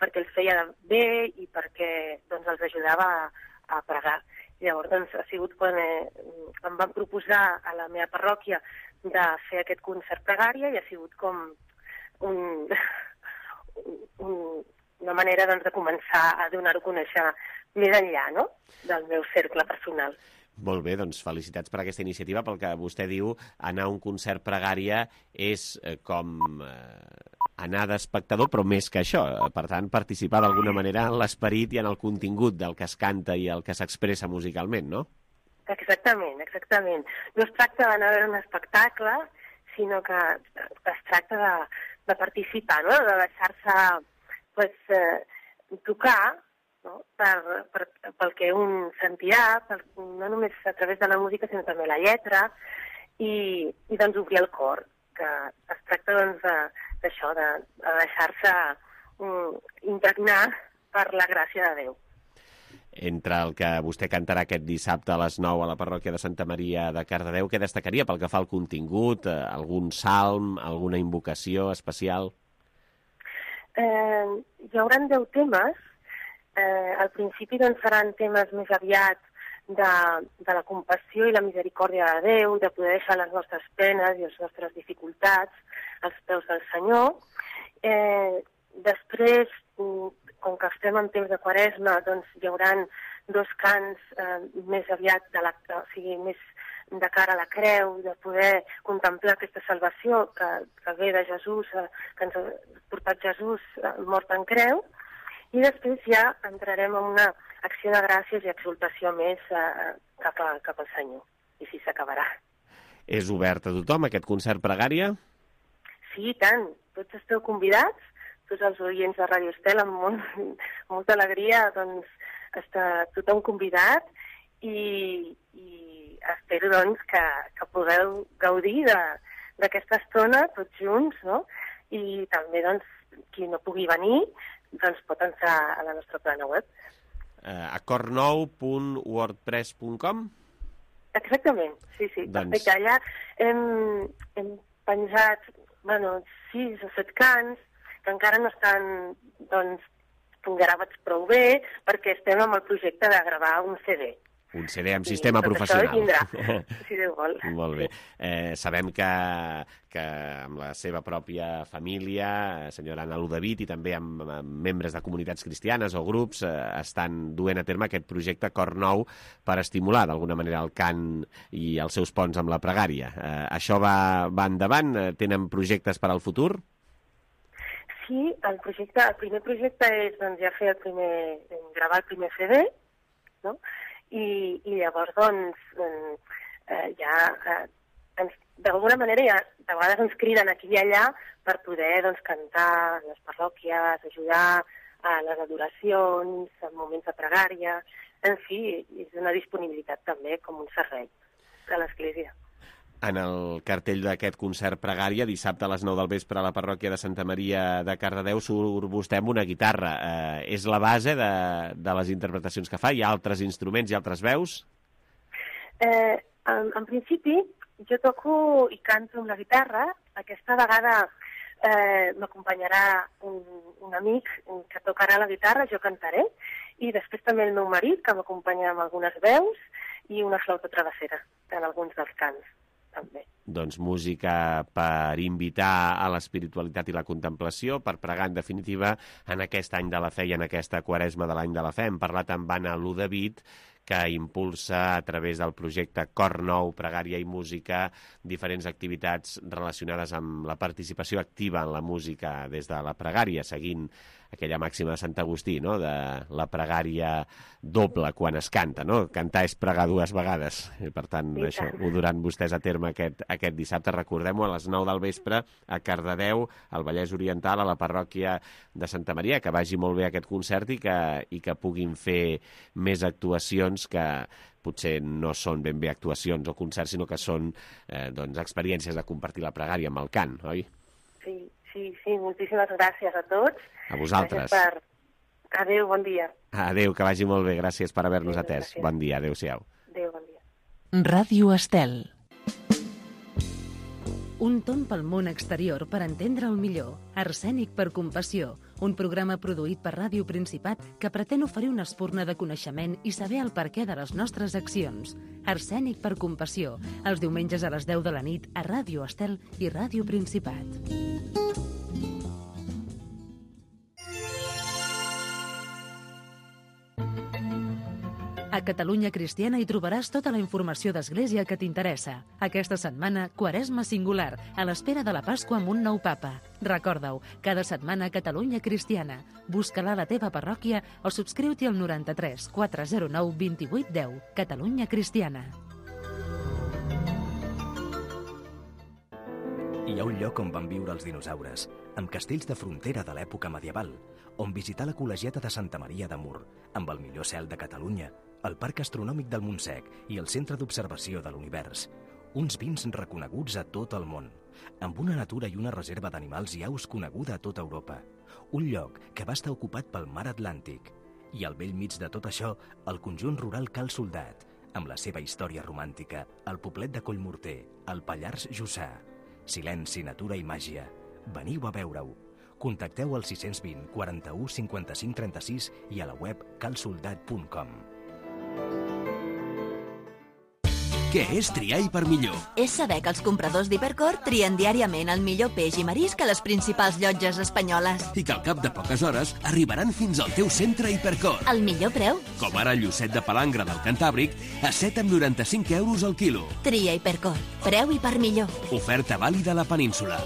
[SPEAKER 6] Perquè els feia bé i perquè doncs, els ajudava a, a pregar. Llavors, doncs, ha sigut quan eh, em van proposar a la meva parròquia de fer aquest concert pregària i ha sigut com un, un, una manera doncs, de començar a donar-ho a conèixer més enllà, no?, del meu cercle personal.
[SPEAKER 2] Molt bé, doncs felicitats per aquesta iniciativa. Pel que vostè diu, anar a un concert pregària és eh, com eh, anar d'espectador, però més que això. Per tant, participar d'alguna manera en l'esperit i en el contingut del que es canta i el que s'expressa musicalment, no?
[SPEAKER 6] Exactament, exactament. No es tracta d'anar a veure un espectacle, sinó que es tracta de, de participar, no?, de deixar-se pues, eh, tocar, no? Per, per, pel que un sentirà, per, no només a través de la música, sinó també la lletra, i, i doncs obrir el cor, que es tracta doncs d'això, de, de deixar-se um, impregnar per la gràcia de Déu.
[SPEAKER 2] Entre el que vostè cantarà aquest dissabte a les nou a la parròquia de Santa Maria de Cardedeu, què destacaria pel que fa al contingut? Eh, algun salm, alguna invocació especial?
[SPEAKER 6] Eh, hi haurà deu temes. Eh, al principi doncs, seran temes més aviat de, de la compassió i la misericòrdia de Déu, de poder deixar les nostres penes i les nostres dificultats als peus del Senyor. Eh, després, com que estem en temps de Quaresma, doncs hi haurà dos cants eh, més aviat de la, o sigui, més de cara a la creu, de poder contemplar aquesta salvació que, que ve de Jesús, eh, que ens ha portat Jesús eh, mort en creu. I després ja entrarem en una acció de gràcies i exaltació més eh, cap, a, cap al Senyor. I així s'acabarà.
[SPEAKER 2] És obert a tothom, aquest concert pregària?
[SPEAKER 6] Sí, i tant. Tots esteu convidats, tots els oients de Ràdio Estel, amb, molt, amb molta alegria, doncs, està tothom convidat i, i espero, doncs, que, que pugueu gaudir d'aquesta estona tots junts, no? I també, doncs, qui no pugui venir, doncs pot entrar a la nostra plana web.
[SPEAKER 2] Uh, a cor nou punt wordpress punt com?
[SPEAKER 6] Exactament, sí, sí.
[SPEAKER 2] Doncs...
[SPEAKER 6] Perfecte. Allà hem, hem penjat, bueno, sis o set cants que encara no estan, doncs, gravats prou bé perquè estem amb el projecte de gravar un C D.
[SPEAKER 2] Un C D amb sistema
[SPEAKER 6] sí,
[SPEAKER 2] professional.
[SPEAKER 6] Vindrà, si Déu vol.
[SPEAKER 2] Molt bé. Eh, sabem que, que amb la seva pròpia família, senyora Anna Ludavid, i també amb, amb membres de comunitats cristianes o grups, eh, estan duent a terme aquest projecte Cor Nou per estimular d'alguna manera el cant i els seus ponts amb la pregària. Eh, això va, va endavant? Tenen projectes per al futur?
[SPEAKER 6] aquí el projecte, el primer projecte és doncs, ja fer el primer, gravar el primer C D, no? I, i llavors doncs eh, ja eh, ens, d'alguna manera ja de vegades ens criden aquí i allà per poder doncs, cantar a les parròquies, ajudar a les adoracions, en moments de pregària, en fi, és una disponibilitat també com un servei de l'Església.
[SPEAKER 2] En el cartell d'aquest concert pregària, dissabte a les nou del vespre a la parròquia de Santa Maria de Cardedeu, surt vostè amb una guitarra. Eh, és la base de, de les interpretacions que fa? Hi ha altres instruments i altres veus?
[SPEAKER 6] Eh, en, en principi, jo toco i canto amb la guitarra. Aquesta vegada eh, m'acompanyarà un, un amic que tocarà la guitarra, jo cantaré, i després també el meu marit, que m'acompanya amb algunes veus, i una flauta travessera en alguns dels cants. També.
[SPEAKER 2] Doncs música per invitar a l'espiritualitat i la contemplació, per pregar, en definitiva, en aquest any de la fe i en aquesta quaresma de l'any de la fe. Hem parlat amb Anna Ludevit, que impulsa a través del projecte Cor Nou, Pregària i Música, diferents activitats relacionades amb la participació activa en la música des de la pregària, seguint aquella màxima de Sant Agustí, no?, de la pregària doble quan es canta, no? Cantar és pregar dues vegades. I, per tant, sí, això ho duran vostès a terme aquest, aquest dissabte. Recordem-ho, a les nou del vespre a Cardedeu, al Vallès Oriental, a la parròquia de Santa Maria. Que vagi molt bé aquest concert i que, i que puguin fer més actuacions que potser no són ben bé actuacions o concerts, sinó que són eh, doncs, experiències de compartir la pregària amb el cant, oi?
[SPEAKER 6] Sí, sí, sí. Moltíssimes gràcies a tots.
[SPEAKER 2] A vosaltres.
[SPEAKER 6] Per... Adéu, bon dia.
[SPEAKER 2] Adéu, que vagi molt bé. Gràcies per haver-nos atès. Gràcies. Bon dia, adéu-siau.
[SPEAKER 6] Adéu, bon dia.
[SPEAKER 1] Ràdio Estel. Un tomb pel món exterior per entendre'l millor. Arsènic per compassió. Un programa produït per Ràdio Principat que pretén oferir una espurna de coneixement i saber el perquè de les nostres accions. Arsènic per compassió. Els diumenges a les deu de la nit a Ràdio Estel i Ràdio Principat. A Catalunya Cristiana hi trobaràs tota la informació d'Església que t'interessa. Aquesta setmana, Quaresma Singular, a l'espera de la Pasqua amb un nou papa. Recorda-ho, cada setmana a Catalunya Cristiana. Busca-la a la teva parròquia o subscriu-t'hi al noranta-tres quatre zero nou vint vuit deu. Catalunya Cristiana.
[SPEAKER 7] Hi ha un lloc on van viure els dinosaures, amb castells de frontera de l'època medieval, on visitar la col·legiata de Santa Maria de Mur, amb el millor cel de Catalunya, el Parc Astronòmic del Montsec i el Centre d'Observació de l'Univers. Uns vins reconeguts a tot el món, amb una natura i una reserva d'animals i aus coneguda a tota Europa. Un lloc que va estar ocupat pel mar Atlàntic. I al bell mig de tot això, el conjunt rural Cal Soldat, amb la seva història romàntica, el poblet de Collmorter, el Pallars Jussà. Silenci, natura i màgia. Veniu a veure-ho. Contacteu al sis cents vint quaranta-u cinquanta-cinc trenta-sis i a la web calsoldat punt com.
[SPEAKER 8] Què és triar i per millor?
[SPEAKER 17] És saber que els compradors d'Hipercor trien diàriament el millor peix i marisc a les principals llotges espanyoles.
[SPEAKER 8] I que al cap de poques hores arribaran fins al teu centre Hipercor.
[SPEAKER 17] Al millor preu?
[SPEAKER 8] Com ara el llucet de palangre del Cantàbric a set coma noranta-cinc euros al quilo.
[SPEAKER 17] Tria Hipercor. Preu i per millor.
[SPEAKER 8] Oferta vàlida a la península.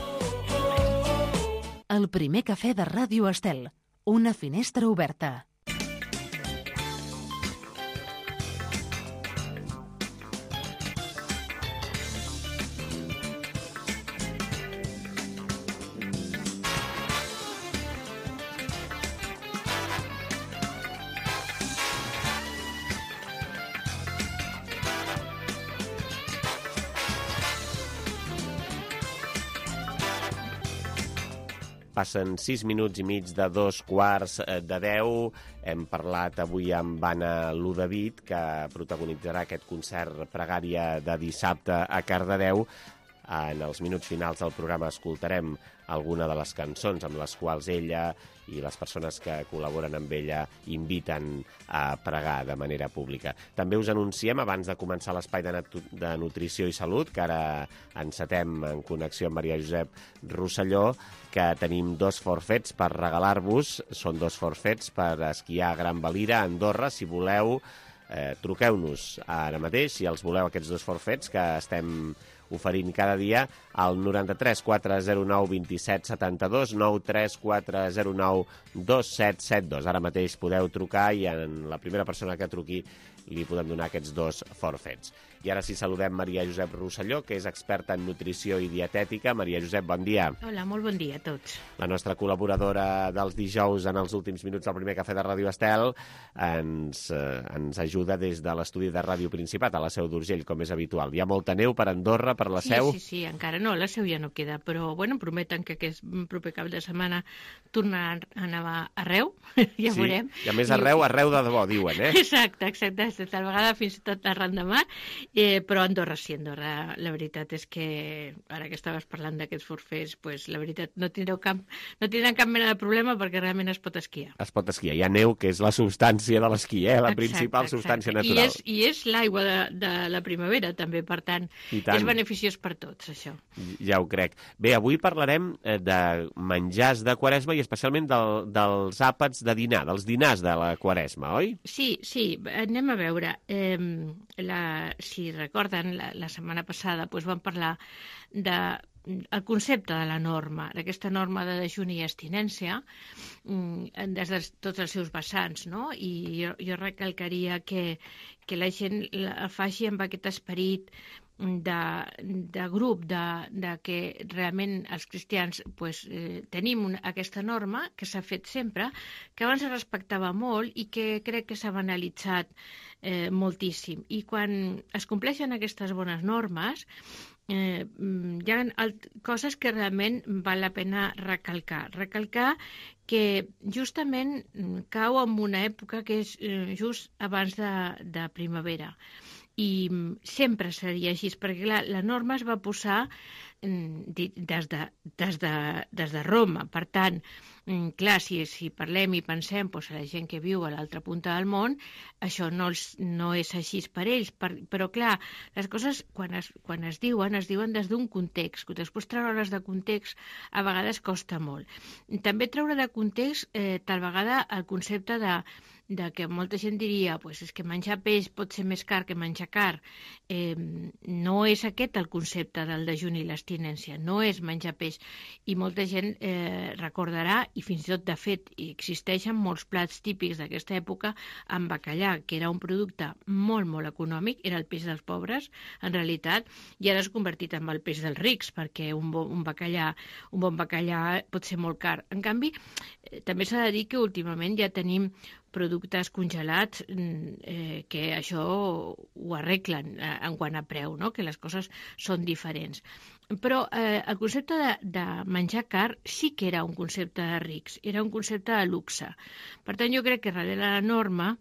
[SPEAKER 1] El primer cafè de Ràdio Estel. Una finestra oberta.
[SPEAKER 2] Passen sis minuts i mig de dos quarts de deu. Hem parlat avui amb Anna Ludevit, que protagonitzarà aquest concert pregària de dissabte a Cardedeu. En els minuts finals del programa escoltarem alguna de les cançons amb les quals ella i les persones que col·laboren amb ella inviten a pregar de manera pública. També us anunciem, abans de començar l'espai de, de nutrició i salut, que ara encetem en connexió amb Maria Josep Rosselló, que tenim dos forfets per regalar-vos. Són dos forfets per esquiar a Gran Valira, a Andorra. Si voleu, eh, truqueu-nos ara mateix, si els voleu, aquests dos forfets, que estem oferint cada dia al noranta-tres quatre zero nou vint set setanta-dos, nou tres quatre zero nou dos set set dos. Ara mateix podeu trucar i en la primera persona que truqui li podem donar aquests dos forfets. I ara sí saludem Maria Josep Rosselló, que és experta en nutrició i dietètica. Maria Josep, bon dia.
[SPEAKER 9] Hola, molt bon dia a tots.
[SPEAKER 2] La nostra col·laboradora dels dijous en els últims minuts del primer cafè de Ràdio Estel ens, eh, ens ajuda des de l'estudi de Ràdio Principat a la Seu d'Urgell, com és habitual. Hi ha molta neu per Andorra, per la
[SPEAKER 9] sí,
[SPEAKER 2] Seu?
[SPEAKER 9] Sí, sí, encara no, la Seu ja no queda, però bueno, prometen que aquest proper cap de setmana tornarà a nevar arreu, ja
[SPEAKER 2] sí.
[SPEAKER 9] veurem.
[SPEAKER 2] I a més arreu, arreu de debò, diuen, eh?
[SPEAKER 9] Exacte, exacte, tal vegada fins i tot arran de mar. Eh, però Andorra sí, Andorra, la veritat és que ara que estaves parlant d'aquests forfers, pues, la veritat no tindreu cap, no tindran cap mena de problema perquè realment es pot esquiar.
[SPEAKER 2] Es pot esquiar. Hi ha neu, que és la substància de l'esquí, eh? la exacte, principal exacte. substància natural.
[SPEAKER 9] I és, i és l'aigua de, de la primavera, també, per tant, és beneficiós per tots, això.
[SPEAKER 2] Ja ho crec. Bé, avui parlarem de menjars de Quaresma i especialment del, dels àpats de dinar, dels dinars de la Quaresma, oi?
[SPEAKER 9] Sí, sí, anem a veure. Eh, la, si recorden, la, la setmana passada doncs, vam parlar de el concepte de la norma, d'aquesta norma de dejuni i abstinència, des de tots els seus vessants, no? I jo, jo recalcaria que, que la gent la faci amb aquest esperit de, de grup, de, de que realment els cristians pues, eh, tenim una, aquesta norma que s'ha fet sempre, que abans es respectava molt i que crec que s'ha banalitzat eh, moltíssim. I quan es compleixen aquestes bones normes, eh, hi ha coses que realment val la pena recalcar. Recalcar que justament cau en una època que és eh, just abans de, de primavera. I sempre seria així, perquè clar, la norma es va posar des de, des de, des de Roma. Per tant, clar, si, si parlem i pensem doncs, a la gent que viu a l'altra punta del món, això no, els, no és així per ells. Per, però clar, les coses quan es, quan es diuen, es diuen des d'un context. Després treure-les de context a vegades costa molt. També treure de context eh, tal vegada el concepte de de que molta gent diria pues és que menjar peix pot ser més car que menjar car. Eh, no és aquest el concepte del dejuni i l'abstinència, no és menjar peix. I molta gent eh, recordarà, i fins i tot de fet existeixen molts plats típics d'aquesta època amb bacallà, que era un producte molt, molt econòmic, era el peix dels pobres, en realitat, i ara s'ha convertit en el peix dels rics, perquè un bon, un bacallà, un bon bacallà pot ser molt car. En canvi, eh, també s'ha de dir que últimament ja tenim productes congelats eh, que això ho arreglen eh, en quant a preu, no? Que les coses són diferents. Però eh, el concepte de, de menjar car sí que era un concepte de rics, era un concepte de luxe. Per tant, jo crec que darrere la norma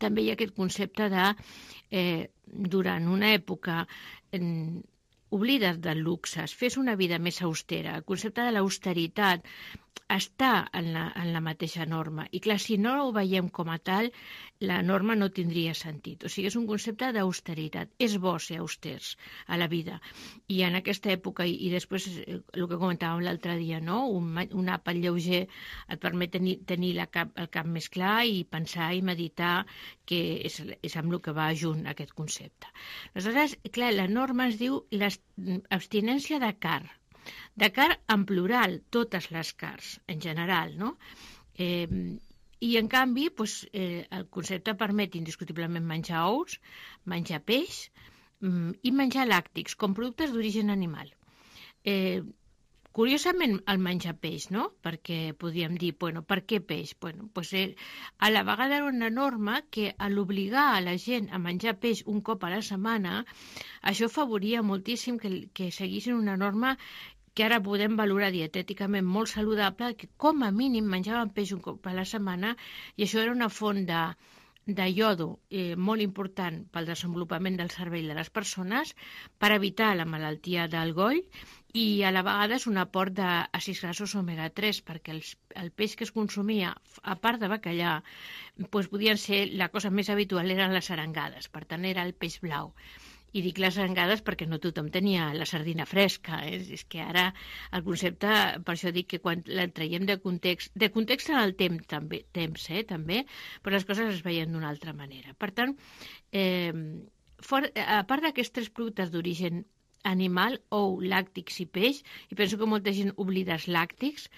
[SPEAKER 9] també hi ha aquest concepte de, eh, durant una època, eh, oblides del luxe, fes una vida més austera. El concepte de l'austeritat està en la, en la mateixa norma. I clar, si no ho veiem com a tal, la norma no tindria sentit. O sigui, és un concepte d'austeritat. És bo ser austers a la vida. I en aquesta època, i, i després el que comentàvem l'altre dia, no? un, un àpat lleuger et permet tenir, tenir la cap, el cap més clar i pensar i meditar, que és, és amb el que va junt aquest concepte. Aleshores, clar, la norma es diu l'abstinència de car. De car en plural, totes les cars, en general, no? Eh, I, en canvi, doncs, eh, el concepte permet indiscutiblement menjar ous, menjar peix mm, i menjar làctics, com productes d'origen animal. Eh, Curiosament, el menjar peix, no? Perquè podríem dir, bueno, per què peix? Bueno, pues, eh, a la vegada era una norma que a l'obligar a la gent a menjar peix un cop a la setmana, això favoria moltíssim que, que seguissin una norma que ara podem valorar dietèticament molt saludable, que com a mínim menjaven peix un cop a la setmana, i això era una font de, de iodo eh, molt important pel desenvolupament del cervell de les persones, per evitar la malaltia del goll, i a la vegada és un aport d'àcids grassos omega tres, perquè els, el peix que es consumia, a part de bacallà, doncs podien ser, la cosa més habitual eren les arengades, per tant era el peix blau. I dic les arengades perquè no tothom tenia la sardina fresca, eh? És que ara el concepte, per això dic que quan la traiem de context, de context en el temps també, temps, eh, també, però les coses es veien d'una altra manera. Per tant, eh, for, a part d'aquests tres productes d'origen animal, ou, làctics i peix, i penso que molta gent oblida els làctics.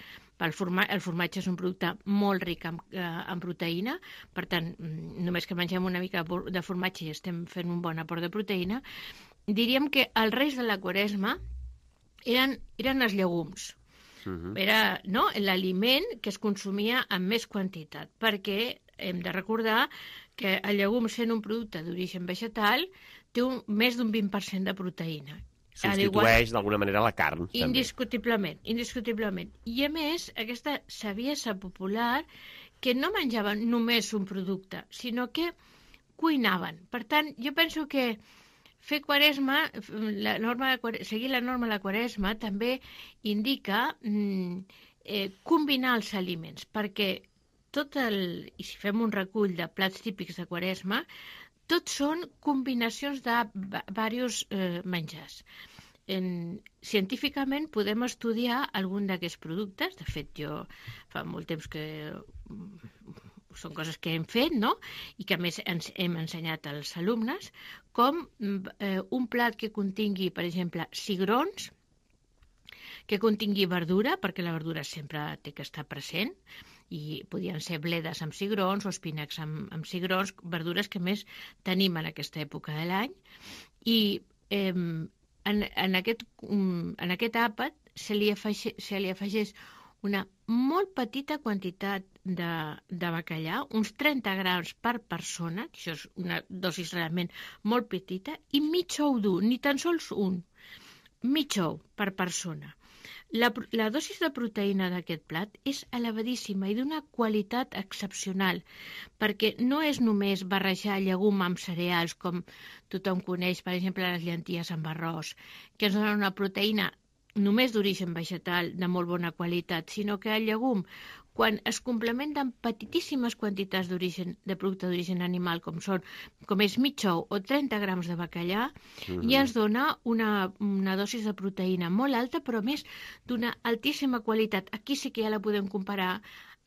[SPEAKER 9] El, forma, el formatge és un producte molt ric en, eh, en proteïna, per tant, només que mengem una mica de formatge i estem fent un bon aport de proteïna. Diríem que el rei de la Quaresma eren, eren els llegums. Uh-huh. Era, no, l'aliment que es consumia en més quantitat, perquè hem de recordar que el llegum, sent un producte d'origen vegetal, té un, més d'un vint per cent de proteïna.
[SPEAKER 2] Substitueix d'alguna manera la carn.
[SPEAKER 9] Indiscutiblement, també. indiscutiblement. I a més, aquesta saviesa popular que no menjaven només un producte, sinó que cuinaven. Per tant, jo penso que fer quaresma, la norma de, seguir la norma de la quaresma també indica mm, eh, combinar els aliments, perquè tot el, i si fem un recull de plats típics de quaresma, tots són combinacions de diversos eh, menjars. En, científicament podem estudiar algun d'aquests productes, de fet jo fa molt temps que són coses que hem fet, no? I que a més ens hem ensenyat als alumnes, com eh, un plat que contingui, per exemple, cigrons, que contingui verdura, perquè la verdura sempre té que estar present, i podien ser bledes amb cigrons o espinacs amb, amb cigrons, verdures que més tenim en aquesta època de l'any. I eh, en, en, aquest, en aquest àpat se li afegeix, se li afegeix una molt petita quantitat de, de bacallà, uns trenta grams per persona, això és una dosis realment molt petita, i mig ou dur, ni tan sols un, mig ou per persona. La, la dosis de proteïna d'aquest plat és elevadíssima i d'una qualitat excepcional, perquè no és només barrejar llegum amb cereals, com tothom coneix, per exemple, les llenties amb arròs, que ens donen una proteïna només d'origen vegetal de molt bona qualitat, sinó que el llegum, quan es complementa amb petitíssimes quantitats d'origen de producte d'origen animal, com són com és mig ou o trenta grams de bacallà, mm-hmm. ja ens dona una, una dosis de proteïna molt alta, però més d'una altíssima qualitat. Aquí sí que ja la podem comparar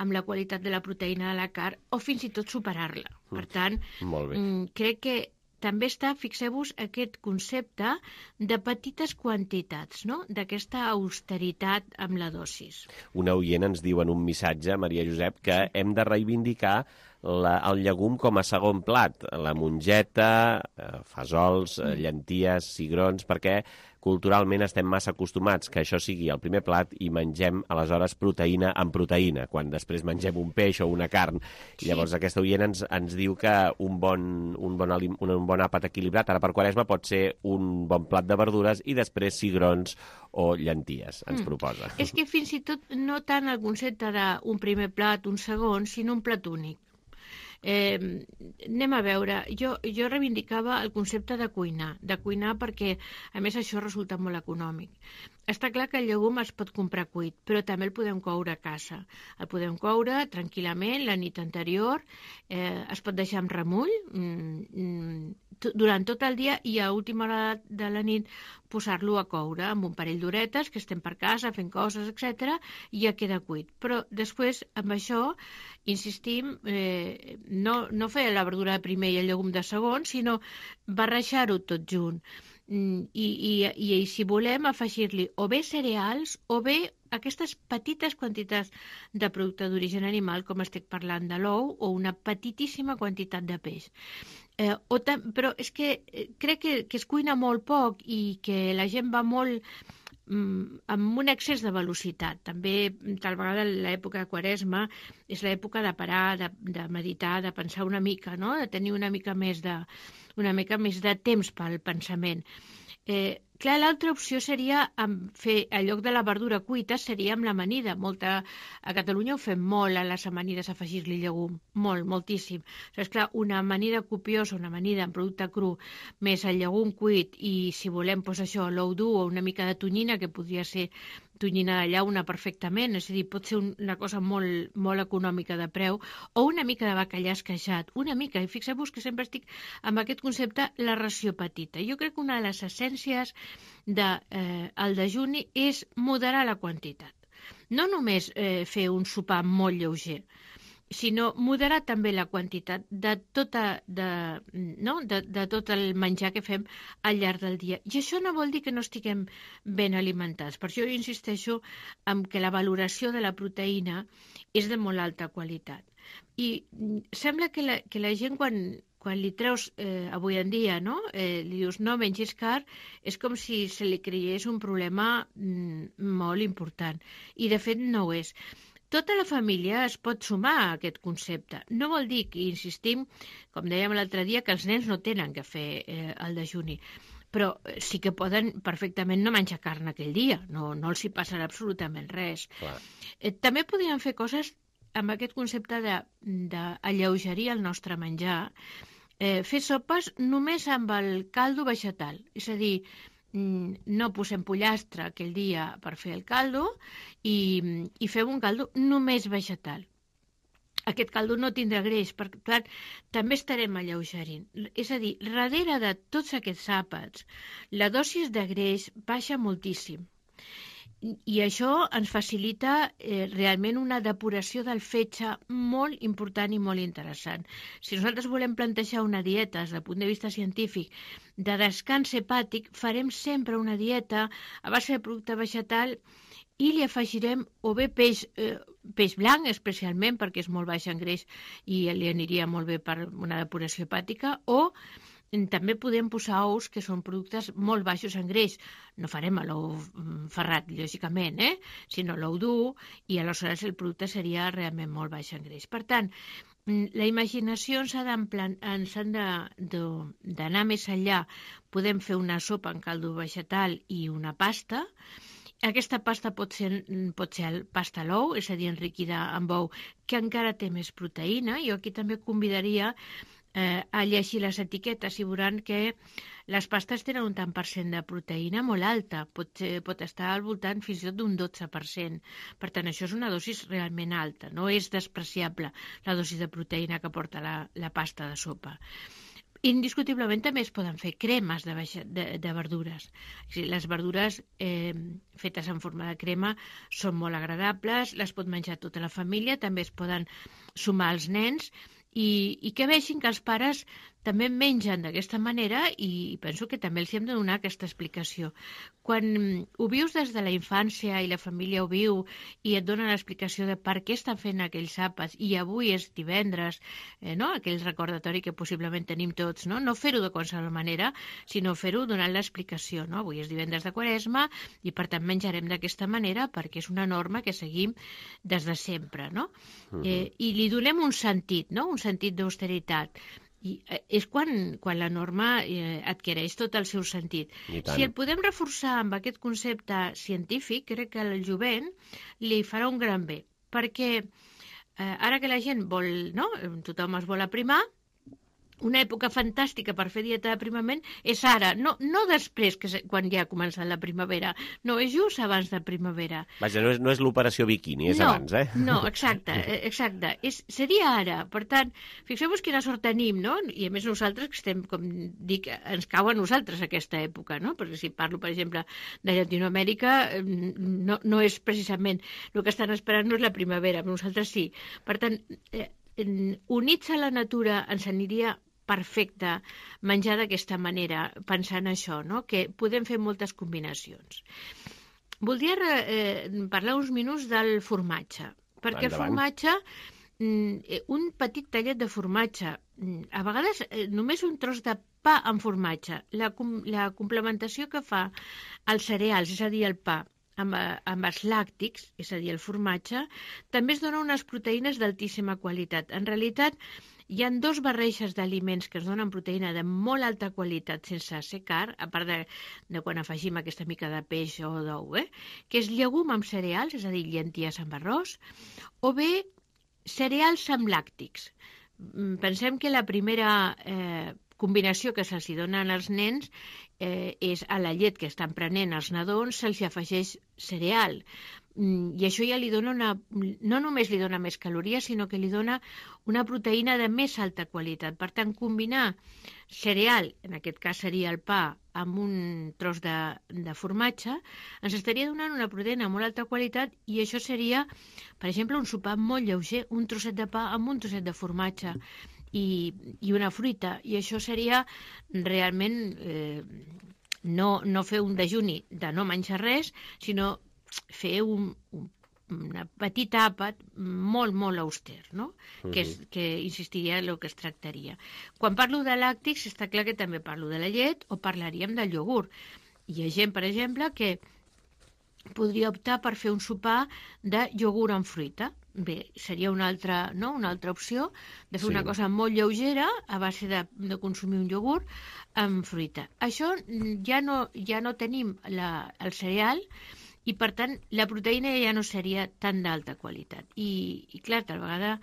[SPEAKER 9] amb la qualitat de la proteïna de la carn, o fins i tot superar-la. Per tant, mm, crec que també està, fixeu-vos, aquest concepte de petites quantitats, no? D'aquesta austeritat amb la dosis.
[SPEAKER 2] Una oient ens diu en un missatge, Maria Josep, que sí. hem de reivindicar la, el llegum com a segon plat. La mongeta, eh, fesols, eh, llenties, cigrons, perquè culturalment estem massa acostumats que això sigui el primer plat i mengem, aleshores, proteïna amb proteïna, quan després mengem un peix o una carn. I llavors sí. aquesta oient ens, ens diu que un bon, un, bon alim, un, un bon àpat equilibrat, ara per Quaresma, pot ser un bon plat de verdures i després cigrons o llenties, ens mm. proposa.
[SPEAKER 9] És que fins i tot no tant el concepte d'un primer plat, un segon, sinó un plat únic. Eh, anem a veure, jo, jo reivindicava el concepte de cuinar, de cuinar perquè a més això resulta molt econòmic. Està clar que el llegum es pot comprar cuit, però també el podem coure a casa. El podem coure tranquil·lament la nit anterior, eh, es pot deixar amb remull mm, durant tot el dia i a última hora de la nit posar-lo a coure amb un parell d'horetes, que estem per casa fent coses, etcètera, i ja queda cuit. Però després, amb això, insistim, eh, no, no fer la verdura de primer i el llegum de segon, sinó barrejar-ho tot junt. I, i, i, i si volem afegir-li o bé cereals o bé aquestes petites quantitats de producte d'origen animal, com estic parlant de l'ou, o una petitíssima quantitat de peix. Eh, o però és que crec que, que es cuina molt poc i que la gent va molt mm, amb un excés de velocitat. També, tal vegada, l'època de Quaresma és l'època de parar, de, de meditar, de pensar una mica, no? De tenir una mica més de, una mica més de temps pel pensament. Eh, clar, l'altra opció seria amb fer, en lloc de la verdura cuita, seria amb l'amanida. Molta, a Catalunya ho fem molt, a les amanides, afegir-li llegum. Molt, moltíssim. O sigui, esclar, una amanida copiosa, una amanida amb producte cru, més el llegum cuit i, si volem, doncs això, l'ou dur o una mica de tonyina, que podria ser tonyina de llauna perfectament, és a dir, pot ser una cosa molt, molt econòmica de preu, o una mica de bacallà esqueixat, una mica, i fixeu-vos que sempre estic amb aquest concepte, la ració petita. Jo crec que una de les essències del de, eh, dejuni és moderar la quantitat. No només eh, fer un sopar molt lleuger, sinó moderar també la quantitat de, tota, de, no? de, de tot el menjar que fem al llarg del dia. I això no vol dir que no estiguem ben alimentats. Per això jo insisteixo en que la valoració de la proteïna és de molt alta qualitat. I sembla que la, que la gent, quan, quan li treus eh, avui en dia, no? Eh, li dius no mengis car, és com si se li creiés un problema mm, molt important. I de fet no ho és. Tota la família es pot sumar a aquest concepte. No vol dir que, insistim, com dèiem l'altre dia, que els nens no tenen que fer eh, el dejuni, però sí que poden perfectament no menjar carn aquell dia, no, no els hi passarà absolutament res. Eh, també podríem fer coses amb aquest concepte d'alleugerir el nostre menjar, eh, fer sopes només amb el caldo vegetal, és a dir, no posem pollastre aquell dia per fer el caldo i, i fem un caldo només vegetal. Aquest caldo no tindrà greix, per tant, també estarem alleugerint. És a dir, darrere de tots aquests àpats, la dosis de greix baixa moltíssim. I això ens facilita eh, realment una depuració del fetge molt important i molt interessant. Si nosaltres volem plantejar una dieta des del punt de vista científic de descans hepàtic, farem sempre una dieta a base de producte vegetal i li afegirem o bé peix, eh, peix blanc, especialment perquè és molt baix en greix i li aniria molt bé per una depuració hepàtica, o també podem posar ous, que són productes molt baixos en greix. No farem l'ou ferrat, lògicament, eh? sinó l'ou dur, i aleshores el producte seria realment molt baix en greix. Per tant, la imaginació ens ha d'anar més enllà. Podem fer una sopa en caldo vegetal i una pasta. Aquesta pasta pot ser, pot ser pasta a l'ou, és a dir, enriquida amb ou, que encara té més proteïna. Jo aquí també convidaria eh, a llegir les etiquetes i veuran que les pastes tenen un tant per cent de proteïna molt alta, pot, ser, pot estar al voltant fins i tot d'un dotze per cent. Per tant, això és una dosis realment alta, no és despreciable la dosi de proteïna que porta la, la pasta de sopa. Indiscutiblement també es poden fer cremes de, de, de verdures. Les verdures eh, fetes en forma de crema són molt agradables, les pot menjar tota la família, també es poden sumar als nens i, i que vegin que els pares també mengen d'aquesta manera, i penso que també els hem de donar aquesta explicació. Quan ho vius des de la infància i la família ho viu i et donen l'explicació de per què estan fent aquells àpats, i avui és divendres, eh, no? aquell recordatori que possiblement tenim tots, no, no fer-ho de qualsevol manera, sinó fer-ho donant l'explicació. No? Avui és divendres de Quaresma i per tant menjarem d'aquesta manera perquè és una norma que seguim des de sempre. No? Uh-huh. eh, I li donem un sentit, no? un sentit d'austeritat. I és quan, quan la norma eh, adquireix tot el seu sentit. Si el podem reforçar amb aquest concepte científic, crec que al jovent li farà un gran bé, perquè eh, ara que la gent vol, no? tothom es vol aprimar, una època fantàstica per fer dieta d'aprimament és ara, no, no després, que quan ja ha començat la primavera, no, és just abans de primavera.
[SPEAKER 2] Vaja, no és, no és l'operació biquini, és
[SPEAKER 9] no,
[SPEAKER 2] abans, eh?
[SPEAKER 9] No, exacte, exacte. És, seria ara. Per tant, fixeu-vos quina sort tenim, no? I a més nosaltres, que estem, com dic, ens cau a nosaltres aquesta època, no? Perquè si parlo, per exemple, de Llatinoamèrica, no, no és precisament el que estan esperant, no és la primavera, però nosaltres sí. Per tant, eh, units a la natura ens aniria perfecte menjar d'aquesta manera, pensant això, no? que podem fer moltes combinacions. Voldria eh, parlar uns minuts del formatge, perquè el formatge, un petit tallet de formatge, a vegades només un tros de pa amb formatge, la, la complementació que fa els cereals, és a dir, el pa, amb, amb els làctics, és a dir, el formatge, també es dona unes proteïnes d'altíssima qualitat. En realitat, hi ha dos barreixes d'aliments que es donen proteïna de molt alta qualitat sense ser car, a part de, de quan afegim aquesta mica de peix o d'ou, eh? que és llegum amb cereals, és a dir, llenties amb arròs, o bé cereals amb làctics. Pensem que la primera eh, combinació que se'ls donen als nens eh, és a la llet que estan prenent els nadons se'ls afegeix cereal. I això ja li dona una... no només li dona més calories, sinó que li dona una proteïna de més alta qualitat. Per tant, combinar cereal, en aquest cas seria el pa, amb un tros de, de formatge, ens estaria donant una proteïna de molt alta qualitat i això seria, per exemple, un sopar molt lleuger, un trosset de pa amb un trosset de formatge i, i una fruita. I això seria realment eh, no, no fer un dejuni de no menjar res, sinó fer un, un, una petita àpat molt, molt auster, no? Uh-huh. que, és, que insistiria en el que es tractaria. Quan parlo de làctics, està clar que també parlo de la llet o parlaríem del iogurt. Hi ha gent, per exemple, que podria optar per fer un sopar de iogurt amb fruita. Bé, seria una altra, no? una altra opció de fer sí. una cosa molt lleugera a base de, de consumir un iogurt amb fruita. Això ja no, ja no tenim la, el cereal i, per tant, la proteïna ja no seria tan d'alta qualitat. I, i clar, tal vegada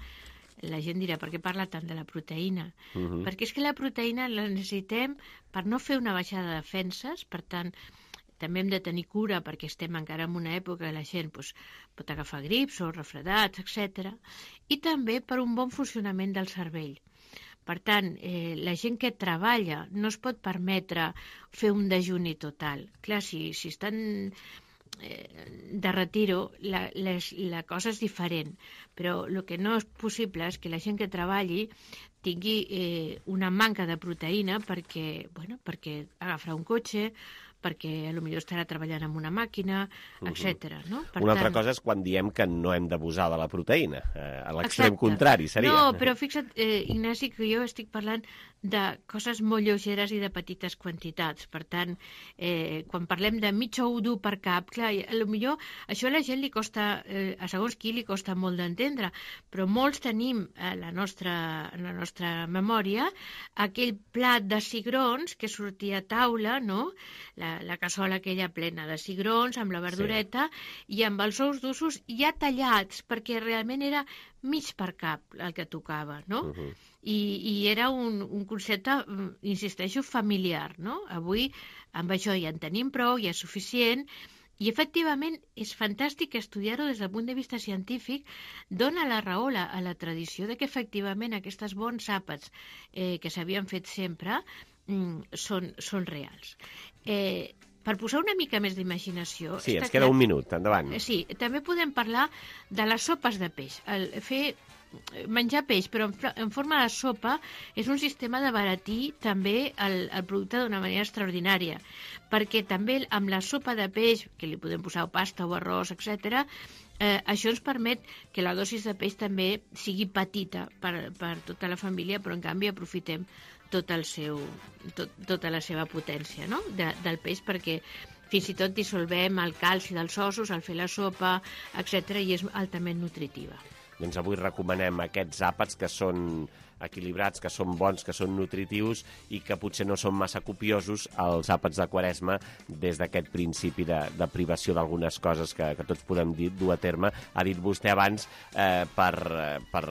[SPEAKER 9] la gent dirà, per què parla tant de la proteïna? Uh-huh. Perquè és que la proteïna la necessitem per no fer una baixada de defenses, per tant, també hem de tenir cura perquè estem encara en una època que la gent doncs, pot agafar grips o refredats, etcètera. I també per un bon funcionament del cervell. Per tant, eh, la gent que treballa no es pot permetre fer un dejuni total. Clar, si, si estan de retiro, la, les, la cosa és diferent, però el que no és possible és que la gent que treballi tingui eh, una manca de proteïna perquè, bueno, perquè agafarà un cotxe, perquè potser estarà treballant amb una màquina, uh-huh. etcètera. No? Per
[SPEAKER 2] una
[SPEAKER 9] tant...
[SPEAKER 2] altra cosa és quan diem que no hem d'abusar de la proteïna. Eh, a l'extrem contrari seria.
[SPEAKER 9] No, però fixa't, eh, Ignasi, que jo estic parlant de coses molt lleugeres i de petites quantitats. Per tant, eh, quan parlem de mig ou dur per cap, clar, potser això a la gent li costa, eh, a segons qui li costa molt d'entendre, però molts tenim a la nostra, a la nostra memòria aquell plat de cigrons que sortia a taula, no?, la, la cassola aquella plena de cigrons amb la verdureta sí. i amb els ous d'ossos ja tallats, perquè realment era mig per cap el que tocava, no? Uh-huh. I, i era un, un concepte, insisteixo, familiar, no? Avui amb això ja en tenim prou, ja és suficient, i efectivament és fantàstic estudiar-ho des del punt de vista científic, dona la raó a la, a la tradició de que efectivament aquests bons àpats eh, que s'havien fet sempre mm, són, són reals. Eh, per posar una mica més d'imaginació...
[SPEAKER 2] Sí, ens queda clar, un minut, endavant.
[SPEAKER 9] Sí, també podem parlar de les sopes de peix. El fer menjar peix, però en, en forma de sopa, és un sistema de baratir també el, el producte d'una manera extraordinària, perquè també amb la sopa de peix, que li podem posar pasta o arròs, etcètera, eh, això ens permet que la dosis de peix també sigui petita per, per tota la família, però en canvi aprofitem tot el seu, tot, tota la seva potència, no?, de, del peix, perquè fins i tot dissolvem el calci dels ossos al fer la sopa, etcètera, i és altament nutritiva.
[SPEAKER 2] Doncs avui recomanem aquests àpats que són equilibrats, que són bons, que són nutritius i que potser no són massa copiosos, els àpats de Quaresma, des d'aquest principi de, de privació d'algunes coses que, que tots podem dir, dur a terme. Ha dit vostè abans eh, per, per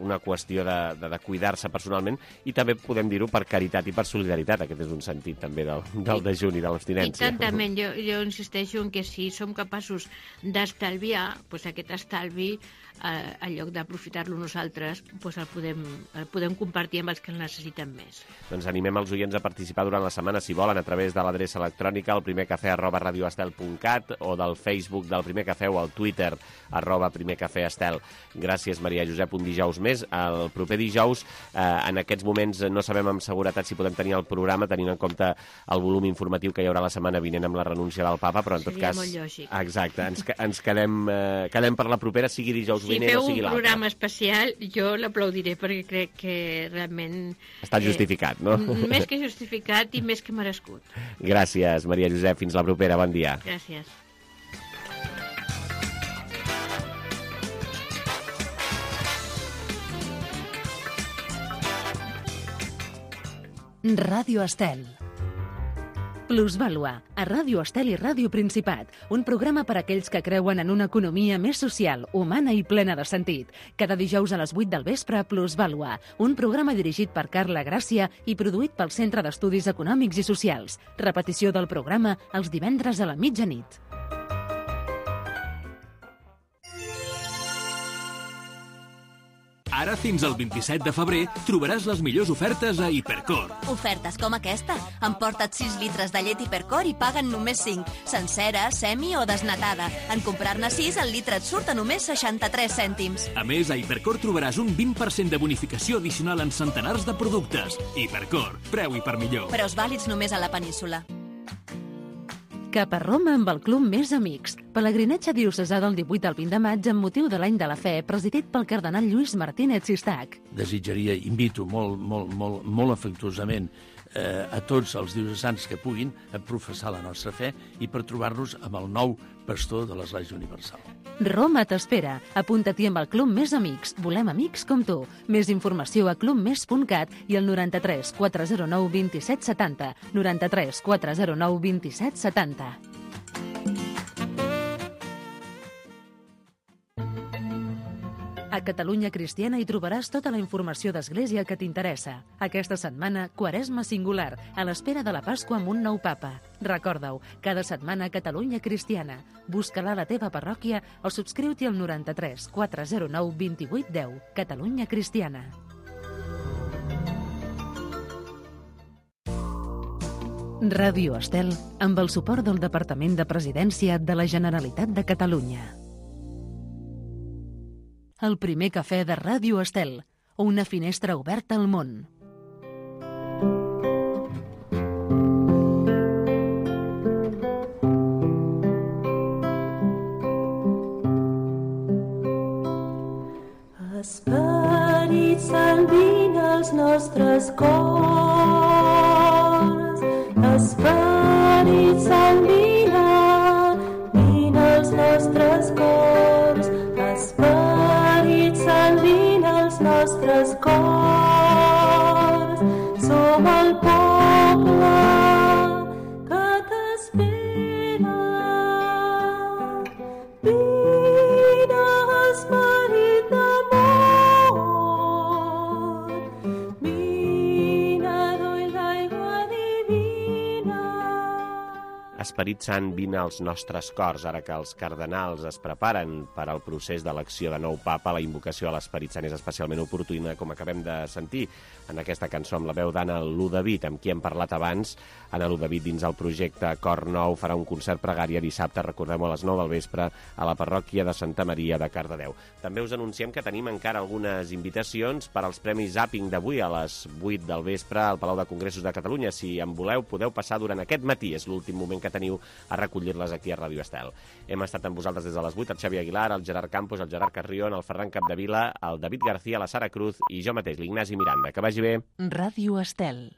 [SPEAKER 2] una qüestió de, de, de cuidar-se personalment i també podem dir-ho per caritat i per solidaritat. Aquest és un sentit també del, del dejuni, de l'abstinència.
[SPEAKER 9] I tantament, jo, jo insisteixo en que si som capaços d'estalviar, doncs aquest estalvi, eh, en lloc d'aprofitar-lo nosaltres, doncs el podem, el podem compartir amb els que el necessiten més.
[SPEAKER 2] Doncs animem els oients a participar durant la setmana, si volen, a través de l'adreça electrònica el primer cafè arroba radioestel punt cat o del Facebook del Primer Cafè o al Twitter arroba Primer Cafè Estel. Gràcies, Maria Josep, un dijous més. El proper dijous, eh, en aquests moments no sabem amb seguretat si podem tenir el programa, tenint en compte el volum informatiu que hi haurà la setmana vinent amb la renúncia del papa, però en tot
[SPEAKER 9] Seria
[SPEAKER 2] cas...
[SPEAKER 9] molt lògic.
[SPEAKER 2] Exacte, ens, ens quedem, eh, quedem per la propera, sigui dijous
[SPEAKER 9] si
[SPEAKER 2] vinent o sigui l'altre.
[SPEAKER 9] Si feu un programa especial, jo l'aplaudiré perquè crec que realment...
[SPEAKER 2] Està justificat, eh, no?
[SPEAKER 9] Més que justificat i més que merescut.
[SPEAKER 2] Gràcies, Maria Josep. Fins la propera. Bon dia.
[SPEAKER 9] Gràcies.
[SPEAKER 1] Ràdio Estel. Plusvàlua, a Ràdio Estel i Ràdio Principat, un programa per a aquells que creuen en una economia més social, humana i plena de sentit. Cada dijous a les vuit del vespre, Plusvàlua, un programa dirigit per Carla Gràcia i produït pel Centre d'Estudis Econòmics i Socials. Repetició del programa els divendres a la mitjanit.
[SPEAKER 8] Ara, fins al vint-i-set de febrer, trobaràs les millors ofertes a Hipercor.
[SPEAKER 17] Ofertes com aquesta. Emporta't sis litres de llet Hipercor i paguen només cinc. Sencera, semi o desnatada. En comprar-ne sis, el litre et surt a només seixanta-tres cèntims.
[SPEAKER 8] A més, a Hipercor trobaràs un vint per cent de bonificació addicional en centenars de productes. Hipercor, preu i per millor.
[SPEAKER 17] Preus vàlids només a la península.
[SPEAKER 1] Cap a Roma amb el Club Més Amics. Pelegrinatge diocesà del divuit al vint de maig amb motiu de l'Any de la Fe, presidit pel cardenal Lluís Martínez Sistac.
[SPEAKER 5] Desitjaria, invito molt, molt, molt, molt afectuosament eh, a tots els diocesans que puguin a professar la nostra fe i per trobar-nos amb el nou pastor de l'Església Universal.
[SPEAKER 1] Roma t'espera. Apunta-t'hi amb el Club Més Amics. Volem amics com tu. Més informació a club més punt cat i al noranta-tres quatre zero nou vint set setanta. noranta-tres quatre zero nou vint set setanta. A Catalunya Cristiana hi trobaràs tota la informació d'Església que t'interessa. Aquesta setmana, Quaresma Singular, a l'espera de la Pasqua amb un nou papa. Recorda-ho, cada setmana a Catalunya Cristiana. Busca-la a la teva parròquia o subscriu-t'hi al noranta-tres quatre zero nou vint vuit deu. Catalunya Cristiana. Ràdio Estel, amb el suport del Departament de Presidència de la Generalitat de Catalunya. El primer cafè de Ràdio Estel, una finestra oberta al món.
[SPEAKER 11] Esperit Sant, vine als nostres cors. Esperit Sant, vine, vine als nostres cors. Esperit Sant, vine als nostres cors. Som el poble que t'espera. Vine, esperit d'amor. Vine, dull d'aigua divina.
[SPEAKER 2] Esperit Sant, vine als nostres cors. Ara que els cardenals es preparen per al procés d'elecció de nou papa, la invocació a l'Esperit Sant és especialment oportuna, com acabem de sentir en aquesta cançó amb la veu d'Anna Ludavid, amb qui hem parlat abans. Anna Ludavid, dins el projecte Cor Nou, farà un concert pregària dissabte, recordem-ho, a les nou del vespre, a la parròquia de Santa Maria de Cardedeu. També us anunciem que tenim encara algunes invitacions per als Premis Zapping d'avui a les vuit del vespre al Palau de Congressos de Catalunya. Si en voleu, podeu passar durant aquest matí. És l'últim moment que teniu a recollir-les aquí a Ràdio Estel. Hem estat amb vosaltres des de les vuit, el Xavi Aguilar, el Gerard Campos, el Gerard Carrión, el Ferran Capdevila, el David García, la Sara Cruz i jo mateix, l'Ignasi Miranda. Que vagi bé.
[SPEAKER 1] Ràdio Estel.